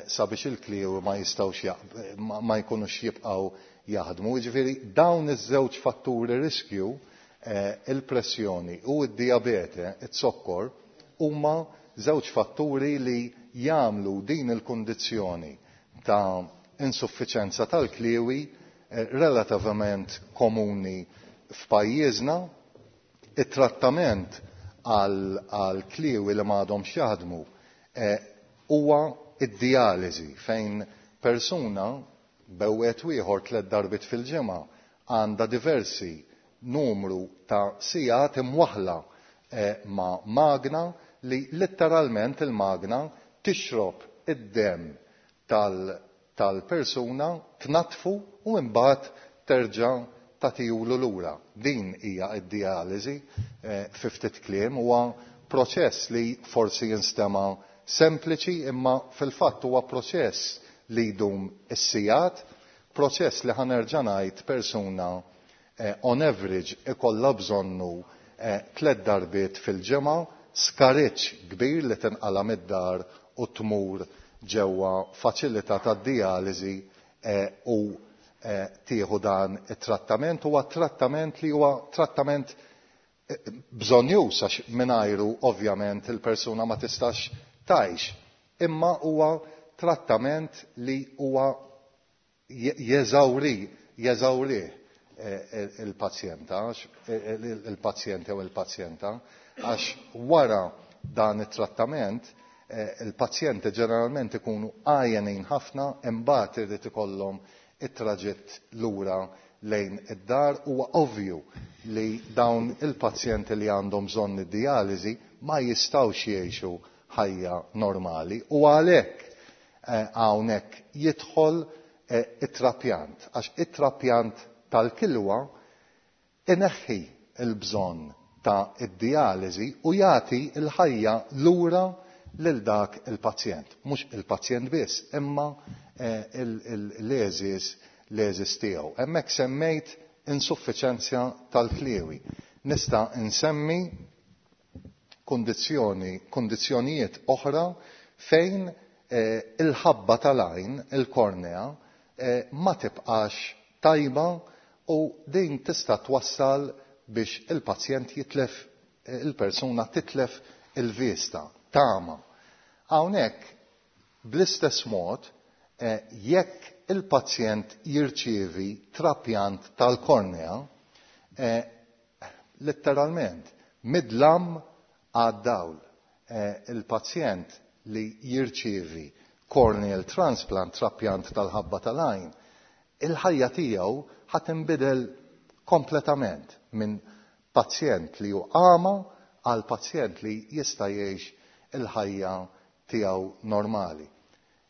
S12: sabiex il-kliewi ma jistgħux ma jkunux jibqgħu jaħdmu. Jiġifieri dawn iż-żewġ fatturi riskju, il-pressjoni u d-dijabete, iz-zokkor, huma żewġ fatturi li jagħmlu din il-kundizzjoni ta' insuffiċenza tal-kliewi relativament komuni f'pajjiżna. It-trattament għal kliewi li m'għadhomx jaħdmu huwa d-dijaliżi fejn persuna bewwet ieħor tlett darbiet fil-ġimgħa għandha diversi numru ta' sigħat imwaħħla ma' magna li litteralment il-magna tixrob id-demm tal-persuna, tnaddfu u imbagħad terġa' tagħtihulu lura. Din hija d-dijaliżi fi ftit kliem. Huwa proċess li forsi jinstema' sempliċi imma fil-fatt huwa proċess li jdum is-sigħat, proċess li ħa nerġa' ngħid persuna on average ikollha bżonnu tlett darbiet fil-ġimgħa, skariġġ kbir li tinqala' mid-dar u tmur ġewwa faċilità tad-dijaliżi u tieħu dan it-trattament. Huwa trattament li huwa trattament bżonnjuż għax mingħajru ovvjament il-persuna ma tistax tgħix, imma huwa trattament li huwa jeżawri jeżawrih il-pazjenta il-pazjent jew il-pazjenta għax wara dan it-trattament il-pazjenti ġeneralment ikunu għajjenin ħafna imbagħad irid ikollhom it-traġitt lura lejn id-dar. Huwa ovvju li dawn il-pazjenti li għandhom bżonn id-dijaliżi ma jistgħux jgħixu ħajja normali u għalhekk hawnhekk jidħol it-trapjant għax it-trapjant tal-kilwa ineħħi l-bżonn ta' id-dijaliżi u jagħti l-ħajja lura lil dak il-pazjent. Mhux il-pazjent biss, imma l-għeżież l-għeżież tiegħu. Hemmhekk semmejt insuffiċenzja tal-kliewi. Nista' nsemmi kundizzjoni kundizzjonijiet oħra fejn il-ħabba tal-għajn, il-kornea, ma tibqax tajba u din tista' twassal biex il-pazjent jitlef il-persuna titlef il-vista, tagħma. Hawnhekk bl-istess mod jekk il-pazjent jirċievi trapjant tal-kornea, letteralment mid-dlam għad-dawl. Il-pazjent li jirċievi corneal transplant, trapjant tal-ħabba tal-għajn, il-ħajja tiegħu ħa tinbidel kompletament minn pazjent li hu agħma għal pazjent li jista' jgħix il-ħajja tiegħu normali.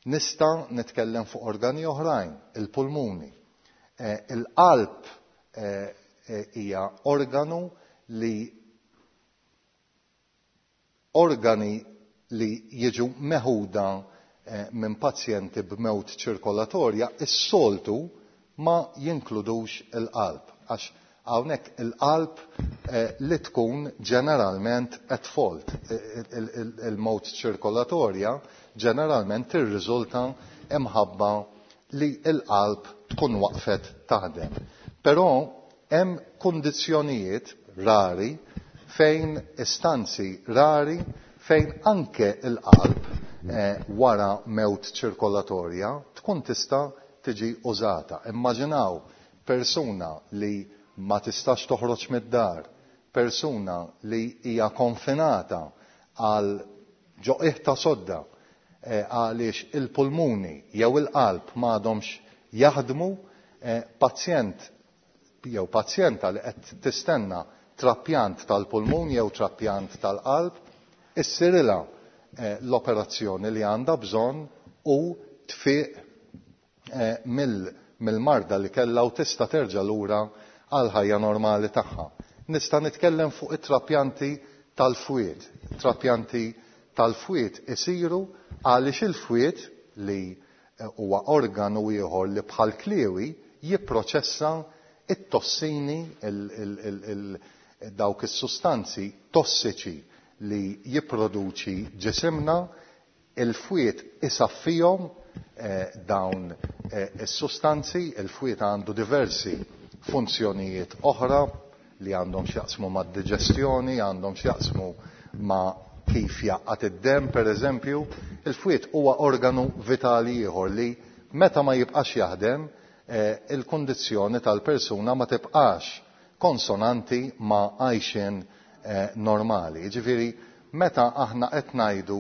S12: Nista' nitkellem fuq organi oħrajn, il-pulmuni. Il-qalb hija organu li organi li jiġu meħuda minn pazjenti b'mewt ċirkolatorja is-soltu ma jinkludux il-qalb għax hawnhekk il-qalb li tkun ġeneralment at fault. Il-mewt ċirkolatorja ġeneralment tirriżulta imħabba li l-qalb tkun waqfet taħdem. Però hemm kundizzjonijiet rari fejn istanzi rari fejn anke l-qalb wara mewt ċirkolatorja tkun tista' tiġi użata. Immaġinaw persuna li ma tistax toħroġ mid-dar, persuna li hija konfinata għal ġo qiegħ ta' sodda għaliex il-pulmuni jew il-qalb m'għadhomx jaħdmu, pazjent jew pazjenta li qed tistenna trapjant tal-pulmun jew trapjant tal-qalb, issirilha l-operazzjoni li għandha bżonn u tfiq mill-marda li kellha u tista' terġa' lura għall-ħajja normali tagħha. Nista' nitkellem fuq it-trapjanti tal-fwied. Trapjanti tal-fwied isiru għaliex il-fwied li huwa organu ieħor li bħal kliewi jipproċessa it-tossini, dawk is-sustanzi tossiċi li jipproduċi ġisimna, il-fwied isaffihom dawn is-sustanzi, il-fwied għandu diversi funzjonijiet oħra li għandhom x'jaqsmu mad-diġestjoni, għandhom x'jaqsmu ma' kif jgħaqqad id-demm pereżempju. Il-fwied huwa organu vitali ieħor li meta ma jibqax jaħdem il-kundizzjoni tal-persuna ma tibqax konsonanti ma' għajxien normali. Jiġifieri meta aħna qed ngħidu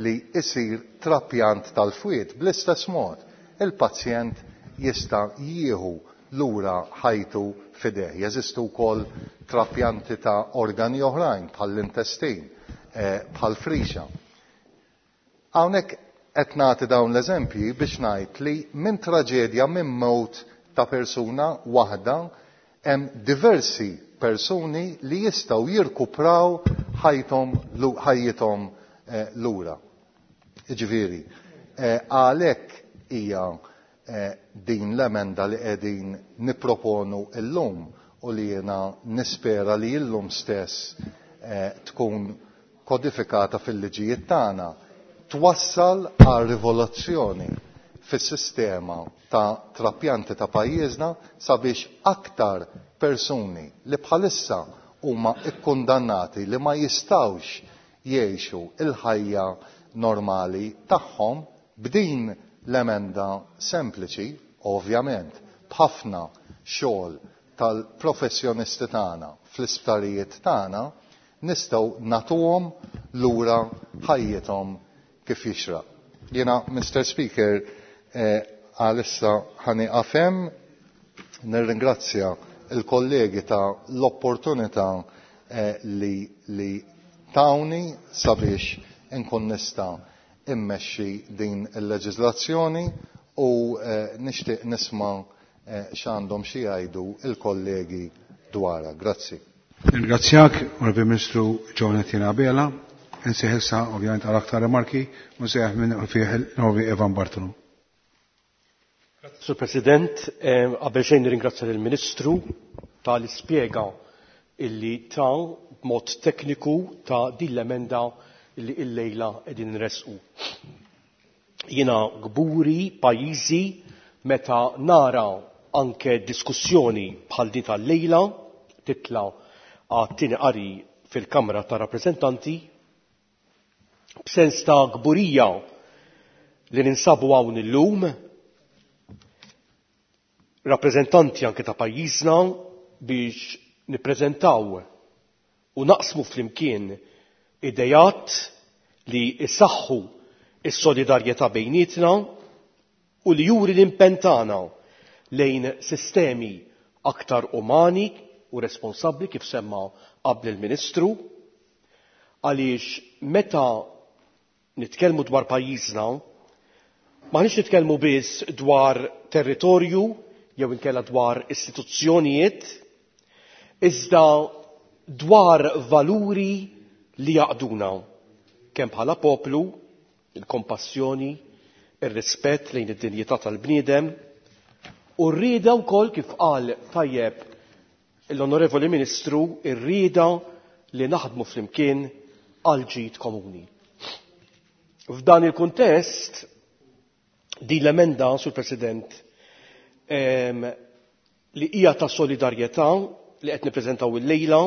S12: li jsir trapjant tal-fwied, bl-istess mod il-pazjent jista' jieħu lura ħajtu f'idejh. Jeżistu wkoll trapjanti ta' organi oħrajn bħall-intestin, bħall-frixa. Hawnhekk qed nagħti dawn l-eżempji biex ngħid li minn traġedja, minn mewt ta' persuna waħda, hemm diversi persuni li jistgħu jirkupraw ħajthom ħajjithom lura. Jiġifieri, għalhekk hija din l-emenda li qegħdin nipproponu llum u li jiena nispera li llum stess tkun kodifikata fil-liġijiet tagħna, twassal għal rivoluzzjoni fis-sistema ta' trapjanti ta' pajjiżna sabiex aktar persuni li bħalissa huma kkundannati li ma jistgħux jgħixu l-ħajja normali tagħhom b'din l-emenda sempliċi, ovvjament b'ħafna xogħol tal-professjonisti tagħna fl-isptarijiet tagħna, nistgħu nagħtuhom lura ħajjithom kif jixraq. Jiena, Mister Speaker, għalissa ħa nieqaf hemm, nirringrazzja l-kollegi ta' l-opportunità li li tawni sabiex inkun nista' immexxi din il-leġiżlazzjoni u nixtieq nisma' x'għandhom xi jgħidu l-kollegi dwarha. Grazzi.
S1: Nirringrazzjak, Onorevoli Ministru John Etienne Abela. Insejħ issa ovvjament għal aktar rimarki u nsejħ minn fih l-Onorevoli Evan Bartolo.
S3: Sur President, qabel xejn nirringrazzja lill-Ministru tal-ispjega illi ta b'mod tekniku ta' din l-emenda illi illejla qegħdin nressqu. Jiena kburi pajjiżi meta nara anke diskussjoni bħal din tal-lejla titla' għat-tieni qari fil-Kamra tar-Rappreżentanti b'sens ta' kburija li ninsabu hawn illum rappreżentanti anke ta' pajjiżna biex nippreżentaw u naqsmu flimkien idejat li jsaħħu s-solidarjetà bejnietna u li juri l-impenn tagħna lejn sistemi aktar umani u responsabbli kif semma qabli l-Ministru, għaliex meta nitkellmu dwar pajjiżna m'aħniex nitkellmu biss dwar territorju jew inkella dwar istituzzjonijiet, iżda dwar valuri li jgħaqqduna. kemm bħala poplu, il-kompassjoni, ir-rispett lejn id-dinjità tal-bniedem u r-rieda wkoll kif qal tajjeb l-Onorevoli Ministru, ir-rieda li naħdmu flimkien għal ġid komuni. F'dan il-kuntest, din l-emenda, Sur President, li hija ta' solidarjetà li qed nippreżentaw illejla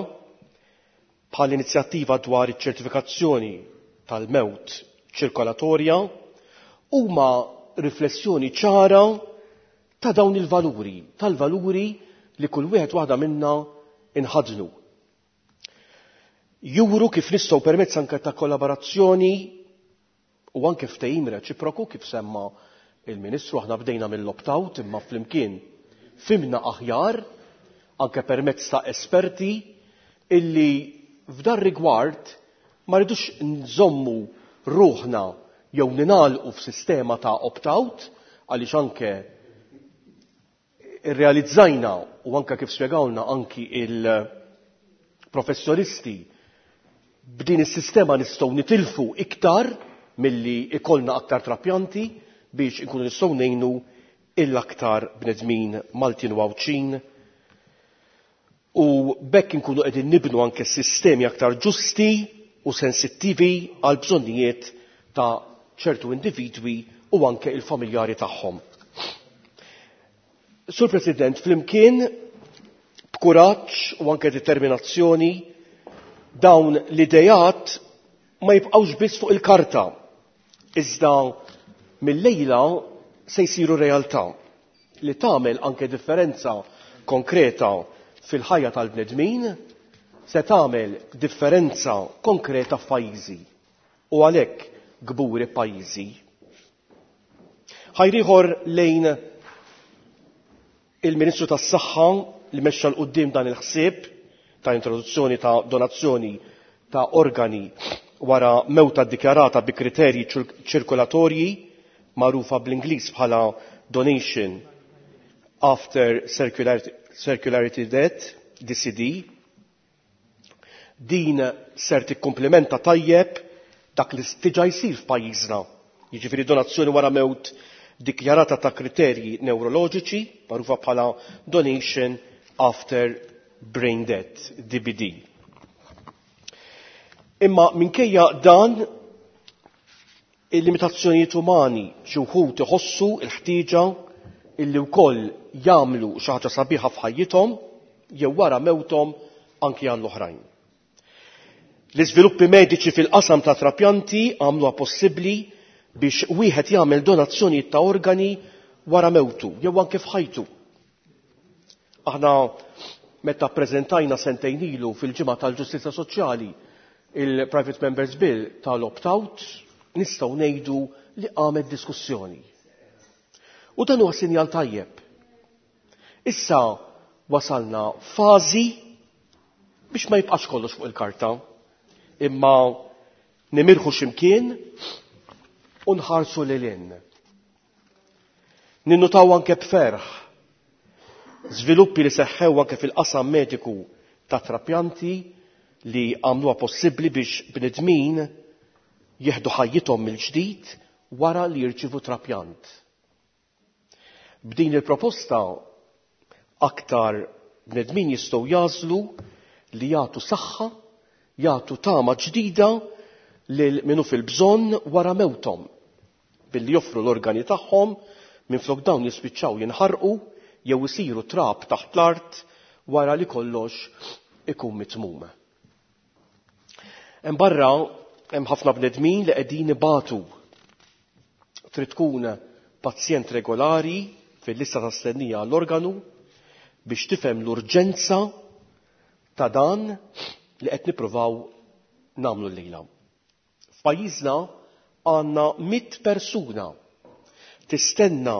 S3: bħal inizjattiva dwar iċ-ċertifikazzjoni tal-mewt ċirkolatorja huma riflessjoni ċara ta' dawn il-valuri, tal-valuri li kull wieħed waħda minna inħadnu. Juru kif nistgħu permezz anke ta' kollaborazzjoni u anke ftehim reċiproku kif semma il-Ministru aħna bdejna mill-opt-out imma flimkien fhimna aħjar anke permezz ta' esperti illi f'dar rigward ma rridux nżommu ruħna jew ninalqu f'sistema ta' opt-out għaliex anke irrealizzajna u anke kif spjegawlna anki il-professjonisti b'din is-sistema nistgħu nitilfu iktar milli ikollna aktar trapjanti biex inkunu nistgħu ngħinu il-aktar bnedmin Maltin u Għawdxin u b'hekk inkunu qegħdin nibnu anke sistemi aktar ġusti u sensittivi għal bżonnijiet ta' ċertu individwi u anke il-familjari tagħhom. Sur President, flimkien b'kuraġġ u anke determinazzjoni dawn l-idejat ma jibqgħux biss fuq il-karta, iżda mill-lejla se jsiru realtà li tagħmel anke differenza konkreta fil-ħajja tal-bnedmin, se tagħmel differenza konkreta f'pajjiżi u għalhekk kburi pajjiżi. Ħajr ieħor lejn il-Ministru tas-Saħħa li mexxa 'l quddiem dan il-ħsieb ta' introduzzjoni ta' donazzjoni ta' organi wara mewta ddikjarata bi kriterji ċirkolatorji magħrufa bl-Ingliż bħala Donation After Circulatory Death, DCD. Din ser tikkumplimenta tajjeb dak li diġà jsir f'pajjiżna, jiġifieri donazzjoni wara mewt dikjarata ta' kriterji neuroloġiċi, magħrufa bħala Donation After Brain Death, DBD. Imma minkejja dan il-limitazzjonijiet umani xi wħud iħossu l-ħtieġa illi wkoll jagħmlu xi ħaġa sabiħa f'ħajjithom jew wara mewthom anki għall-oħrajn. L-iżviluppi mediċi fil-qasam ta' trapjanti għamluha possibbli biex wieħed jagħmel donazzjonijiet ta' organi wara mewtu jew anke f'ħajtu. Aħna meta ppreżentajna sentejn ilu fil-ġimgħa tal-Ġustizzja Soċjali il-Private Members Bill tal-opt-out, nistgħu ngħidu li qamet diskussjoni. U dan huwa sinjal tajjeb. Issa wasalna fażi biex ma jibqax kollox fuq il-karta, imma nimirħu x'imkien u nħarsu lil hinn. Ninnutaw anke b'ferħ żviluppi li seħħew anke fil-qasam mediku ta' trapjanti li għamluha possibbli biex bnedmin jieħdu ħajjithom mill-ġdid wara li jirċievu trapjant. B'din il-proposta aktar bnedmin jistgħu jagħżlu li jagħtu saħħa, jagħtu tama ġdida lil min hu fil-bżonn wara mewthom billi joffru l-organi tagħhom minflok dawn jispiċċaw jinħarqu jew isiru trab taħt l-art wara li kollox ikun mitmum. Hemm barra hemm ħafna bnedmin li qegħdin ibatu. Trid tkun pazjent regolari fil-lista ta' stennija għall-organu biex tifhem l-urġenza ta' dan li qed nippruvaw nagħmlu llejla. F'pajjiżna għandna 100 persuna tistenna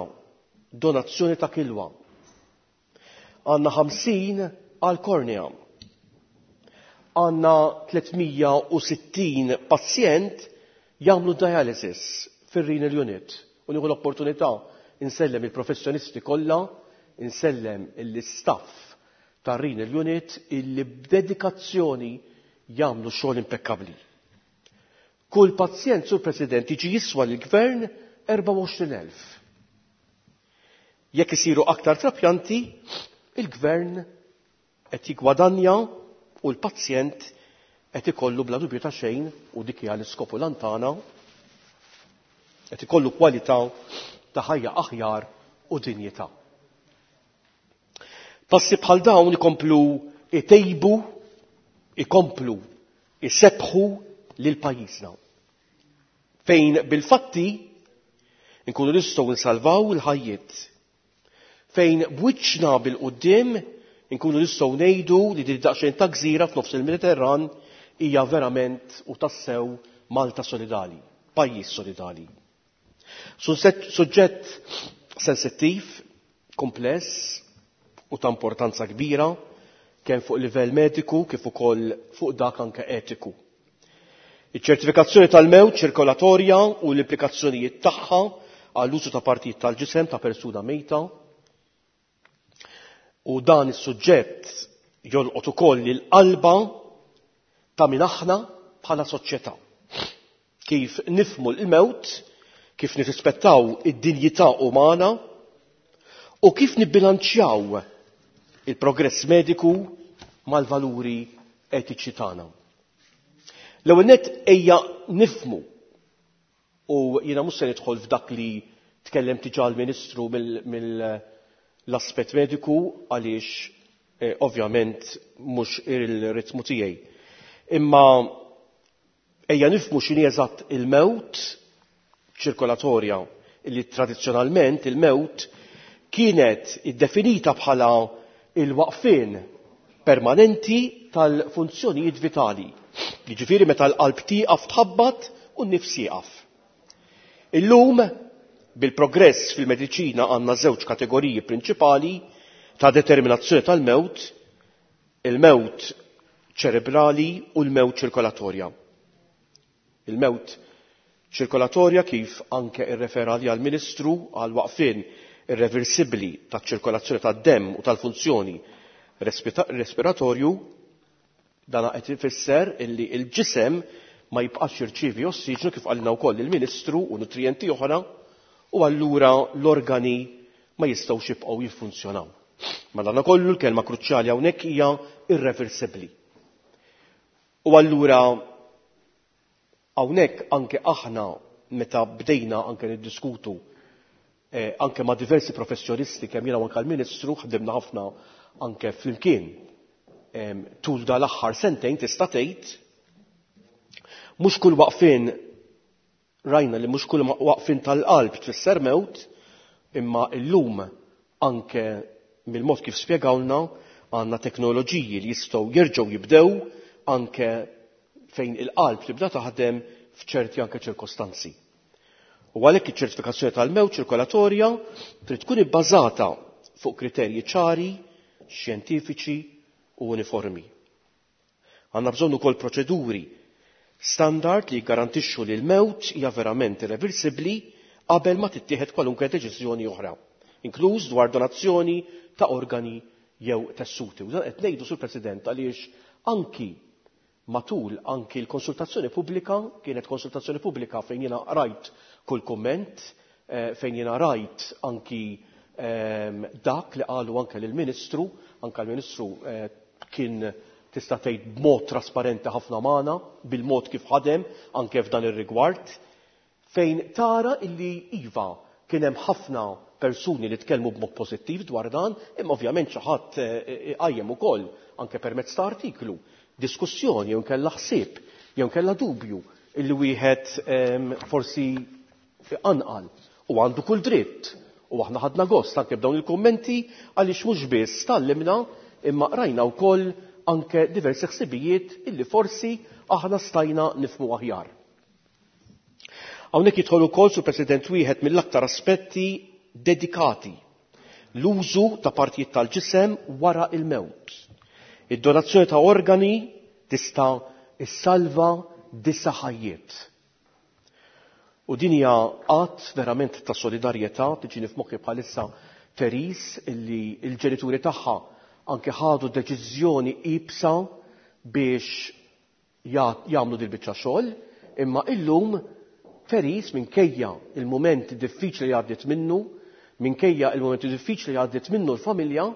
S3: donazzjoni ta' kilwa. Għandna 50 għal kornea. Għandna 360 pazjent jagħmlu dialysis fir-renal unit. U nieħu l-opportunità insellem il-professjonisti kollha, insellem l-istaff tar-renal unit illi b'dedikazzjoni jagħmlu xogħol impekkabbli. Kull pazjent, Sur President, jiġi jiswa lill-Gvern 24,000. Jekk isiru aktar trapjanti, il-Gvern qed jiggwadanja u l-pazjent qed ikollu bla dubju ta' xejn, u dik hija l-iskop u l-għan tagħna, qed ikollu kwalità ta' ħajja aħjar u dinjità. Passi bħal dawn ikomplu itejbu, ikomplu isebbħu lil pajjiżna. Fejn bil-fatti nkunu nistgħu nsalvaw il-ħajjiet. Fejn b'wiċċna bil-quddiem nkunu nistgħu ngħidu li din daqsxejn ta' gżira f'nofs il-Mediterran hija verament u tassew Malta solidali, pajjiż solidali. Suġġett sensittiv, kumpless u ta' importanza kbira kemm fuq livell mediku kif ukoll fuq dak anke etiku. Iċ-ċertifikazzjoni tal-mewt ċirkolatorja u l-implikazzjonijiet tagħha għall-użu ta' partijiet tal-ġisem ta' persuna mejta. U dan is-suġġett jolqot ukoll il-qalba ta' min aħna bħala soċjetà. Kif nifhmu l-mewt, kif nirrispettaw id-dinjità umana u kif nibbilanċjaw il-progress mediku mal-valuri etiċi tagħna. L-ewwel nett ejja nifhmu, u jiena mhux se nidħol f'dak li tkellem diġà l-Ministru mill-aspett mediku għaliex ovvjament mhux il-ritmu tiegħi. Imma ejja nifhmu x'inhi eżatt il-mewt ċirkolatorja, li tradizzjonalment il-mewt kienet iddefinita bħala il-waqfien permanenti tal-funzjonijiet vitali. Jiġifieri meta l-qalb tieqaf tħabbat u n-nifs jieqaf. Illum, bil-progress fil-mediċina għandna żewġ kategoriji prinċipali ta' determinazzjoni tal-mewt, il-mewt ċerebrali u l-mewt ċirkolatorja. Il-mewt ċirkolatorja, kif anke irrefera għaliha l-Ministru, għal waqfien irreversibbli taċ-ċirkolazzjoni tad-demm u tal-funzjoni respiratorju, dan qed ifisser illi l-ġisem ma jibqax jirċievi ossiġnu kif qalilna wkoll il-Ministru u nutrijenti oħra, u allura l-organi ma jistgħux jibqgħu jiffunzjonaw. Madankollu l-kelma kruċjali hawnhekk hija irreversibbli. U allura hawnhekk anke aħna meta bdejna anke niddiskutu anke ma' diversi professjonisti, kemm jiena u anke l-Ministru ħdimna ħafna anke flimkien tul dal-aħħar sentejn, tista' tgħid mhux kull waqfien, rajna li mhux kull waqfien tal-qalb tfisser mewt, imma llum anke mill-mod kif spjegawlna għandna teknoloġiji li jistgħu jerġgħu jibdew anke fejn il-qalb tibda taħdem f'ċerti anke ċirkostanzi. U għalhekk iċ-ċertifikazzjoni tal-mewt ċirkolatorja trid tkun ibbażata fuq kriterji ċari, xjentifiċi u uniformi. Għandna bżonn ukoll proċeduri standard li jgarantixxu li l-mewt hija verament irreversibbli qabel ma tittieħed kwalunkwe deċiżjoni oħra, inkluż dwar donazzjoni ta' organi jew tessuti. U dan qed ngħidu, Sur President, għaliex anki matul anki l-konsultazzjoni pubblika, kienet konsultazzjoni pubblika fejn jiena rajt kull kumment, fejn jiena rajt anki dak li qalu anke lill-Ministru, anke l-Ministru kien tista' tgħid b'mod trasparenti ħafna magħna bil-mod kif ħadem anke f'dan ir-rigward, fejn tara illi iva kien hemm ħafna persuni li tkellmu b'mod pożittiv dwar dan, imma ovvjament xi ħadd iqajjem ukoll anke permezz ta' artiklu diskussjoni jew nkella ħsieb jew nkella dubju illi wieħed forsi anqal, u għandu kull dritt, u aħna ħadna gost anke b'dawn il-kummenti għaliex mhux biss tallimna imma qrajna wkoll anke diversi ħsibijiet illi forsi aħna stajna nifhmu aħjar. Hawnhekk jidħol ukoll, Sur President, wieħed mill-aktar aspetti dedikati, l-użu ta' partijiet tal-ġisem wara il-mewt. Id-donazzjoni ta' organi tista' issalva 9 ħajjiet. U din hija att verament ta' solidarjetà, tiġini f'moħħi bħalissa Therese illi l-ġenituri tagħha anke ħadu deċiżjoni ibsa biex jagħmlu dil biċċa xogħol, Imma illum Therese minkejja il-mument diffiċli li għaddiet minnu, minkejja il-mumenti diffiċli li għaddiet minnu l-familja,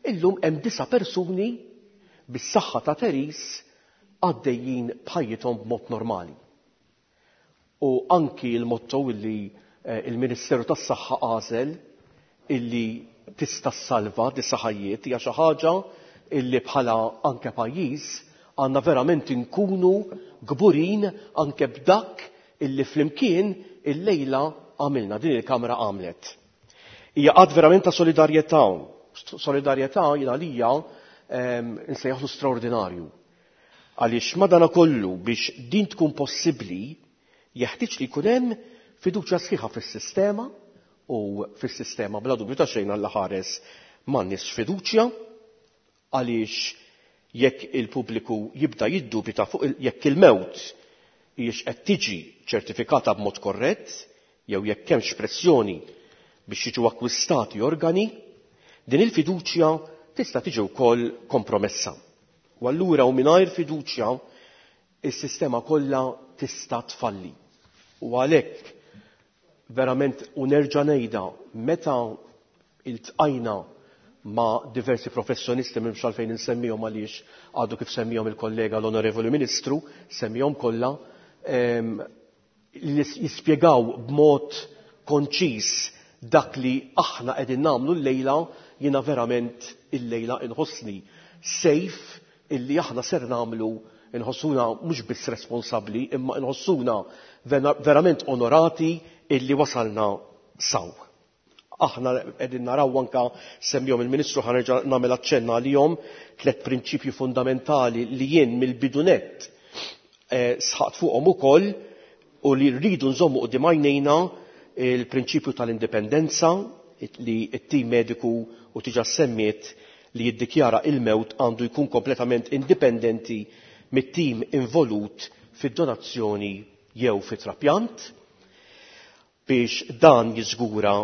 S3: illum hemm disa' persuni bis-saħħa ta' Therese għaddejjin b'ħajjithom b'mod normali. U anki l-motto illi eh, il-Ministeru tas-Saħħa għażel illi tista' ssalva disa' ħajjiet hija xi ħaġa illi bħala anke pajjiż għandna verament inkunu kburin anke b'dak illi flimkien illejla għamilna, din il-Kamra għamlet. Hija qatt verament ta' solidarjetà. Solidarjetà jien għalija ehm, nsejjaħlu straordinarju. Għaliex madanakollu biex din tkun possibbli jeħtieġ li jkun hemm fiduċja sħiħa fis-sistema u fis-sistema bla dubju ta' xejn Alla ħares m'għandniex fiduċja għaliex jekk il-pubbliku jibda jiddubita fuq jekk il-mewt hijiex qed tiġi ċertifikata b'mod korrett jew jekk hemmx pressjoni biex jiġu akkwistati organi, din il-fiduċja tista' tiġi wkoll kompromessa. U allura u mingħajr fiduċja is-sistema kollha tista' tfalli. U għalhekk verament u nerġa' ngħidha meta iltqajna ma' diversi professjonisti m'hemmx għalfejn insemmihom għaliex għadu kif semmihom il-kollega l-Onorevoli Ministru, semmihom kollha, li jispjegaw b'mod konċiż dak li aħna qegħdin nagħmlu llejla, jiena verament illejla inħossni safe illi aħna ser nagħmlu inħossuna mhux biss responsabbli imma inħossuna verament onorati illi wasalna saw. Aħna qegħdin naraw anka semmihom il-Ministru ħa nerġa' nagħmel aċċenna għalihom tliet prinċipji fundamentali li jien mill-bidu nett eh, sħaqt fuqhom ukoll u li rridu nżommu quddiem għajnejna il-prinċipju tal-indipendenza li t-tim mediku u tiġa semmiet li jiddikjara il-mewt għandu jkun kompletament indipendenti mit-tim involut fid-donazzjoni jew fit-trapjant biex dan jiżgura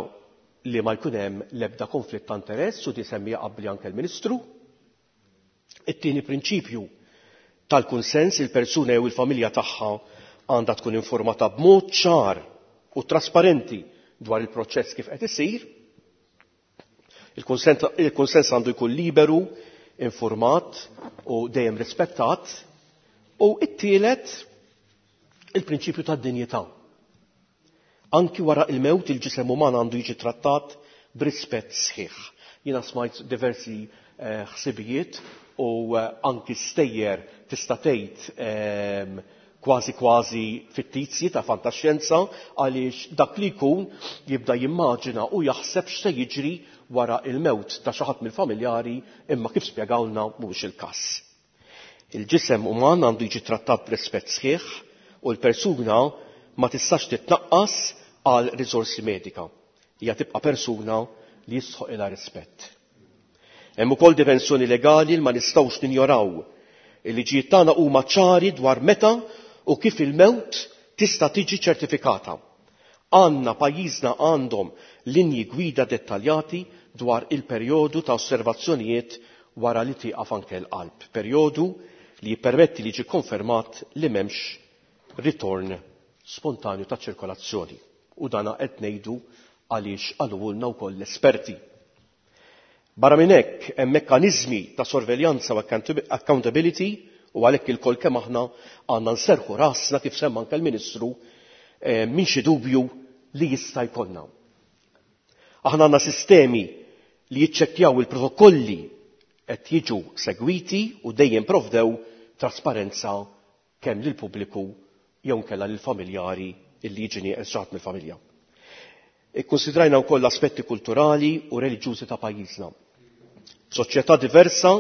S3: li ma jkun hemm l-ebda konflitt ta' interess u di semmija qabli anke l-Ministru. It-tieni prinċipju tal-kunsens il-persuna jew il-familja tagħha għandha tkun informata b'mod ċar u trasparenti dwar il-proċess kif qed isir. Il-kunsens għandu jkun liberu, informat u dejjem rispettat. U it-tielet il-prinċipju tad-dinjità. Anki wara il-mewt il-ġisem uman għandu jiġi trattat b'rispett sħiħ. Jiena smajt diversi eh, ħsibijiet u eh, anki stejjer tista' tgħid ehm, kważi kważi fittizji ta' fantaxjenza għaliex dak li jkun jibda jimmaġina u jaħseb x'se jiġri wara il-mewt ta' xi ħadd mill-familjari imma kif spjegawlna mhuwiex il-każ. Il-ġisem uman għandu jiġi trattat b'rispett sħiħ u l-persuna ma tistax titnaqqas għal riżorsi medika. Hija tibqa' persuna li jistħoqilha rispett. Hemm ukoll dimensjoni legali li ma nistgħux ninjoraw. Il-liġijiet tagħna huma ċari dwar meta u kif il-mewt tista' tiġi ċertifikata. Għandna pajjiżna għandhom linji gwida dettaljati dwar il-perjodu ta' osservazzjonijiet wara li tieqaf anke l-qalb. Perjodu li jippermetti li jiġi konfermat li m'hemmx ritorn spontanju ta' ċirkolazzjoni. U dana qed ngħidu għaliex qalulna wkoll l-esperti. Barra minn hekk hemm mekkaniżmi ta' sorveljanza u accountability u għalhekk ilkoll kemm aħna għandna nserrħu rasna kif semma anke l-Ministru eh, minn xi dubju li jista' jkollna. Aħna għandna sistemi li jiċċekkjaw il-protokolli qed jiġu segwiti u dejjem provdew trasparenza kemm lill-pubbliku jew inkella lill-familjari illi jiġi nieqes xi ħadd mill-familja. Ikkunsidrajna wkoll l-aspetti kulturali u reliġjużi ta' pajjiżna. F'soċjetà diversa,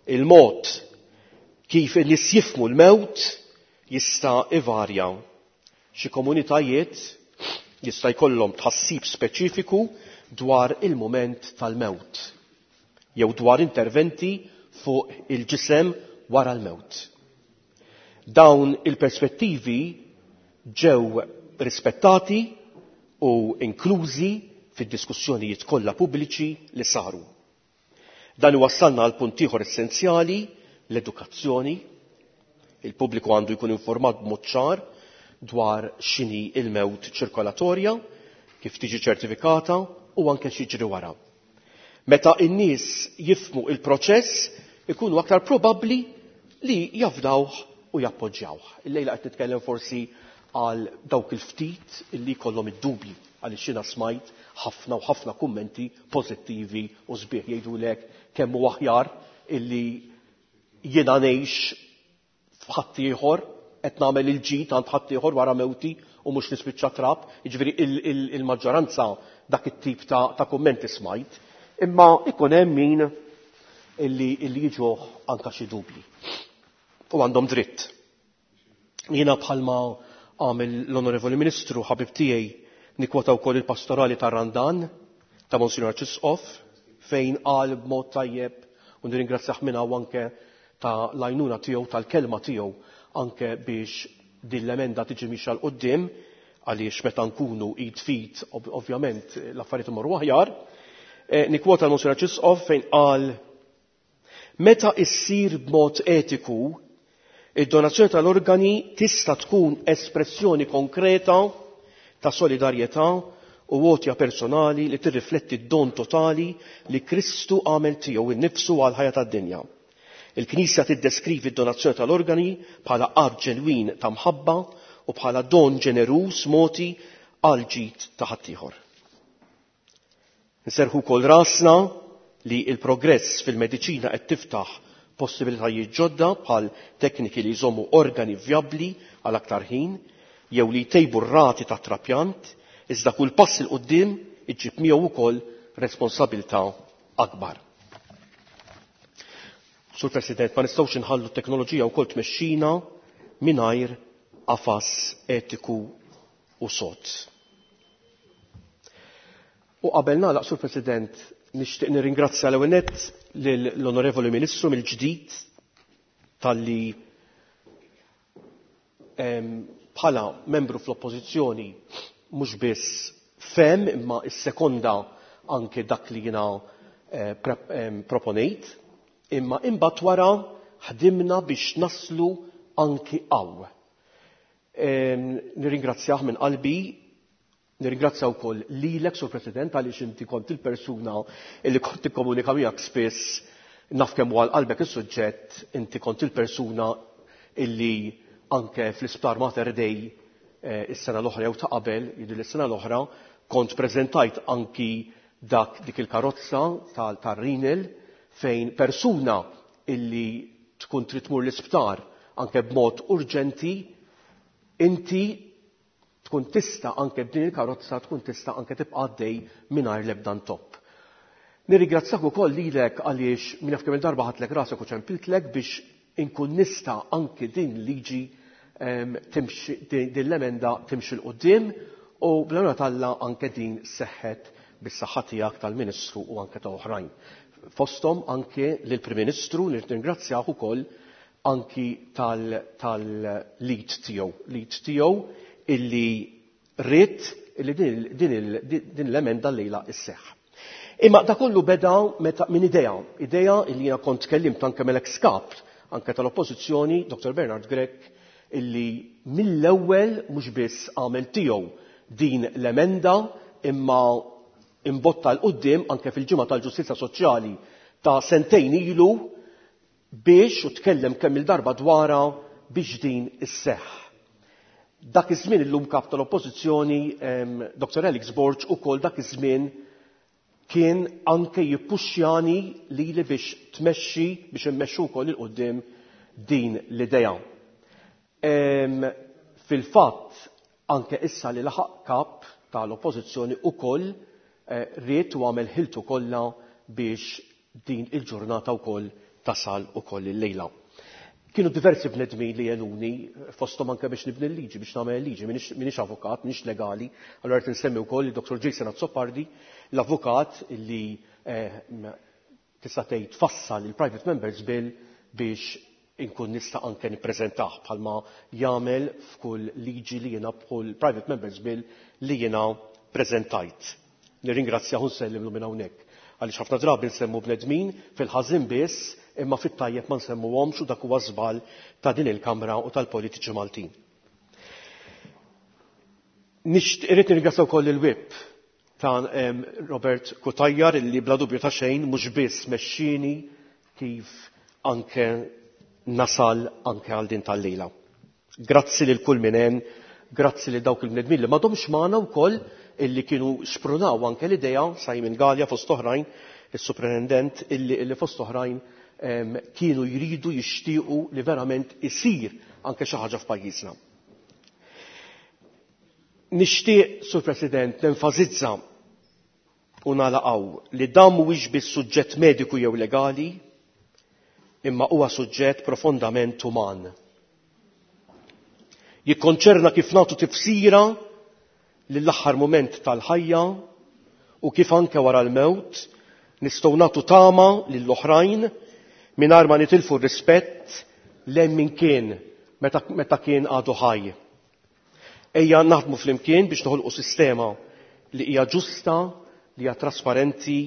S3: il-mod kif in-nies jifhmu l-mewt jista' ivarja. Xi komunitajiet jista' jkollhom tħassib speċifiku dwar il-mument tal-mewt jew dwar interventi fuq il-ġisem wara l-mewt. Dawn il-perspettivi ġew rispettati u inklużi fid-diskussjonijiet kollha pubbliċi li saru. Dan iwassalna għal punt ieħor essenzjali, l-edukazzjoni. Il-pubbliku għandu jkun informat b'mod ċar dwar x'inhi il-mewt ċirkolatorja, kif tiġi ċertifikata u anke x'jiġri wara. Meta n-nies jifhmu il-proċess, ikunu aktar probabbli li jafdawh u jappoġġjawh. Illejla qed nitkellem forsi għal dawk il-ftit illi jkollhom id-dubji għaliex jiena smajt ħafna u ħafna kummenti pożittivi u sbieħ jgħidulek kemm hu aħjar illi jiena ngħix f'ħaddieħor qed nagħmel il-ġid għand ħaddieħor wara mewti u mhux nispiċċa trab. Jiġifieri il-maġġoranza dak it-tip ta' kummenti smajt. Imma ikun hemm min illi jiġuh anke xi dubji. U għandhom dritt. Jiena bħalma għamel l-Onorevoli Ministru ħabib tiegħi nikkwota wkoll il-pastorali tar-Randan ta' Monsinjor Arċisqof fejn qal b'mod tajjeb u nirringrazzjah minn hawn anke ta' l-għajnuna tiegħu tal-kelma tiegħu anke biex din l-emenda tiġi mixja 'l quddiem għaliex meta nkunu id f'id ovvjament l-affarijiet imorru aħjar. Nikkwota l-Monsinjor Arċisqof fejn qal Meta issir b'mod etiku, id-donazzjoni tal-organi tista' tkun espressjoni konkreta ta' solidarjetà u għotja personali li tirrifletti d-don totali li Kristu għamel tiegħu innifsu għall-ħajja tad-dinja. Il-Knisja tiddeskrivi d-donazzjoni tal-organi bħala att ġenwin ta' mħabba u bħala don ġeneruż mogħti għall-ġid ta' ħaddieħor. Nserrħu wkoll rasna li l-progress fil-mediċina qed tiftaħ possibilitajiet ġodda bħal tekniki li jżommu organi vjabbli għal aktar ħin jew li jtejbu r-rati tat-trapjant, iżda kull pass 'il quddiem iġib miegħu wkoll responsabilità akbar. Sur President, ma nistgħux inħallu t-teknoloġija wkoll tmexxina mingħajr qafas etiku u sod. U qabel nagħlaq, Sur President, nixtieq nirringrazzja l-ewwel nett lill-Onorevoli Ministru mill-ġdid talli bħala membru fl-Oppożizzjoni mhux biss fehem imma issekonda anke dak li jiena proponejt, imma imbagħad wara ħdimna biex naslu anki hawn. Nirringrazzjah minn qalbi. Nirringrazzja wkoll lilek, Sur President, għaliex inti kont il-persuna li kont tikkomunika miegħek spiss, naf kemm huwa għal qalbek is-suġġett, inti kont il-persuna illi anke fl-Isptar Mater Dei is-sena l-oħra jew ta' qabel, jidhirli s-sena l-oħra, kont preżentajt anki dak dik il-karozza tar-renal fejn persuna illi tkun trid tmur l-isptar anke b'mod urġenti, inti tkun tista' anke b'din il-karozza tkun tista' anke tibqa' għaddej mingħajr l-ebda ntopp. Nirringrazzjak ukoll lilek għaliex min jaf kemm il-darba ħadtlek rasek u ċempiltlek biex inkun nista' anke din liġi timxi din l-emenda timxi 'l quddiem u bl-għajnuna t'Alla anke din seħħet bis-saħħa tiegħek tal-Ministru u anke ta' oħrajn. Fosthom anke lill-Prim Ministru li nirringrazzjah ukoll anki tal-lead tiegħu, lead tiegħu illi ried illi din l-emenda llejla sseħħ. Imma da kollu beda meta minn idea, idea illi jiena kont tkellimt anke mal-ex kap anke tal-Oppożizzjoni, Dr. Bernard Grech, illi mill-ewwel mhux biss għamel tiegħu din l-emenda imma imbotta 'l quddiem anke fil-Ġimgħa tal-Ġustizzja Soċjali ta' sentejn ilu biex u tkellem kemm-il darba dwarha biex din isseħħ. Dak iż-żmien illum kap tal-Oppożizzjoni Dr. Alex Borg ukoll dak iż-żmien kien anke jippuxxjani lili biex tmexxi biex immexxu wkoll 'il quddiem din l-idea. Fil-fatt anke issa li laħaq kap tal-Oppożizzjoni ukoll ried u għamel ħiltu kollha biex din il-ġurnata wkoll tasal ukoll illejla. Kienu diversi bnedmin li għenuni, fosthom anke biex nibni l-liġi, biex nagħmel il-liġi, m'iniex avukat, m'iniex legali, allura rrid insemmi wkoll lid-Dr. Jason Azzopardi, l-avukat li tista' tgħid fassal il-Private Members Bill biex inkun nista' anke nippreżentah bħalma jagħmel f'kull liġi li jiena b'kull Private Members Bill li jiena preżentajt. Nirringrazzjah u nsellimlu minn hawnhekk. Għaliex ħafna drabi nsemmu bnedmin fil-ħażin biss imma fit-tajjeb ma nsemmuhomx u dak huwa żball ta' din il-Kamra u tal-politiċi Maltin. Irrid nirringrazzja wkoll il-whip ta' Robert Cutajar illi bla dubju ta' xejn mhux biss mexxieni kif anke nasal anke għal din tal-lejla. Grazzi lil kull min għen, grazzi lil dawk il-bnedmin li m'għadhomx magħna wkoll illi kienu xprunaw anke l-idea, Simon Galea fost oħrajn, is-superintendent illi fost oħrajn kienu jridu jixtiequ li verament isir anke xi ħaġa f'pajjiżna. Nixtieq, Sur President, nenfasizza u nagħlaq hawn li dan mhuwiex biss suġġett mediku jew legali, imma huwa suġġett profondament uman. Jikkonċerna kif nagħtu tifsira lill-aħħar mument tal-ħajja u kif anke wara l-mewt nistgħu nagħtu tama lill-oħrajn mingħajr ma nitilfu r-rispett lejn min kien meta kien għadu ħaj. Ejja naħdmu flimkien biex noħolqu sistema li hija ġusta, li hija trasparenti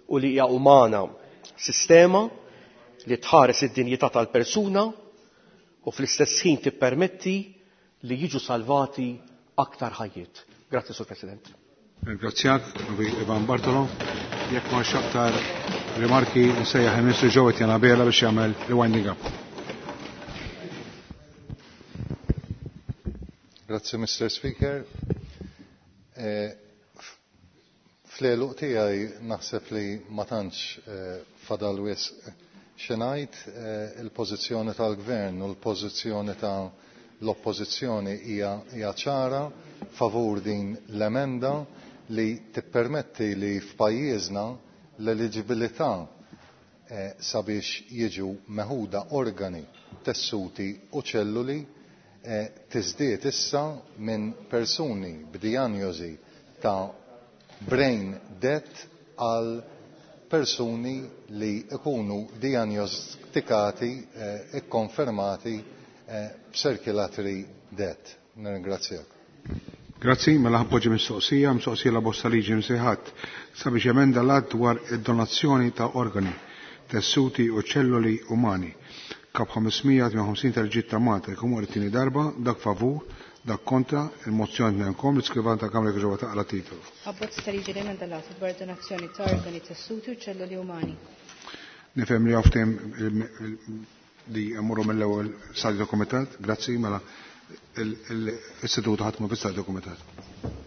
S3: u li hija umana. Sistema li tħares id-dinjità tal-persuna u fl-istess ħin tippermetti li jiġu salvati aktar ħajjiet. Grazzi, Sur President.
S1: Ringrazzjak, Ivan Bartolo. Jekk ma aktar rimarki, nsejjaħ il-Ministru Jo Etienne Abela biex jagħmel il-winding up.
S12: Grazzi, Mr. Speaker. Fl-għeluq tiegħi naħseb li ma tantx fadal wisq xi ngħid, il-pożizzjoni tal-Gvern u l-pożizzjoni ta' l-Oppożizzjoni hija ċara favur din l-emenda li tippermetti li f'pajjiżna l-eliġibilità sabiex jiġu meħuda organi, tessuti u ċelluli tiżdied issa minn persuni b'dijanjosi ta' brain death għal persuni li ikunu diagnostikati, ikkonfermati b'circulatory death. Nirringrazzjak.
S1: Grazzi, mela ħappoġġi mistoqsija, mistoqsija la bosta liġi msejħat sabiex emenda l-att dwar id-donazzjoni ta' organi, tessuti u ċelluli umani. Kap 558 tal-ġid ta' Malta jkun wara t-tieni darba, dak favur, dak kontra, il-mozzjoni tnejnkom, l-iskrivan ta' Kamra ġewwa taqra titolu.
S2: Abbozz ta' liġi li emenda l-att dwar donazzjoni ta' organi, tessuti u ċelluli umani.
S1: Nifhem li hawn li jmorru mill-ewwel stadju dokumentat, grazzi, mela il-seduta ħadd ma fi stadju dokumentat.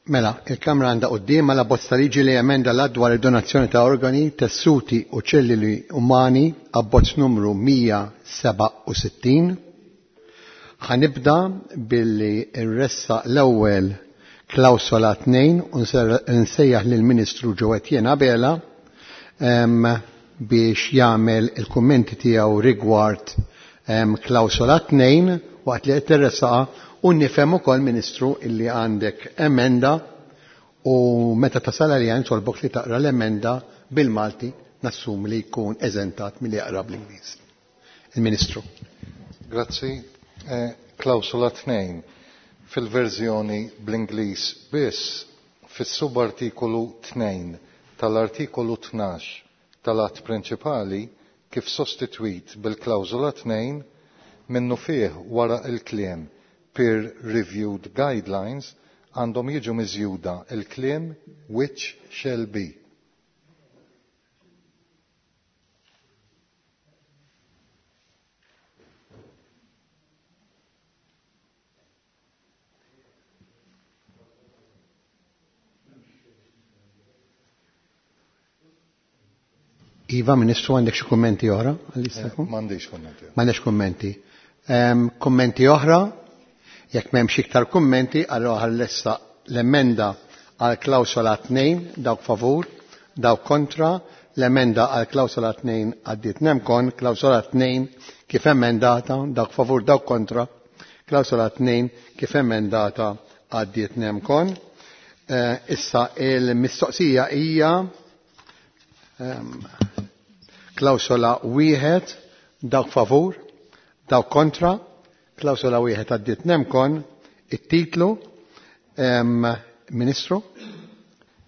S15: Mela, il-Kamra għandha qudiemha la bozza liġi li emenda l-att dwar id-donazzjoni ta' organi, tessuti u ċelluli umani abbozz numru 167. Ħanibda billi nressa l-ewwel klawsola 2 u nsejjaħ lill-Ministru Jo Etienne Abela biex jagħmel il-kummenti tiegħu rigward klawsola 2 waqt li qed tirressaqa. U nifhem ukoll, Ministru, illi għandek emenda u meta tasal għalija nitolbok li taqra l-emenda bil-Malti, nassum li jkun eżentat milli jaqra bl-Ingliż. Il-Ministru.
S12: Grazzi. Klawsola 2 fil-verżjoni bl-Ingliż biss fis-subartikolu 2 tal-artikolu 12 tal-att prinċipali kif sostitwit bil-klawsola 2 minnu fih wara il-kliem peer-reviewed guidelines għandhom jiġu miżjuda il-kliem which shall be.
S15: Iva, Ministru, għandek xi kummenti oħra?
S12: M'għandix kummenti.
S15: M'għandekx kummenti. Kummenti oħra? Jekk m'hemmx iktar kummenti, allora ħallessa l-emenda għal klawsola 2, dawk favur, dawk kontra, l-emenda għal klawsola 2 għaddiet nemkon, klawsola 2 kif emendata, dawk favur, dawk kontra, klawsola 2 kif emendata għaddiet nemkon. Issa il-mistoqsija hija klawsola 1, dawk favur, dawk kontra, klawsola 1 għaddiet nemkon, it-titlu, Ministru?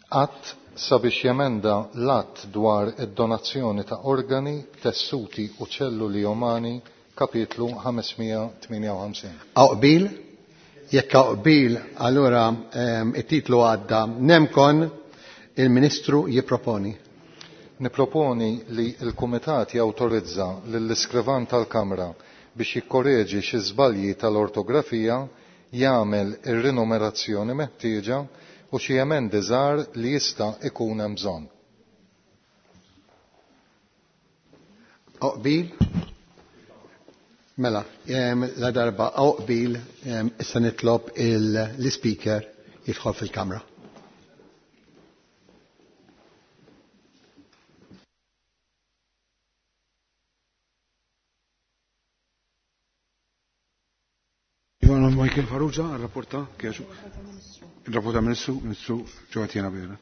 S12: Att sabiex jemenda l-att dwar id-donazzjoni ta' organi, tessuti u ċelluli umani, kapitlu 558.
S15: Hawn qbil? Jekk hawn qbil, allura it-titlu għadda nemkon, il-Ministru jipproponi.
S12: Niproponi li l-Kumitat jawtorizza lill-iskrivan tal-Kamra biex jikkoreġi xi żbalji tal-ortografija, jagħmel ir-rinumerazzjoni meħtieġa u xi emendi żgħar li jista' ikun hemm bżonn.
S15: Oqbil? Mela, la darba oqbil, issa nitlob l-speaker jidħol fil-kamra.
S1: Ivana Michael Farrugia, rapporta, kieġu. Il-rapporta Ministru, Ministru Ġovatjena Bera.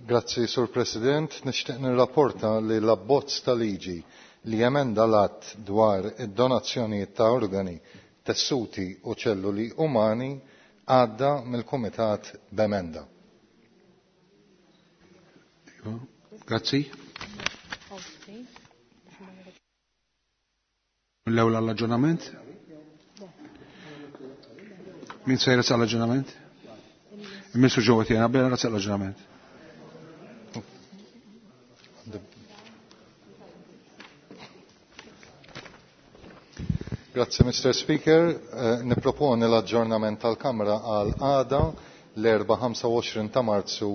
S12: Grazzi, Sur President. Nixtieq nirrapporta li l-abbozz ta' liġi li jemenda l-att dwar id-donazzjonijiet ta' organi, tessuti u ċelluli umani għadda mill-Kumitat b'emenda.
S1: Grazzi. L-ewwel għall-aġġornament. Min se jressaq l-aġġornament? Il-Ministru Ġovatjena Bera ressaq l-aġġornament.
S12: Grazie, Mr. Speaker. Niproponi l-aġġornament tal-Kamra għal għada l-4 25 ta' Marzu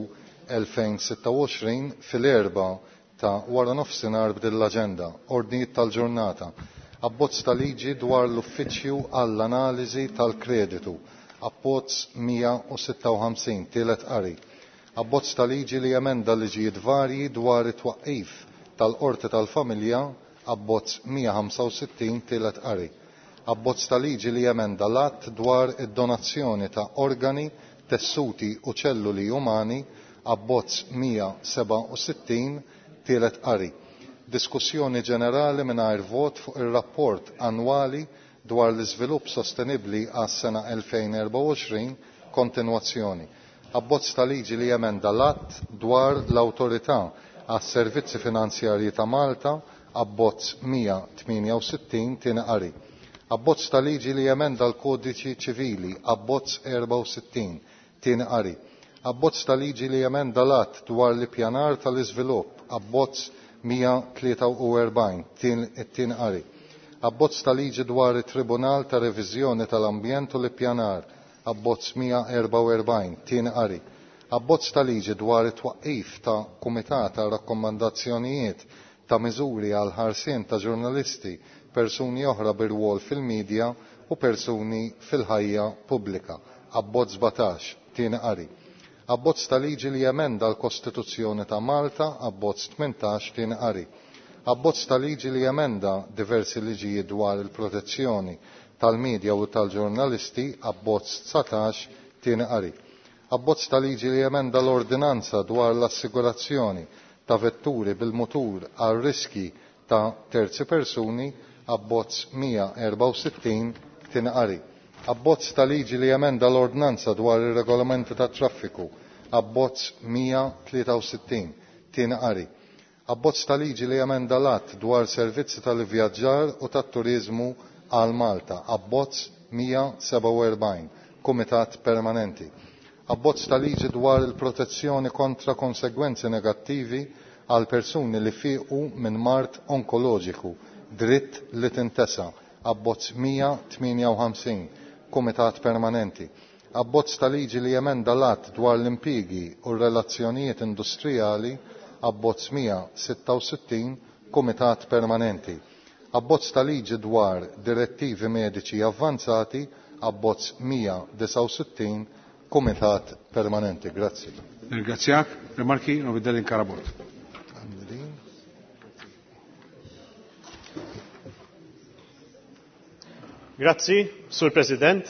S12: 2026 fil-4 ta' wara nofsinhar b'din l-aġenda, ordnijiet tal-ġurnata, abbozz ta' liġi dwar l-Uffiċċju għall-Analiżi tal-Kreditu, abbozz 156 tielet qari, abbozz ta' liġi li jemenda liġijiet varji dwar it-twaqqif tal-Qorti tal-Familja, abbozz 165 tielet qari, abbozz ta' liġi li jemenda l-att dwar id-donazzjoni ta' organi, tessuti u ċelluli umani, abbozz 167 tielet qari. Diskussjoni ġenerali mingħajr vot fuq ir-rapport annwali dwar l-iżvilupp sostenibbli għas-sena 2024 kontinwazzjoni. Abbozz ta' liġi li jemenda l-att dwar l-Awtorità għas-Servizzi Finanzjarji ta' Malta, abbozz 168 tieni qari. Abbozz ta' liġi li jemenda l-Kodiċi Ċivili, abbozz 64 tieni qari. Abbozz ta' liġi li jemenda l-att dwar l-ippjanar tal-iżvilupp, abbozz 143 it-tieni qari. Abbozz ta' liġi dwar it-Tribunal ta' Reviżjoni tal-Ambjent u l-Ippjanar, abbozz 144 tieni qari. Abbozz ta' liġi dwar it-twaqqif ta' Kumitat ta' Rakkomandazzjonijiet ta' miżuri għal ħarsien ta' ġurnalisti, persuni oħra bir-rwol fil-medja u persuni fil-ħajja pubblika, abbozz 17 tieni qari. Abbozz ta' liġi li jemenda l-Kostituzzjoni ta' Malta, abbozz 18 tieni qari. Abbozz ta' liġi li jemenda diversi liġijiet dwar il-protezzjoni tal-medja u tal-ġurnalisti, abbozz 19 tieni qari. Abbozz ta' liġi li jemenda l-ordinanza dwar l-assigurazzjoni ta' vetturi bil-mutur għal riski ta' terzi persuni, abbozz 164 tieni qari. Abbozz ta' liġi li jemenda l-ordinanza dwar ir-regolamenti tat-traffiku, abbozz 163 tieni qari. Abbozz ta' liġi li jemenda l-att dwar servizzi tal-ivvjaġġar u tat-turiżmu għal Malta, abbozz 147, Kumitat Permanenti. Abbozz ta' liġi dwar il-protezzjoni kontra konsegwenzi negattivi għal persuni li fiequ minn mard onkoloġiku, dritt li tintesa, abbozz 158, Kumitat Permanenti. Abbozz ta' liġi li jemenda l-att dwar l-impjiegi u r-relazzjonijiet industrijali, abbozz 166, Kumitat Permanenti. Abbozz ta' liġi dwar direttivi mediċi avvanzati, abbozz 169, Kumitat Permanenti. Grazzi.
S1: Ringrazzjak. Rimarki, Novidelin Karabot.
S4: Grazzi, Sur President.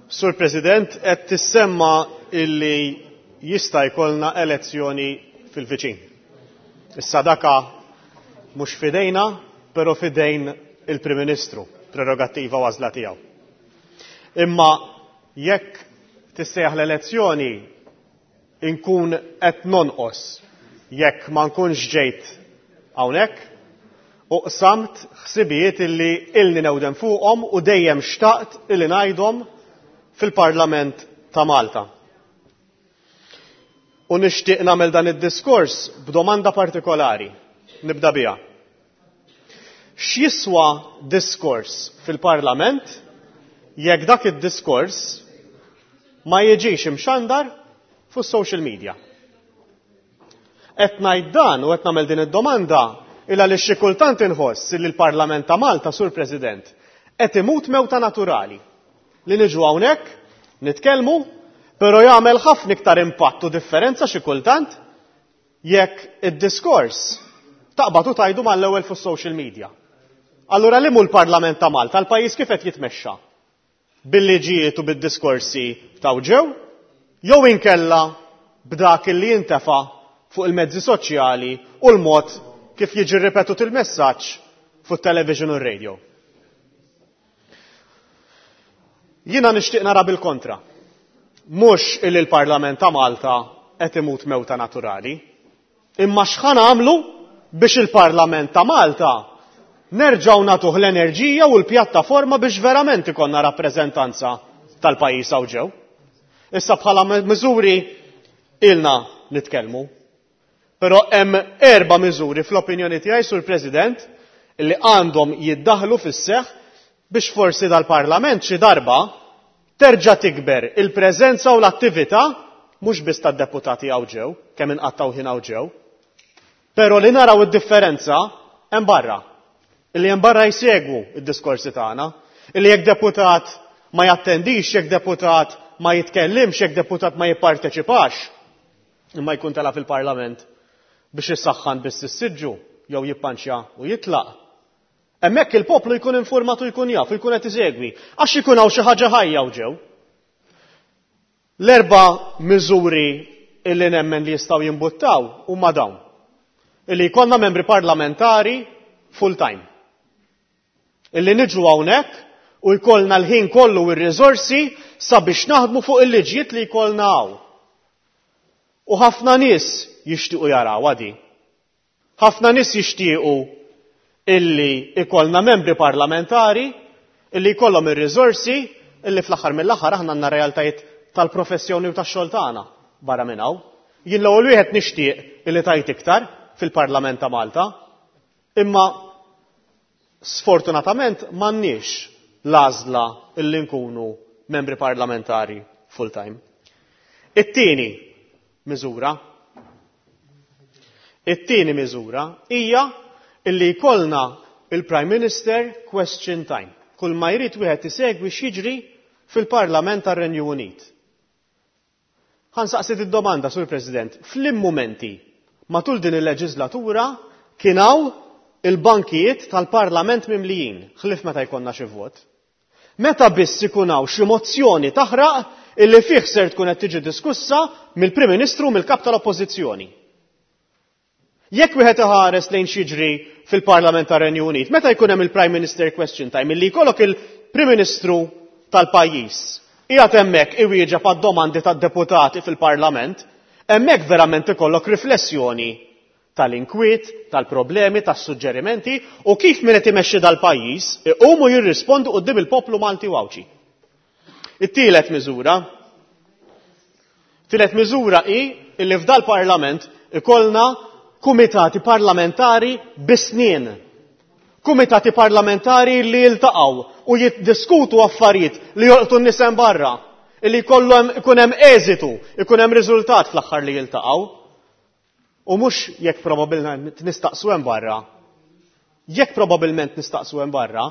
S4: Sur President, qed tissemma illi jista' jkollna elezzjoni fil-viċin. Issa daka mhux fidejna, però fidejn il-Prim Ministru, prerogattiva u għażla tiegħu. Imma jekk tissejjaħ l-elezzjoni inkun qed nonqos jekk ma nkunx ġejt hawnhekk u qsamt ħsibijiet illi ilni newden fuqhom u dejjem xtaqt illi ngħidhom fil-Parlament ta' Malta. U nixtieq nagħmel dan id-diskors b'domanda partikolari. Nibda biha. X'jiswa diskors fil-Parlament jekk dak id-diskors ma jiġix imxandar fuq social media? Qed ngħid dan u qed nagħmel din id-domanda il għaliex xi kultant inħoss li l-Parlament ta' Malta, Sur President, qed imut mewta naturali. Li niġu hawnhekk, nitkellmu, però jagħmel ħafna iktar impatt u differenza xi kultant jekk id-diskors taqbad u tgħidu mal-ewwel fuq social media. Allura li mhu l-Parlament ta' Malta, l-pajjiż kif qed jitmexxa? Bil-liġijiet u bid-diskorsi ta' ġew, jew inkella b'dak li jintefa' fuq il-mezzi soċjali u l-mod kif jiġi ripetut il-messaġġ fuq television u r-radio. Jiena nixtieq nara bil-kontra. Mhux illi l-Parlament ta' Malta qed imut mewta naturali, imma x'ħa nagħmlu biex il-Parlament ta' Malta nerġgħu nagħtuh l-enerġija u l-pjattaforma biex verament ikollna rappreżentanza tal-pajjiż hawn ġew. Issa bħala miżuri ilna nitkellmu. Però hemm 4 miżuri fl-opinjoni tiegħi, Sur President, li għandhom jiddaħlu fis-seħħ biex forsi dal-Parlament xi darba terġa' tikber il-preżenza u l-attività mhux biss tad-deputati hawn ġew, kemm inqattgħu ħin hawn ġew, però li naraw id-differenza hemm barra. Illi hemm barra jsegwu id-diskorsi tagħna, illi jekk deputat ma jattendix, jekk deputat ma jitkellimx, jekk deputat ma jipparteċipax, imma jkun tela' fil-Parlament biex issaħħan biss is-siġġu jew jippanċja u jitlaq. Hemmhekk il-poplu jkun informat u jkun jaf, jkun qed isegwi, għax ikun hawn xi ħaġa ħajja u ġew. L-4 miżuri illi nemmen li jistgħu jimbuttaw huma dawn. Illi jkollna membri parlamentari full time. Illi niġu hawnhekk u jkollna l-ħin kollu u r-riżorsi sabiex naħdmu fuq il-liġijiet li jkollna hawn. U ħafna nies jixtiequ jaraw għadi. Ħafna nies jixtiequ illi ikollna membri parlamentari illi jkollhom ir-riżorsi illi fl-aħħar mill-aħħar aħna għandna realtajiet tal-professjoni u tax-xogħol tagħna barra minn hawn. Jien l-ewwel wieħed nixtieq illi tajt iktar fil-Parlament ta' Malta, imma sfortunatament m'għandniex l-għażla illi nkunu membri parlamentari full-time. It-tieni miżura. It-tieni miżura hija illi jkollna il-Prime Minister Question Time. Kull ma jrid wieħed isegwi x'jiġri fil-Parlament tar-Renju Unit. Ħa nsaqsi id-domanda, Sur President, f'liem mumenti matul din il-leġislatura kien hawn il-bankijiet tal-Parlament mimlijin, ħlief meta jkollna xi vot. Meta biss ikun hawn xi mozzjoni taħraq illi fih ser tkun qed tiġi diskussa mill-Prim Ministru u mill-Kap tal-Oppożizzjoni. Jekk wieħed iħares lejn x'jiġri fil-Parlament tar-Renju Unit, meta jkun hemm il-Prime Minister Question Time illi jkollok il-Prim Ministru tal-pajjiż qiegħed hemmhekk iwieġeb għad-domandi tad-deputati fil-Parlament, hemmhekk verament ikollok riflessjoni tal-inkwiet, tal-problemi, tas-suġġerimenti u kif min qed imexxi dal-pajjiż iqumu jirrispondu quddiem il-poplu Malti u Għawdxi. It-tielet miżura. Tielet miżura hi illi f'dal-Parlament ikollna kumitati parlamentari bis-snien. Kumitati parlamentari li jiltaqgħu u jiddiskutu affarijiet li jolqtu n-nies hemm barra, illi jkollhom ikun hemm eżitu, ikun hemm riżultat fl-aħħar li jiltaqgħu. U mhux jekk probabbilment nistaqsu hemm barra. Jekk probabbilment nistaqsu hemm barra,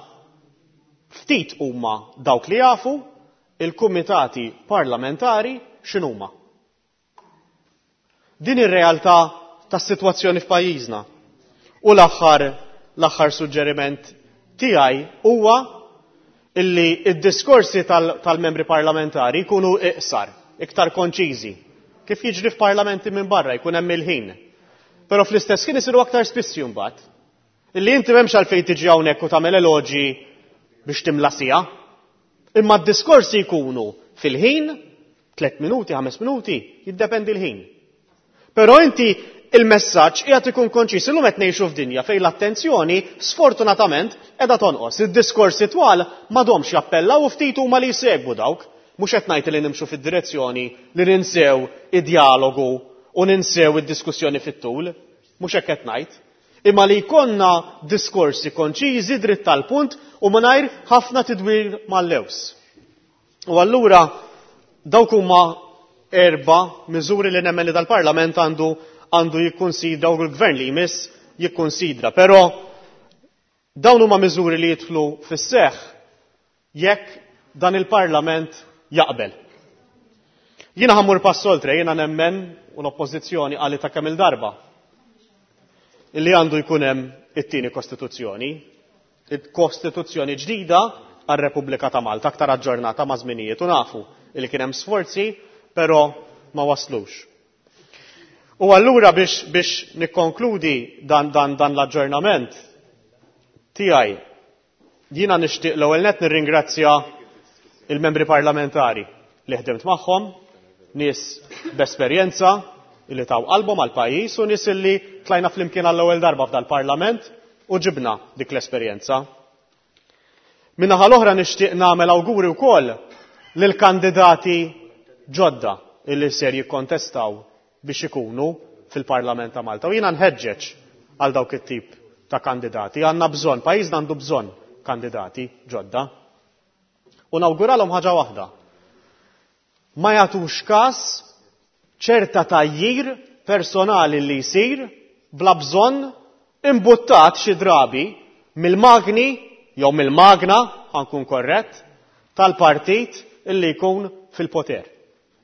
S4: ftit huma dawk li jafu il-kumitati parlamentari x'inhuma. Din ir-realtà tas-sitwazzjoni f'pajjiżna. U l-aħħar l-aħħar suġġeriment tiegħi huwa illi id-diskorsi tal-membri parlamentari jkunu iqsar, iktar konċiżi. Kif jiġri f'parlamenti minn barra jkun hemm il-ħin. Però fl-istess ħin isiru aktar spissi mbagħad. Illi inti m'hemmx għalfejn tiġi hawnhekk u tagħmel eloġi biex timla siegħa. Imma d-diskorsi jkunu fil-ħin, 3 minuti, 5 minuti, jiddependi l-ħin. Però inti il-messaġġ qiegħed ikun konċis. Illum qed ngħixu f'dinja fejn l-attenzjoni sfortunatament qiegħda tonqos. Id-diskorsi twal m'għadhomx jappellaw u ftit huma li jsegwu dawk. Mhux qed ngħid li nimxu fid-direzzjoni li ninsew id-dialogu u ninsew id-diskussjoni fit-tul. Mhux hekk qed ngħid. Imma li jkollna diskorsi konċiżi, dritt tal-punt u mingħajr ħafna tidwir mal-lews. U allura dawk huma 4 miżuri li nemmen li dal-Parlament għandu jikkonsidra u l-Gvern li jmiss jikkonsidra. Però dawn huma miżuri li jidħlu fis-seħħ jekk dan il-Parlament jaqbel. Jiena ħammur pass oltre, jiena nemmen u l-Oppożizzjoni qalet ta' kemm il-darba illi għandu jkun hemm it-tieni Kostituzzjoni, il-Kostituzzjoni ġdida għar-Repubblika ta' Malta, aktar aġġornata ma' żminijiet, u nafu illi kien hemm sforzi, però ma waslux. U allura biex nikkonkludi dan l-aġġornament tiegħi, jiena nixtieq l-ewwel nett nirringrazzja il-membri parlamentari li ħdimt magħhom, nies b'esperjenza li taw qalbhom għall-pajjiż u nies li tlajna flimkien għall-ewwel darba f'dal-Parlament u ġibna dik l-esperjenza. Min-naħa l-oħra nixtieq nagħmel awguri wkoll lill-kandidati ġodda illi ser jikkontestaw biex ikunu fil-Parlament ta' Malta. U jiena nħeġġeġ għal dawk it-tip ta' kandidati. Għandna bżonn, pajjiżna għandu bżonn kandidati ġodda. U nawguralhom ħaġa waħda. Ma jagħtux każ ċerta tgħajjir personali li jsir bla bżonn imbuttat xi drabi mill-magni jew mill-magna, ħankun korrett, tal-partit illi jkun fil-poter.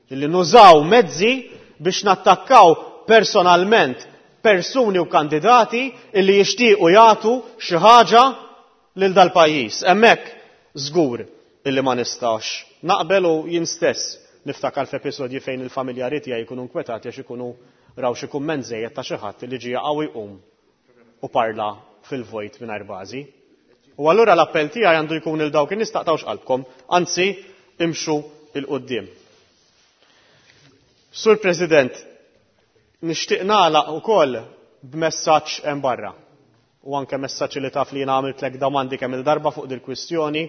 S4: Illi nużaw mezzi biex nattakkaw personalment persuni u kandidati illi jixtiequ jagħtu xi ħaġa lil dal-pajjiż. Hemmhekk żgur illi ma nistax naqbel u jien stess niftakar f'episodji fejn il-familjari tiegħi jkunu nkwetati għax ikunu raw xi kumment żejjed ta' xi ħadd li ġie jaqgħu jqum u parla fil-vojt mingħajr bażi. U allura l-appell tiegħi għandu jkun il dawk in-nies taqtgħux qalbkom, anzi imxu il quddiem. Sur President, nixtieq nagħlaq ukoll b'messaġġ hemm barra. U anke messaġġ li taf li jiena għamiltlek domandi kemm il-darba fuq dil-kwistjoni,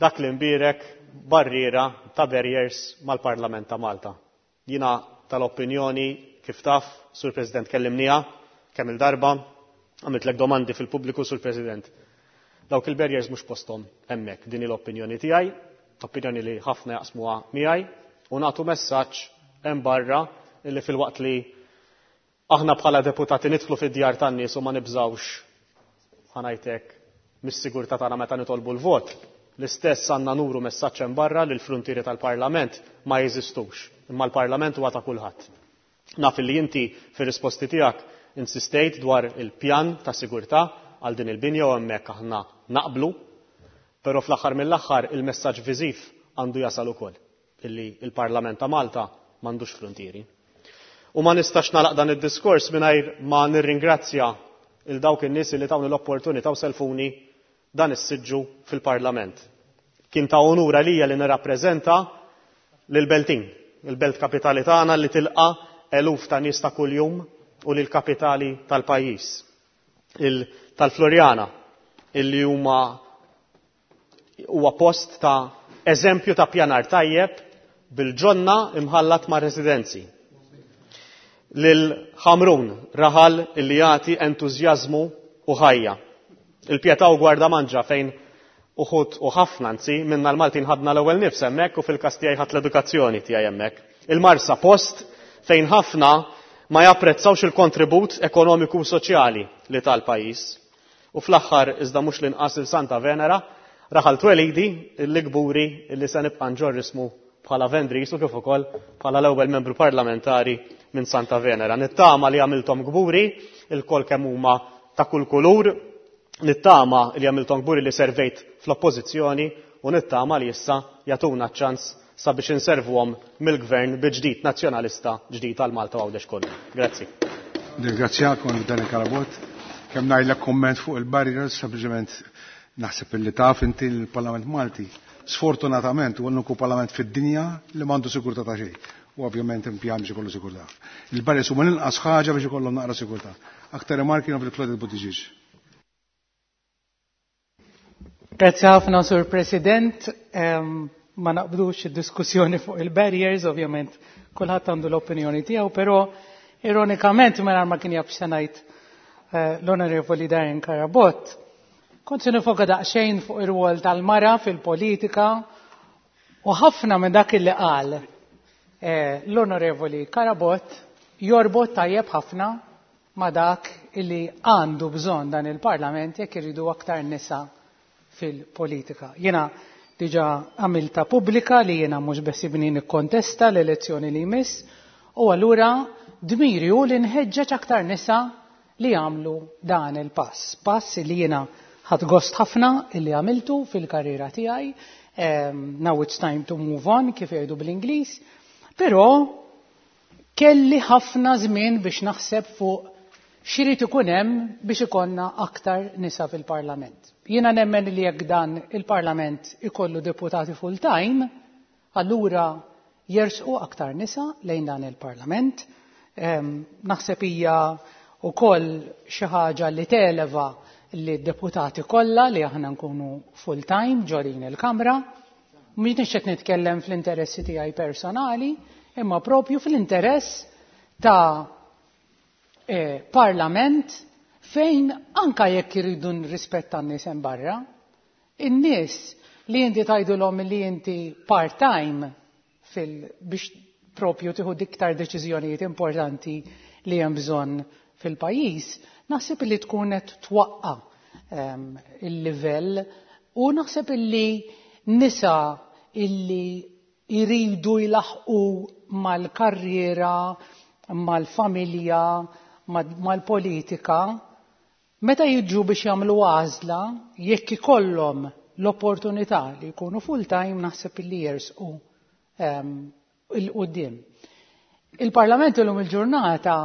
S4: dak li mbierek barriera ta' barriers mal-Parlament ta' Malta. Jiena tal-opinjoni kif taf, Sur President, kellimniha kemm il-darba, għamiltlek domandi fil-pubbliku, Sur President. Dawk il-barriers mhux posthom hemmhekk, din l-opinjoni tiegħi, opinjoni li ħafna jaqsmuha miegħi, u nagħtu messaġġ hemm barra illi fil-waqt li aħna bħala deputati nidħlu fid-djar tan-nies u ma nibżgħux, ħanajtek, mis-sigurtà tagħna meta nitolbu l-vot. L-istess għandna nuru messaġġ hemm barra li l-frontieri tal-Parlament ma jeżistux, imma l-Parlament huwa ta' kulħadd. Naf li inti fir-risposti tiegħek insistejt dwar il-pjan ta' sigurtà għal din il-binja u hemmhekk aħna naqblu, però fl-aħħar mill-aħħar il-messaġġ viżiv għandu jasal ukoll illi il-Parlament ta' Malta m'għandux frontieri. U ma nistax nagħlaq dan id-diskors mingħajr ma nirringrazzja il dawk in-nies li tawni l-opportunità u selfuni dan is-siġġu fil-Parlament. Kien ta' onur għalija li nirrappreżenta lil Beltin, il-belt kapitali tagħna li tilqa' eluf ta' nies ta' kuljum u lil kapitali tal-pajjiż, tal-Floriana, illi huma huwa post ta' eżempju ta' pjanar tajjeb bil-ġonna imħallat ma' residenzi. Lil Ħamrun, raħal illi jagħti entużjażmu u ħajja. Il-Pietà u Gwardamanġa fejn uħud u ħafna anzi minna l-Maltin ħadna l-ewwel nifs hemmhekk u fil-każ tiegħi ħadd l-edukazzjoni tiegħi hemmhekk. Il-Marsa post fejn ħafna
S16: ma japprezzawx il-kontribut ekonomiku u soċjali li ta l-pajjiż. U fl-aħħar iżda mhux l-inqas il Santa Venera, raħal twelidi illi kburi illi se nibqa' nġorr ismu bħala Vendris u kif ukoll bħala l-ewwel membru parlamentari minn Santa Venera. Nittama li għamilthom kburi ilkoll kemm huma ta' kull kulur, nittama li għamilthom kburi li servejt fl-oppożizzjoni u nittama li issa jagħtuna ċ-ċans sabiex inservuhom mill-Gvern bi ġdid Nazzjonalista ġdid għal Malta u Għawdex kollu. Grazzi.
S1: Nirringrazzjak Onorevoli Daniel Carabott. Kemm ngħidlek kumment fuq il-barriers, sempliċement naħseb illi taf inti l-Parlament Malti sfortunatament huwa l-uniku parlament fid-dinja li m'għandu sigurtà ta' xejn. U ovvjament impjan biex ikollu sigurtà. Il-barriers huma l-inqas ħaġa biex ikollhom naqra sigurtà. Aktar rimarki Onorevoli Claudette Buttigieg.
S17: Grazzi ħafna, Sur President. Ma naqbdux id-diskussjoni fuq il-barriers, ovvjament kulħadd għandu l-opinjoni tiegħu, però ironikament mingħajr ma kien jaf x'se ngħid l-Onorevoli Darren Carabott, kont se nifoka daqsxejn fuq ir-rwol tal-mara fil-politika u ħafna minn dak li qal l-Onorevoli Carabott jorbot tajjeb ħafna ma' dak illi għandu bżonn dan il-Parlament jekk iridu aktar nisa fil-politika. Jiena diġa għamilta pubblika li jiena mhux besibni nikkontesta l-elezzjoni li jmiss u allura dmiri hu li nħeġġeġ aktar nisa li jagħmlu dan il-pass. Pass li jiena ħadt gost ħafna illi għamiltu fil-karriera tiegħi. Now it's time to move on, kif jgħidu bl-Ingliż. Però kelli ħafna żmien biex naħseb fuq x'irid ikun hemm biex ikollna aktar nisa fil-Parlament. Jiena nemmen li jekk dan il-Parlament ikollu deputati full-time, allura jersqu aktar nisa lejn dan il-Parlament. Naħseb hija wkoll xi ħaġa li televa li d-deputati kollha li aħna nkunu full-time ġo din il-Kamra. Mhux qed nitkellem fl-interessi tiegħi personali, imma propju fl-interess ta' parlament fejn anka jekk iridu nrispetta n-nies hemm barra, in-nies li inti tgħidulhom li inti part-time biex propju tieħu iktar deċiżjonijiet importanti li hemm bżonn fil-pajjiż, naħseb li tkun qed twaqqa il-livell u naħseb illi nisa illi jridu jlaħqu mal-karriera, mal-familja, mal-politika, meta jiġu biex jagħmlu għażla, jekk ikollhom l-opportunità li jkunu full-time, naħseb illi jersqu 'il quddiem. Il-Parlament illum il-ġurnata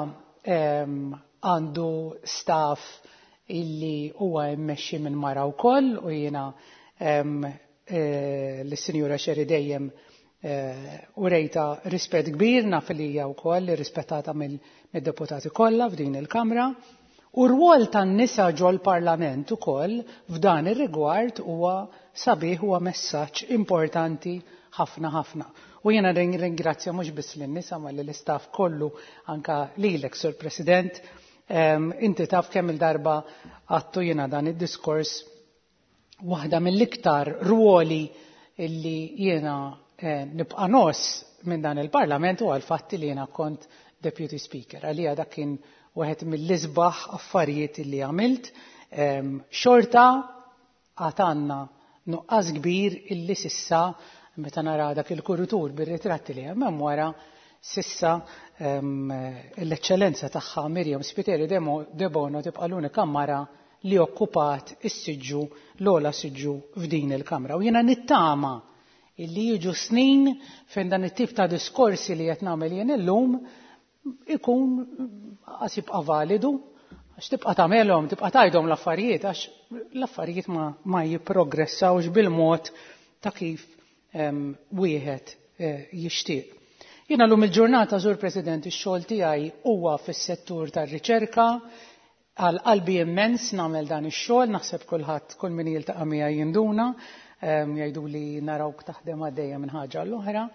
S17: għandu staff illi huwa mmexxi minn mara wkoll u jiena lis-Sinjura Xeri dejjem urejta rispett kbir, naf li hija wkoll rispettata mid-deputati kollha f'din il-Kamra. U r-rwol tan-nisa ġol-Parlament ukoll f'dan ir-rigward huwa sabiħ, huwa messaġġ importanti ħafna ħafna. U jiena ringrazzja mhux biss lin-nisa ma lill-istaff kollu, anka lilek, Sur President. Inti taf kemm il-darba għattu jiena dan id-diskors, waħda mill-iktar ruoli illi jiena nibqa' ngħożż minn dan il-Parlament huwa l-fatt li jiena kont Deputy Speaker. Għalija dak kien wieħed mill-isbaħ affarijiet illi għamilt. Xorta għad għandna nuqqas kbir illi sissa meta nara dak il-kuritur bir-ritratti li hemm wara, sissa l-eċċellenza tagħha Miriam Spiteri Debono tibqa' l-unika mara li okkupat is-siġġu, l-ogħla siġġu f'din il-Kamra. U jiena nittama illi jiġu snin fejn dan it-tip ta' diskorsi li qed nagħmel jien illum ikun qas jibqa' validu, għax tibqa' tagħmelhom, tibqa' tgħidhom l-affarijiet, għax l-affarijiet ma jipprogressawx bil-mod ta' kif wieħed jixtieq. Jiena llum il-ġurnata, Sur President, ix-xogħol tiegħi huwa fis-settur tar-riċerka, għal qalbi immens nagħmel dan ix-xogħol, naħseb kulħadd, kull min jiltaqa' miegħi jinduna, jgħidu li narawk taħdem għaddejja minn ħaġa l-oħra.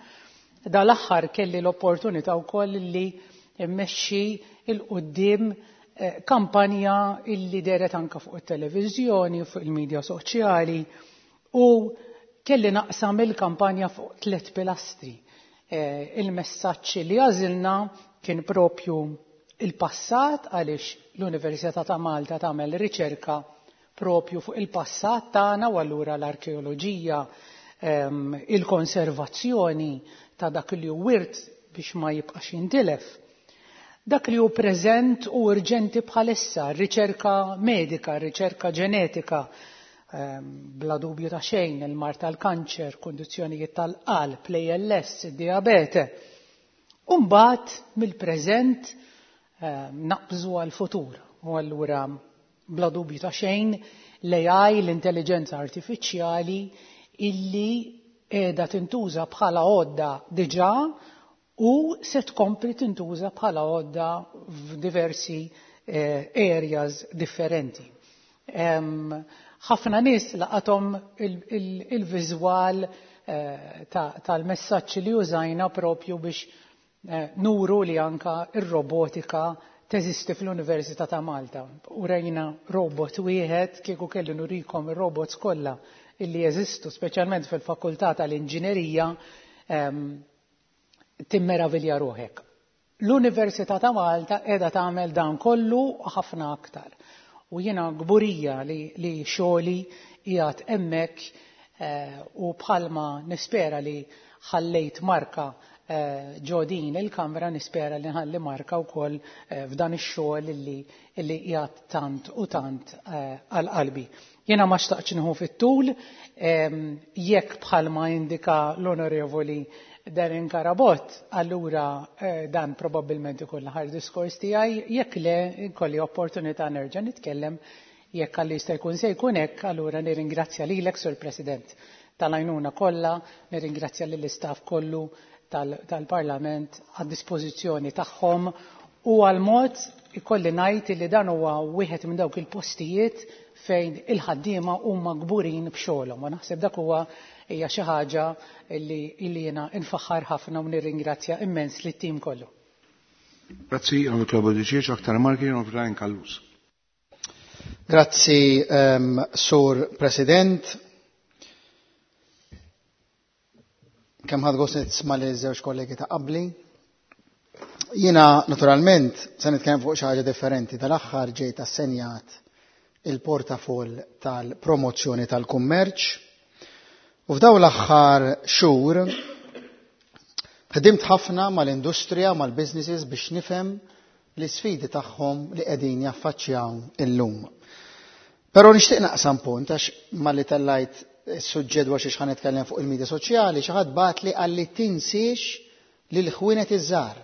S17: Dal-aħħar kelli l-opportunità wkoll li mmexxi 'l quddiem kampanja illi dehret anka fuq it-televiżjoni, fuq il-medja soċjali, u kelli naqsam il-kampanja fuq 3 pilastri. Il-messaġġ li għażilna kien propju Il-passat għaliex l-Università ta' Malta tagħmel riċerka propju fuq il-passat tagħna u allura l-arkeoloġija, il-konservazzjoni ta' dak li hu wirt biex ma jibqax jintilef. Dak li hu preżent u urġenti bħalissa, r-riċerka medika, r-riċerka ġenetika, bla dubju ta' xejn, il-mard tal-kanċer, kundizzjonijiet tal-qalb, l-ALS, id-dijabete. U mbagħad mill-preżent naqbżu għall-futur u allura bla dubju ta' xejn l-AI, l-intelliġenza artifiċjali illi qiegħda tintuża bħala għodda diġà u se tkompli tintuża bħala għodda f'diversi areas differenti. Ħafna nies laqathom il-viżwal tal-messaġġ li użajna propju biex nuru li anka ir-robotika teżisti fl-Università ta' Malta. Urejna robot wieħed, kieku kelli nurikom ir-robots kollha illi jeżistu, speċjalment fil-Fakultà tal-Inġinerija, timmeravilja ruħek. L-Università ta' Malta qiegħda tagħmel dan kollu u ħafna aktar. U jiena kburija li, li xogħli qiegħed hemmhekk u bħalma nispera li ħallejt marka ġo din il-Kamra, nispera li nħalli marka wkoll f'dan ix-xogħol illi illi qiegħed tant u tant għal qalbi. Jiena ma xtaqtx nieħu fit-tul, jekk bħalma indika l-Onorevoli Darren Carabott, allura dan probabbilment ikun l-aħħar diskors tiegħi, jekk le nkolli opportunità nerġa' nitkellem, jekk Alla jista' jkun se jkun hekk, allura nirringrazzja lilek, Sur President, tal-għajnuna kollha, nirringrazzja lill-istaff kollu tal-Parlament għad-dispożizzjoni tagħhom u għall-mod ikolli ngħid li dan huwa wieħed minn dawk il-postijiet fejn il-ħaddiema huma kburin b'xogħolhom u naħseb dak huwa hija xi ħaġa li jiena nfaħħar ħafna u nirringrazzja immens lit-tim kollu.
S1: Grazzi, Onorevoli Claude Buttigieg, aktar marki, Onorevoli Ryan Callus.
S18: Grazzi, Sur President. Kemm ħadt gost nisma' li żewġ kollegi ta' qabli. Jiena naturalment se nitkellem fuq xi ħaġa differenti. Dal-aħħar ġejt assenjat il-portafoll tal-promozzjoni tal-kummerċ u f'dawn l-aħħar xhur ħdimt ħafna mal-industrija, mal-businesses biex nifhem l-isfidi tagħhom li qegħdin jaffaċċjaw illum. Però nixtieq naqsam punt għax malli tellajt is-suġġett dwar xiex ħa nitkellem fuq il-medja soċjali, xi ħadd bagħatli qalli tinsiex lill-ħwienet iż-żgħar.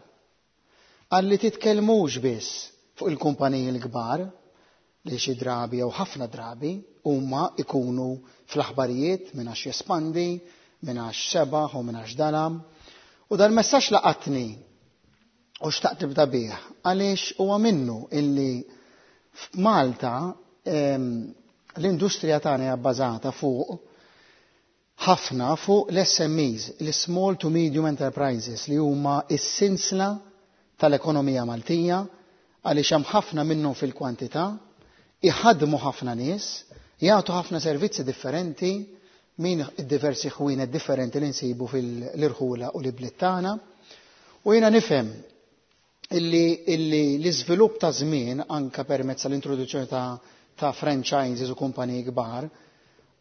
S18: Qalli titkellmux biss fuq il-kumpaniji l-kbar li xi drabi jew ħafna drabi huma ikunu fl-aħbarijiet minn għax jespandi, minn għax sebaħ u minn għax dalam. U dal-messaġġ laqatni u xtaqt nibda bih għaliex huwa minnu illi f'Malta l-industrija tagħna hija bbażata fuq ħafna fuq l-SMEs, l-Small to Medium Enterprises li huma s-sinsla tal-ekonomija Maltija għaliex hemm ħafna minnhom fil-kwantità, iħaddmu ħafna nies, jagħtu ħafna servizzi differenti minn diversi ħwienet differenti li nsibu fil-irħula u l-ibliet tagħna. U jiena nifhem illi, illi l-iżvilupp ta' żmien anka permezz tal-introduzzjoni ta', ta' franchises u kumpaniji kbar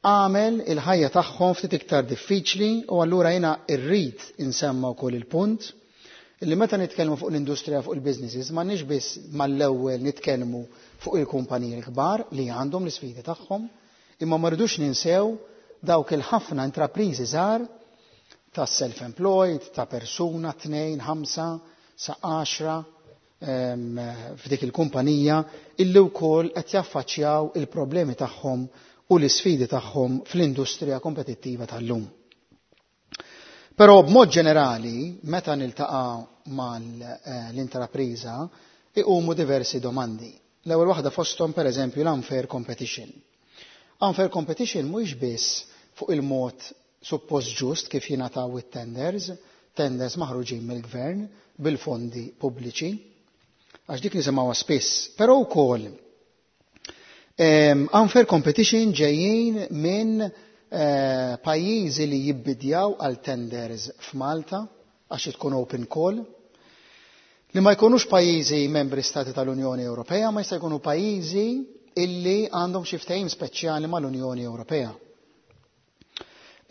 S18: għamel il-ħajja tagħhom ftit iktar diffiċli u allura jiena rrid insemma wkoll il-punt illi meta nitkellmu fuq l-industrija fuq il-businesses m'għandniex biss mal-ewwel nitkellmu fuq il-kumpaniji l-kbar li għandhom l-isfidi tagħhom, imma ma rridux ninsew dawk il-ħafna intrapriżi żgħar ta' self-employed, ta' persuna, 2, 5, sa' 10 f'dik il-kumpanija illi wkoll qed jaffaċċjaw il-problemi tagħhom u l-isfidi tagħhom fl-industrija kompetittiva tal-lum. Però b'mod ġenerali, meta niltaqa' mal-intrapriża, iqumu diversi domandi. L-ewwel waħda fosthom pereżempju l-unfair competition. Unfair competition mhuwiex biss fuq il-mod suppost ġust kif jingħataw it-tenders, tenders maħruġin mill-gvern bil-fondi pubbliċi, għax dik nisimgħuha spiss, però wkoll unfair competition ġejjin minn pajjiżi li jibbidjaw għal tenders f'Malta għax tkun open call. Li ma jkunux pajjiżi membri stati tal-Unjoni Ewropea, ma jista' jkunu pajjiżi illi għandhom xi ftehim speċjali mal-Unjoni Ewropea.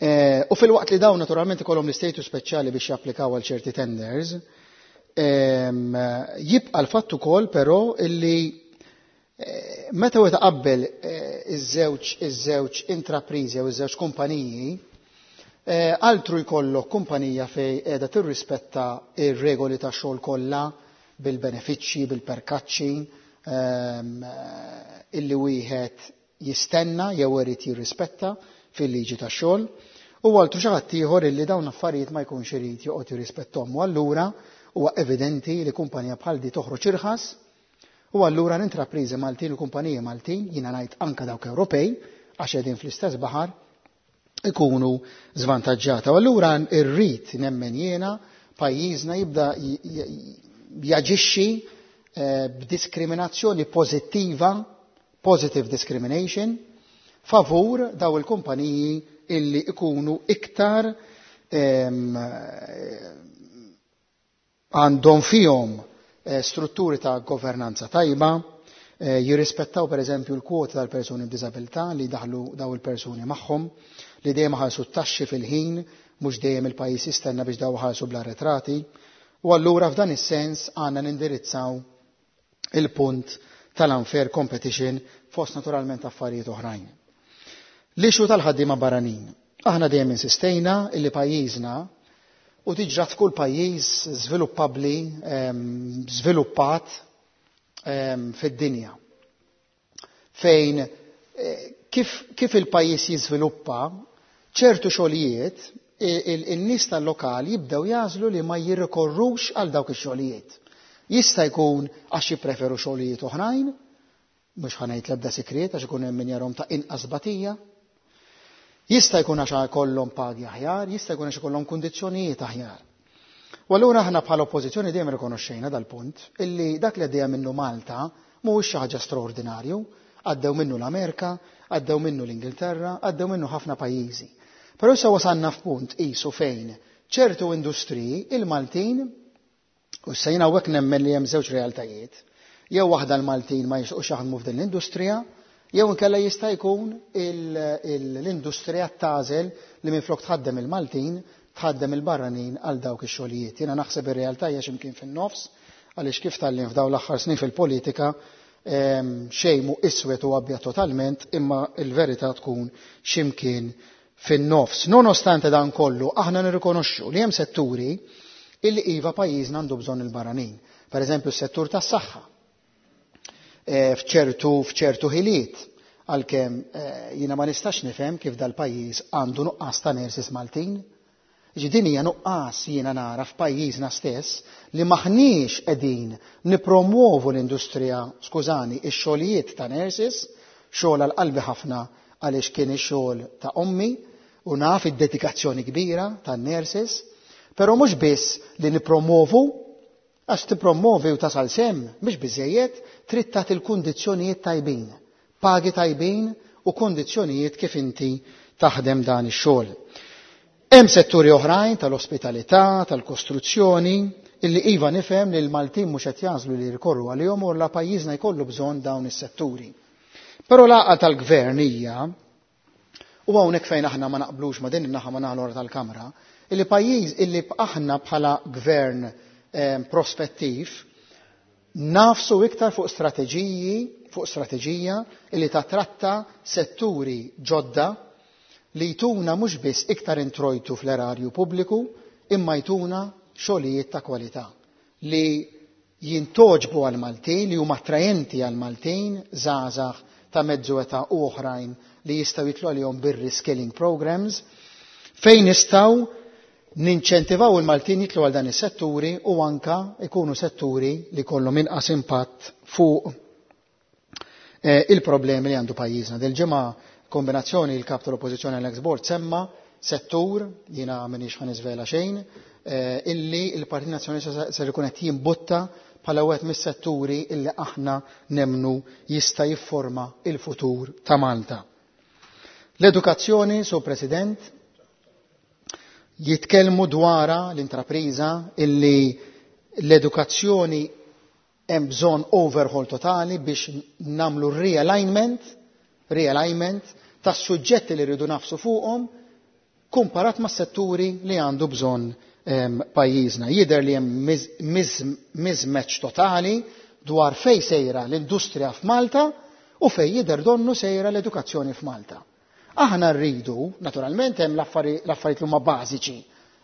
S18: Eh, u filwaqt li dawn naturalment ikollhom l-istatus speċjali biex japplikaw għal ċerti tenders, ehm, jibqa' l-fatt ukoll però illi eh, meta wieħed qabbel eh, iż-żewġ iż-żewġ intrapriżi jew iż-żewġ kumpaniji, altru jkollok kumpanija fej qiegħda tirrispetta ir-regoli tax-xogħol kollha bil-benefiċċji, bil-perkaċċi, ehm, illi wieħed jistenna jew irid jirrispetta fil-liġi tax-xogħol, u altru xi ħadd ieħor illi dawn l-affarijiet ma jkunx irid joqgħod jirrispetthom. U allura huwa evidenti li kumpanija bħal di toħroġ irħas u allura l-intrapriżi Maltin u kumpaniji Maltin, jiena ngħid anke dawk Ewropej, għax qegħdin fl-istess baħar, ikunu żvantaġġata. U allura rrid nemmen jiena pajjiżna jibda jaġixxi eh, b'diskriminazzjoni pożittiva positive discrimination, favur daw il-kumpaniji illi ikunu iktar għandhom fihom eh, strutturi ta' governanza tajba, eh, jirrispettaw per eżempju l-kwoti tal-persuni b'diżabilità li daħlu daw il-persuni magħhom, li dejjem ħalsu t-taxxi fil-ħin, mhux dejjem il-pajjiż jistenna biex daw ħalsu bla retrati. U allura f'dan is-sens għandna nindirizzaw il-punt tal-unfair competition fost naturalment affarijiet oħrajn. L-issue tal-ħaddiema barranin. Aħna dejjem insistejna illi pajjiżna u tiġrat f'kull pajjiż żviluppabbli, żviluppat fid-dinja. Fejn eh, kif, kif il-pajjiż jiżviluppa, ċertu xogħlijiet il-nies tal-lokal jibdew jażlu li ma jirrikorrux għal dawk ix-xogħlijiet. Jista' jkun għax jippreferu xogħlijiet oħrajn, mhux ħa ngħid l-ebda sigriet għax ikun hemm min jarhom ta' inqas batija. Jista' jkun għax ikollhom pagi aħjar, jista' jkun għax ikollhom kundizzjonijiet aħjar. U allura aħna bħala oppożizzjoni dejjem rikonoxxejna dal-punt illi dak li għaddejja minnu Malta mhuwiex xi ħaġa straordinarju, għaddew minnu l-Amerika, għaddew minnu l-Ingilterra, għaddew minnu ħafna pajjiżi. Però issa wasalna f'punt qisu fejn ċertu industriji il-Maltin U issa jien hawnhekk nemmen li hemm żewġ realtajiet. Jew waħda l-Maltin ma jixtiequx jaħdmu f'din l-industrija, jew inkella jista' jkun l-industrija tagħżel li minflok tħaddem il-Maltin, tħaddem il-barranin għal dawk ix-xogħlijiet. Jiena naħseb ir-realtà hija x'imkien fin-nofs għaliex kif tgħallimt f'dawn l-aħħar snin fil-politika xejn mhu iswed u abjad totalment imma l-verità tkun x'imkien fin-nofs. Nonostante dan kollu, aħna nirrikonoxxu li hemm setturi illi iva pajjiżna għandu bżonn il-barranin. Per eżempju, s-settur tas-saħħa. Eh, f'ċertu f'ċertu ħiliet għalkemm eh, jiena ma nistax nifhem kif dal-pajjiż għandu nuqqas ta' nurses Maltin. Ġi din hija nuqqas jiena nara f'pajjiżna stess li maħniex qegħdin nipromuovu l-industrija, skużani, ix-xogħlijiet ta' nurses, xogħol għal qalbi ħafna għaliex kien ix-xogħol ta' ommi u naf id-dedikazzjoni kbira tan-nurses, però mhux biss li nippromovu, għax tippromovi u tasal s'hemm mhix biżżejjed, trid tagħti l-kundizzjonijiet tajbin, pagi tajbin u kundizzjonijiet kif inti taħdem dan ix-xogħol. Hemm setturi oħrajn tal-ospitalità, tal-kostruzzjoni, illi iva nifhem li l-Maltin mhux qed jagħżlu li jirrikorru għalihom u la pajjiżna jkollu bżonn dawn is-setturi. Però l-għaqal tal-gvern hija, u hawnhekk fejn aħna ma naqblux ma' din in-naħa ma' naħa l-oħra tal-Kamra, illi pajjiż illi aħna bħala gvern eh, prospettiv nafsu iktar fuq strateġiji, fuq strateġija illi tatratta setturi ġodda li jtuna mhux biss iktar introjtu fl-erarju pubbliku imma jtuna xogħlijiet ta' kwalità li jintgħoġbu għall-Maltin, li huma attrajenti għall-Maltin, żgħażagħ ta' mezzu età u oħrajn li jistgħu jidħlu għalihom bir-reskilling programs, fejn nistgħu ninċentivaw il-Maltin jidħlu għal dan is-setturi u anka jkunu setturi li jkollhom inqas impatt fuq Eh, il-problemi li għandu pajjiżna. Dil-ġimgħa kombinazzjoni il-kap tal-Oppożizzjoni Alex Borg semma settur, jiena m'iniex ħa niżvela xejn, eh, illi il-Partit Nazzjonalista ser ikun qed jimbutta bħala wieħed mis-setturi illi aħna nemnu jista' jifforma il-futur ta' Malta. L-edukazzjoni, Sur President, jitkellmu dwarha l-intrapriża illi L-edukazzjoni hemm bżonn overhaul totali biex nagħmlu realignment tas-suġġetti li rridu nafsu fuqhom kumparat mas-setturi li għandu bżonn pajjiżna. Jidher li hemm mismatch totali dwar fejn sejra l-industrija f'Malta u fejn jidher donnu sejra l-edukazzjoni f'Malta. Aħna rridu, naturalment hemm l-affarijiet li huma bażiċi,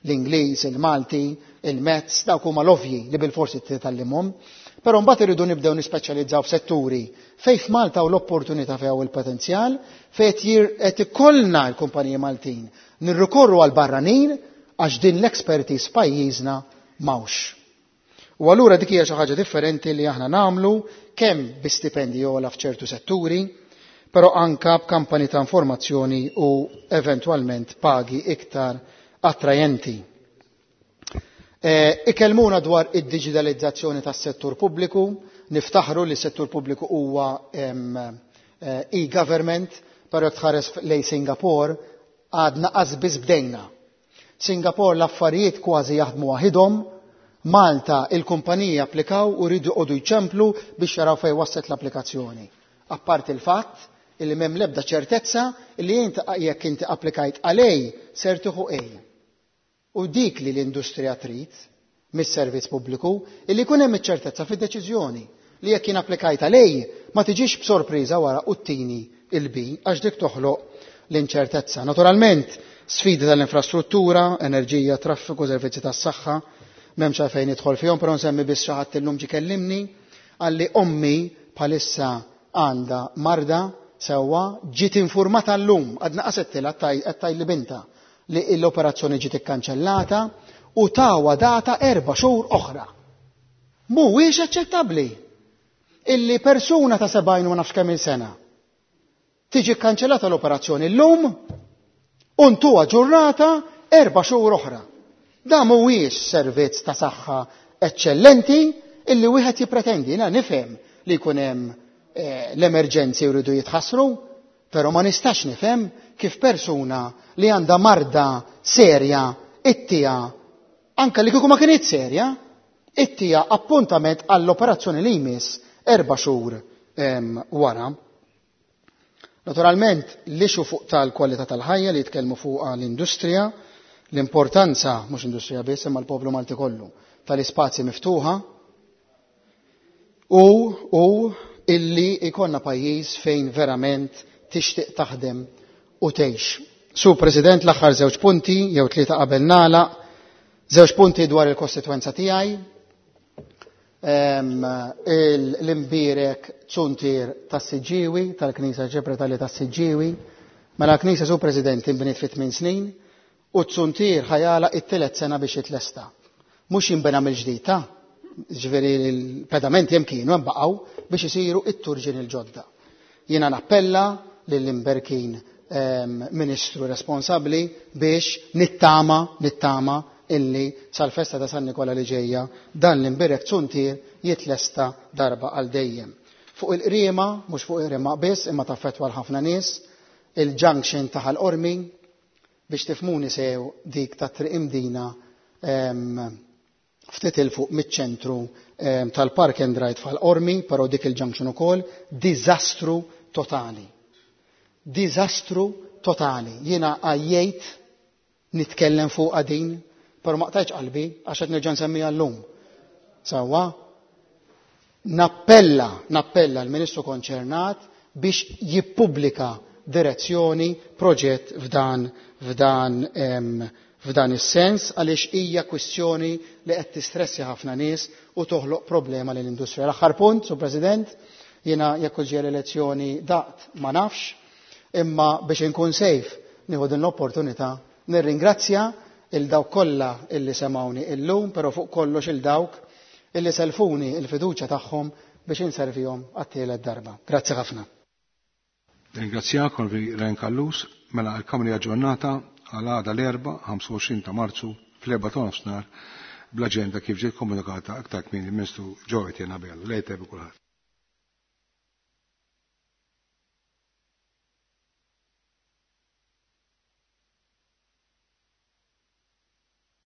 S18: l-Ingliż, il-Malti, il-Maths, dawk huma l-ovvji li bilforsi titgħallimhom, però mbagħad irridu nibdew nispeċjalizzaw f'setturi fejn f'Malta hawn l-opportunità fejn hawn il-potenzjal, fejn qed ikollna l-kumpaniji Maltin nirrikorru għal barranin għax din l-expertise f'pajjiżna m'hawnx. U allura dik hija xi ħaġa differenti li aħna nagħmlu kemm bi stipendi ogħla f'ċertu setturi, però anka b'kampani ta' informazzjoni u eventwalment pagi iktar attrajenti. Ikellmuna dwar id-diġitalizzazzjoni tas-settur pubbliku, niftaħru li s-settur pubbliku huwa e-government, però jekk tħares lejn Singapore għadna qas biss bdejna. Singapore l-affarijiet kważi jaħdmu waħidhom, Malta il-kumpaniji applikaw u rridu joqogħdu jċemplu biex jaraw fejn waslet l-applikazzjoni. Apparti il-fatt illi m'hemm l-ebda ċertezza illi int jekk inti applikajt għal A ser tieħu A. U dik li l-industrija trid mis-servizz pubbliku illi jkun hemm iċ-ċertezza fid-deċiżjoni li jekk jien applikajt għal A ma tiġix b'sorpriża wara u ttini il-B għax dik toħloq l-inċertezza. Naturalment, sfidi tal-infrastruttura, enerġija, traffiku, servizzi tas-saħħa, m'hemmx għalfejn nidħol fihom, però nsemmi biss xi ħadd illum ġie kellimni għalli ommi bħalissa għandha marda sewwa ġiet informata llum, għadna qasettilha qed tgħid li binta li l-operazzjoni ġiet ikkanċellata u tawa data 4 xhur oħra. Mhuwiex aċċettabbli illi persuna ta' 70 u ma nafx kemm il-sena tiġi kkanċellata l-operazzjoni llum u ntuha ġurnata 4 xhur oħra. Da mhuwiex servizz ta' saħħa eċċellenti illi wieħed jippretendi. Jiena nifhem li jkun hemm l-emerġenzi jridu jitħassru, però ma nistax nifhem kif persuna li għandha marda serja ittija, anke li kieku ma kinitx serja, ittija appuntament għall-operazzjoni li jmiss 4 xhur wara. Naturalment, l-ixu fuq tal-kwalità tal-ħajja li jitkellmu fuqha l-industrija, l-importanza, mhux industrija biss, imma l-poplu Malti kollu, tal-ispazji miftuħa u illi ikonna pajjiż fejn verament tixtieq taħdem u tgħix. Su President, l-aħħar żewġ punti, jew tlieta qabel nagħlaq, żewġ punti dwar il-kostitwenza tiegħi. L-imbierek zuntier tas-Siġġiewi, tal-Knisja Ġebretali tas-Siġġiewi. Mela l-Knisja, Sur President, inbniet fi 8 snin u t-zuntier ħajala it-tielet sena biex jitlesta. Mhux jinbena mill-ġdid, ta' ġifieri l-pedamenti hemm kienu hemm baqgħu biex isiru it-turġin il-ġodda. Jiena nappella lill-imberkin ministru responsabbli biex nittama illi sal-festa ta' San Nikola li ġejja dan l-imbierek zuntier jitlesta darba għal dejjem. Fuq il-qriema, mhux fuq il-qriema biss, imma taffettwa l-ħafna nies, il-junction ta' Ħal Qormi, biex tifmuni sew dik ta' Triq Imdina ftit il fuq miċ-ċentru tal-Park and Ride f'Ħal Qormi, però dik il-junction ukoll, diżastru totali. Diżastru totali. Jiena għajjejt nitkellem fuq din, però ma qtajtx qalbi għax qed nerġa' nsemmiha llum. Sewwa, nappella l-Ministru konċernat biex jippubblika direzzjoni, proġett f'dan is-sens, għaliex hija kwistjoni li qed tistressi ħafna nies u toħloq problema lill-industrija. L-aħħar punt, Sur President, jiena jekk ġie l-elezzjoni daqt ma nafx, imma biex inkun safe nieħu din l-opportunità nirringrazzja il dawk kollha illi semgħuni illum, però fuq kollox il dawk illi selfuni il-fiduċja tagħhom biex inservihom għat-tielet darba. Grazzi ħafna.
S1: Ringrazzjak, Onorevoli Ryan Callus, mela l-Kamra aġġornata għal għada l-Erbgħa, 25 ta' Marzu, fl-erba' ta' nofsinhar, bl-aġenda kif ġiet komunikata aktar kmieni mill-Ministru Joe Etienne Abela. Lejl tajjeb kulħadd.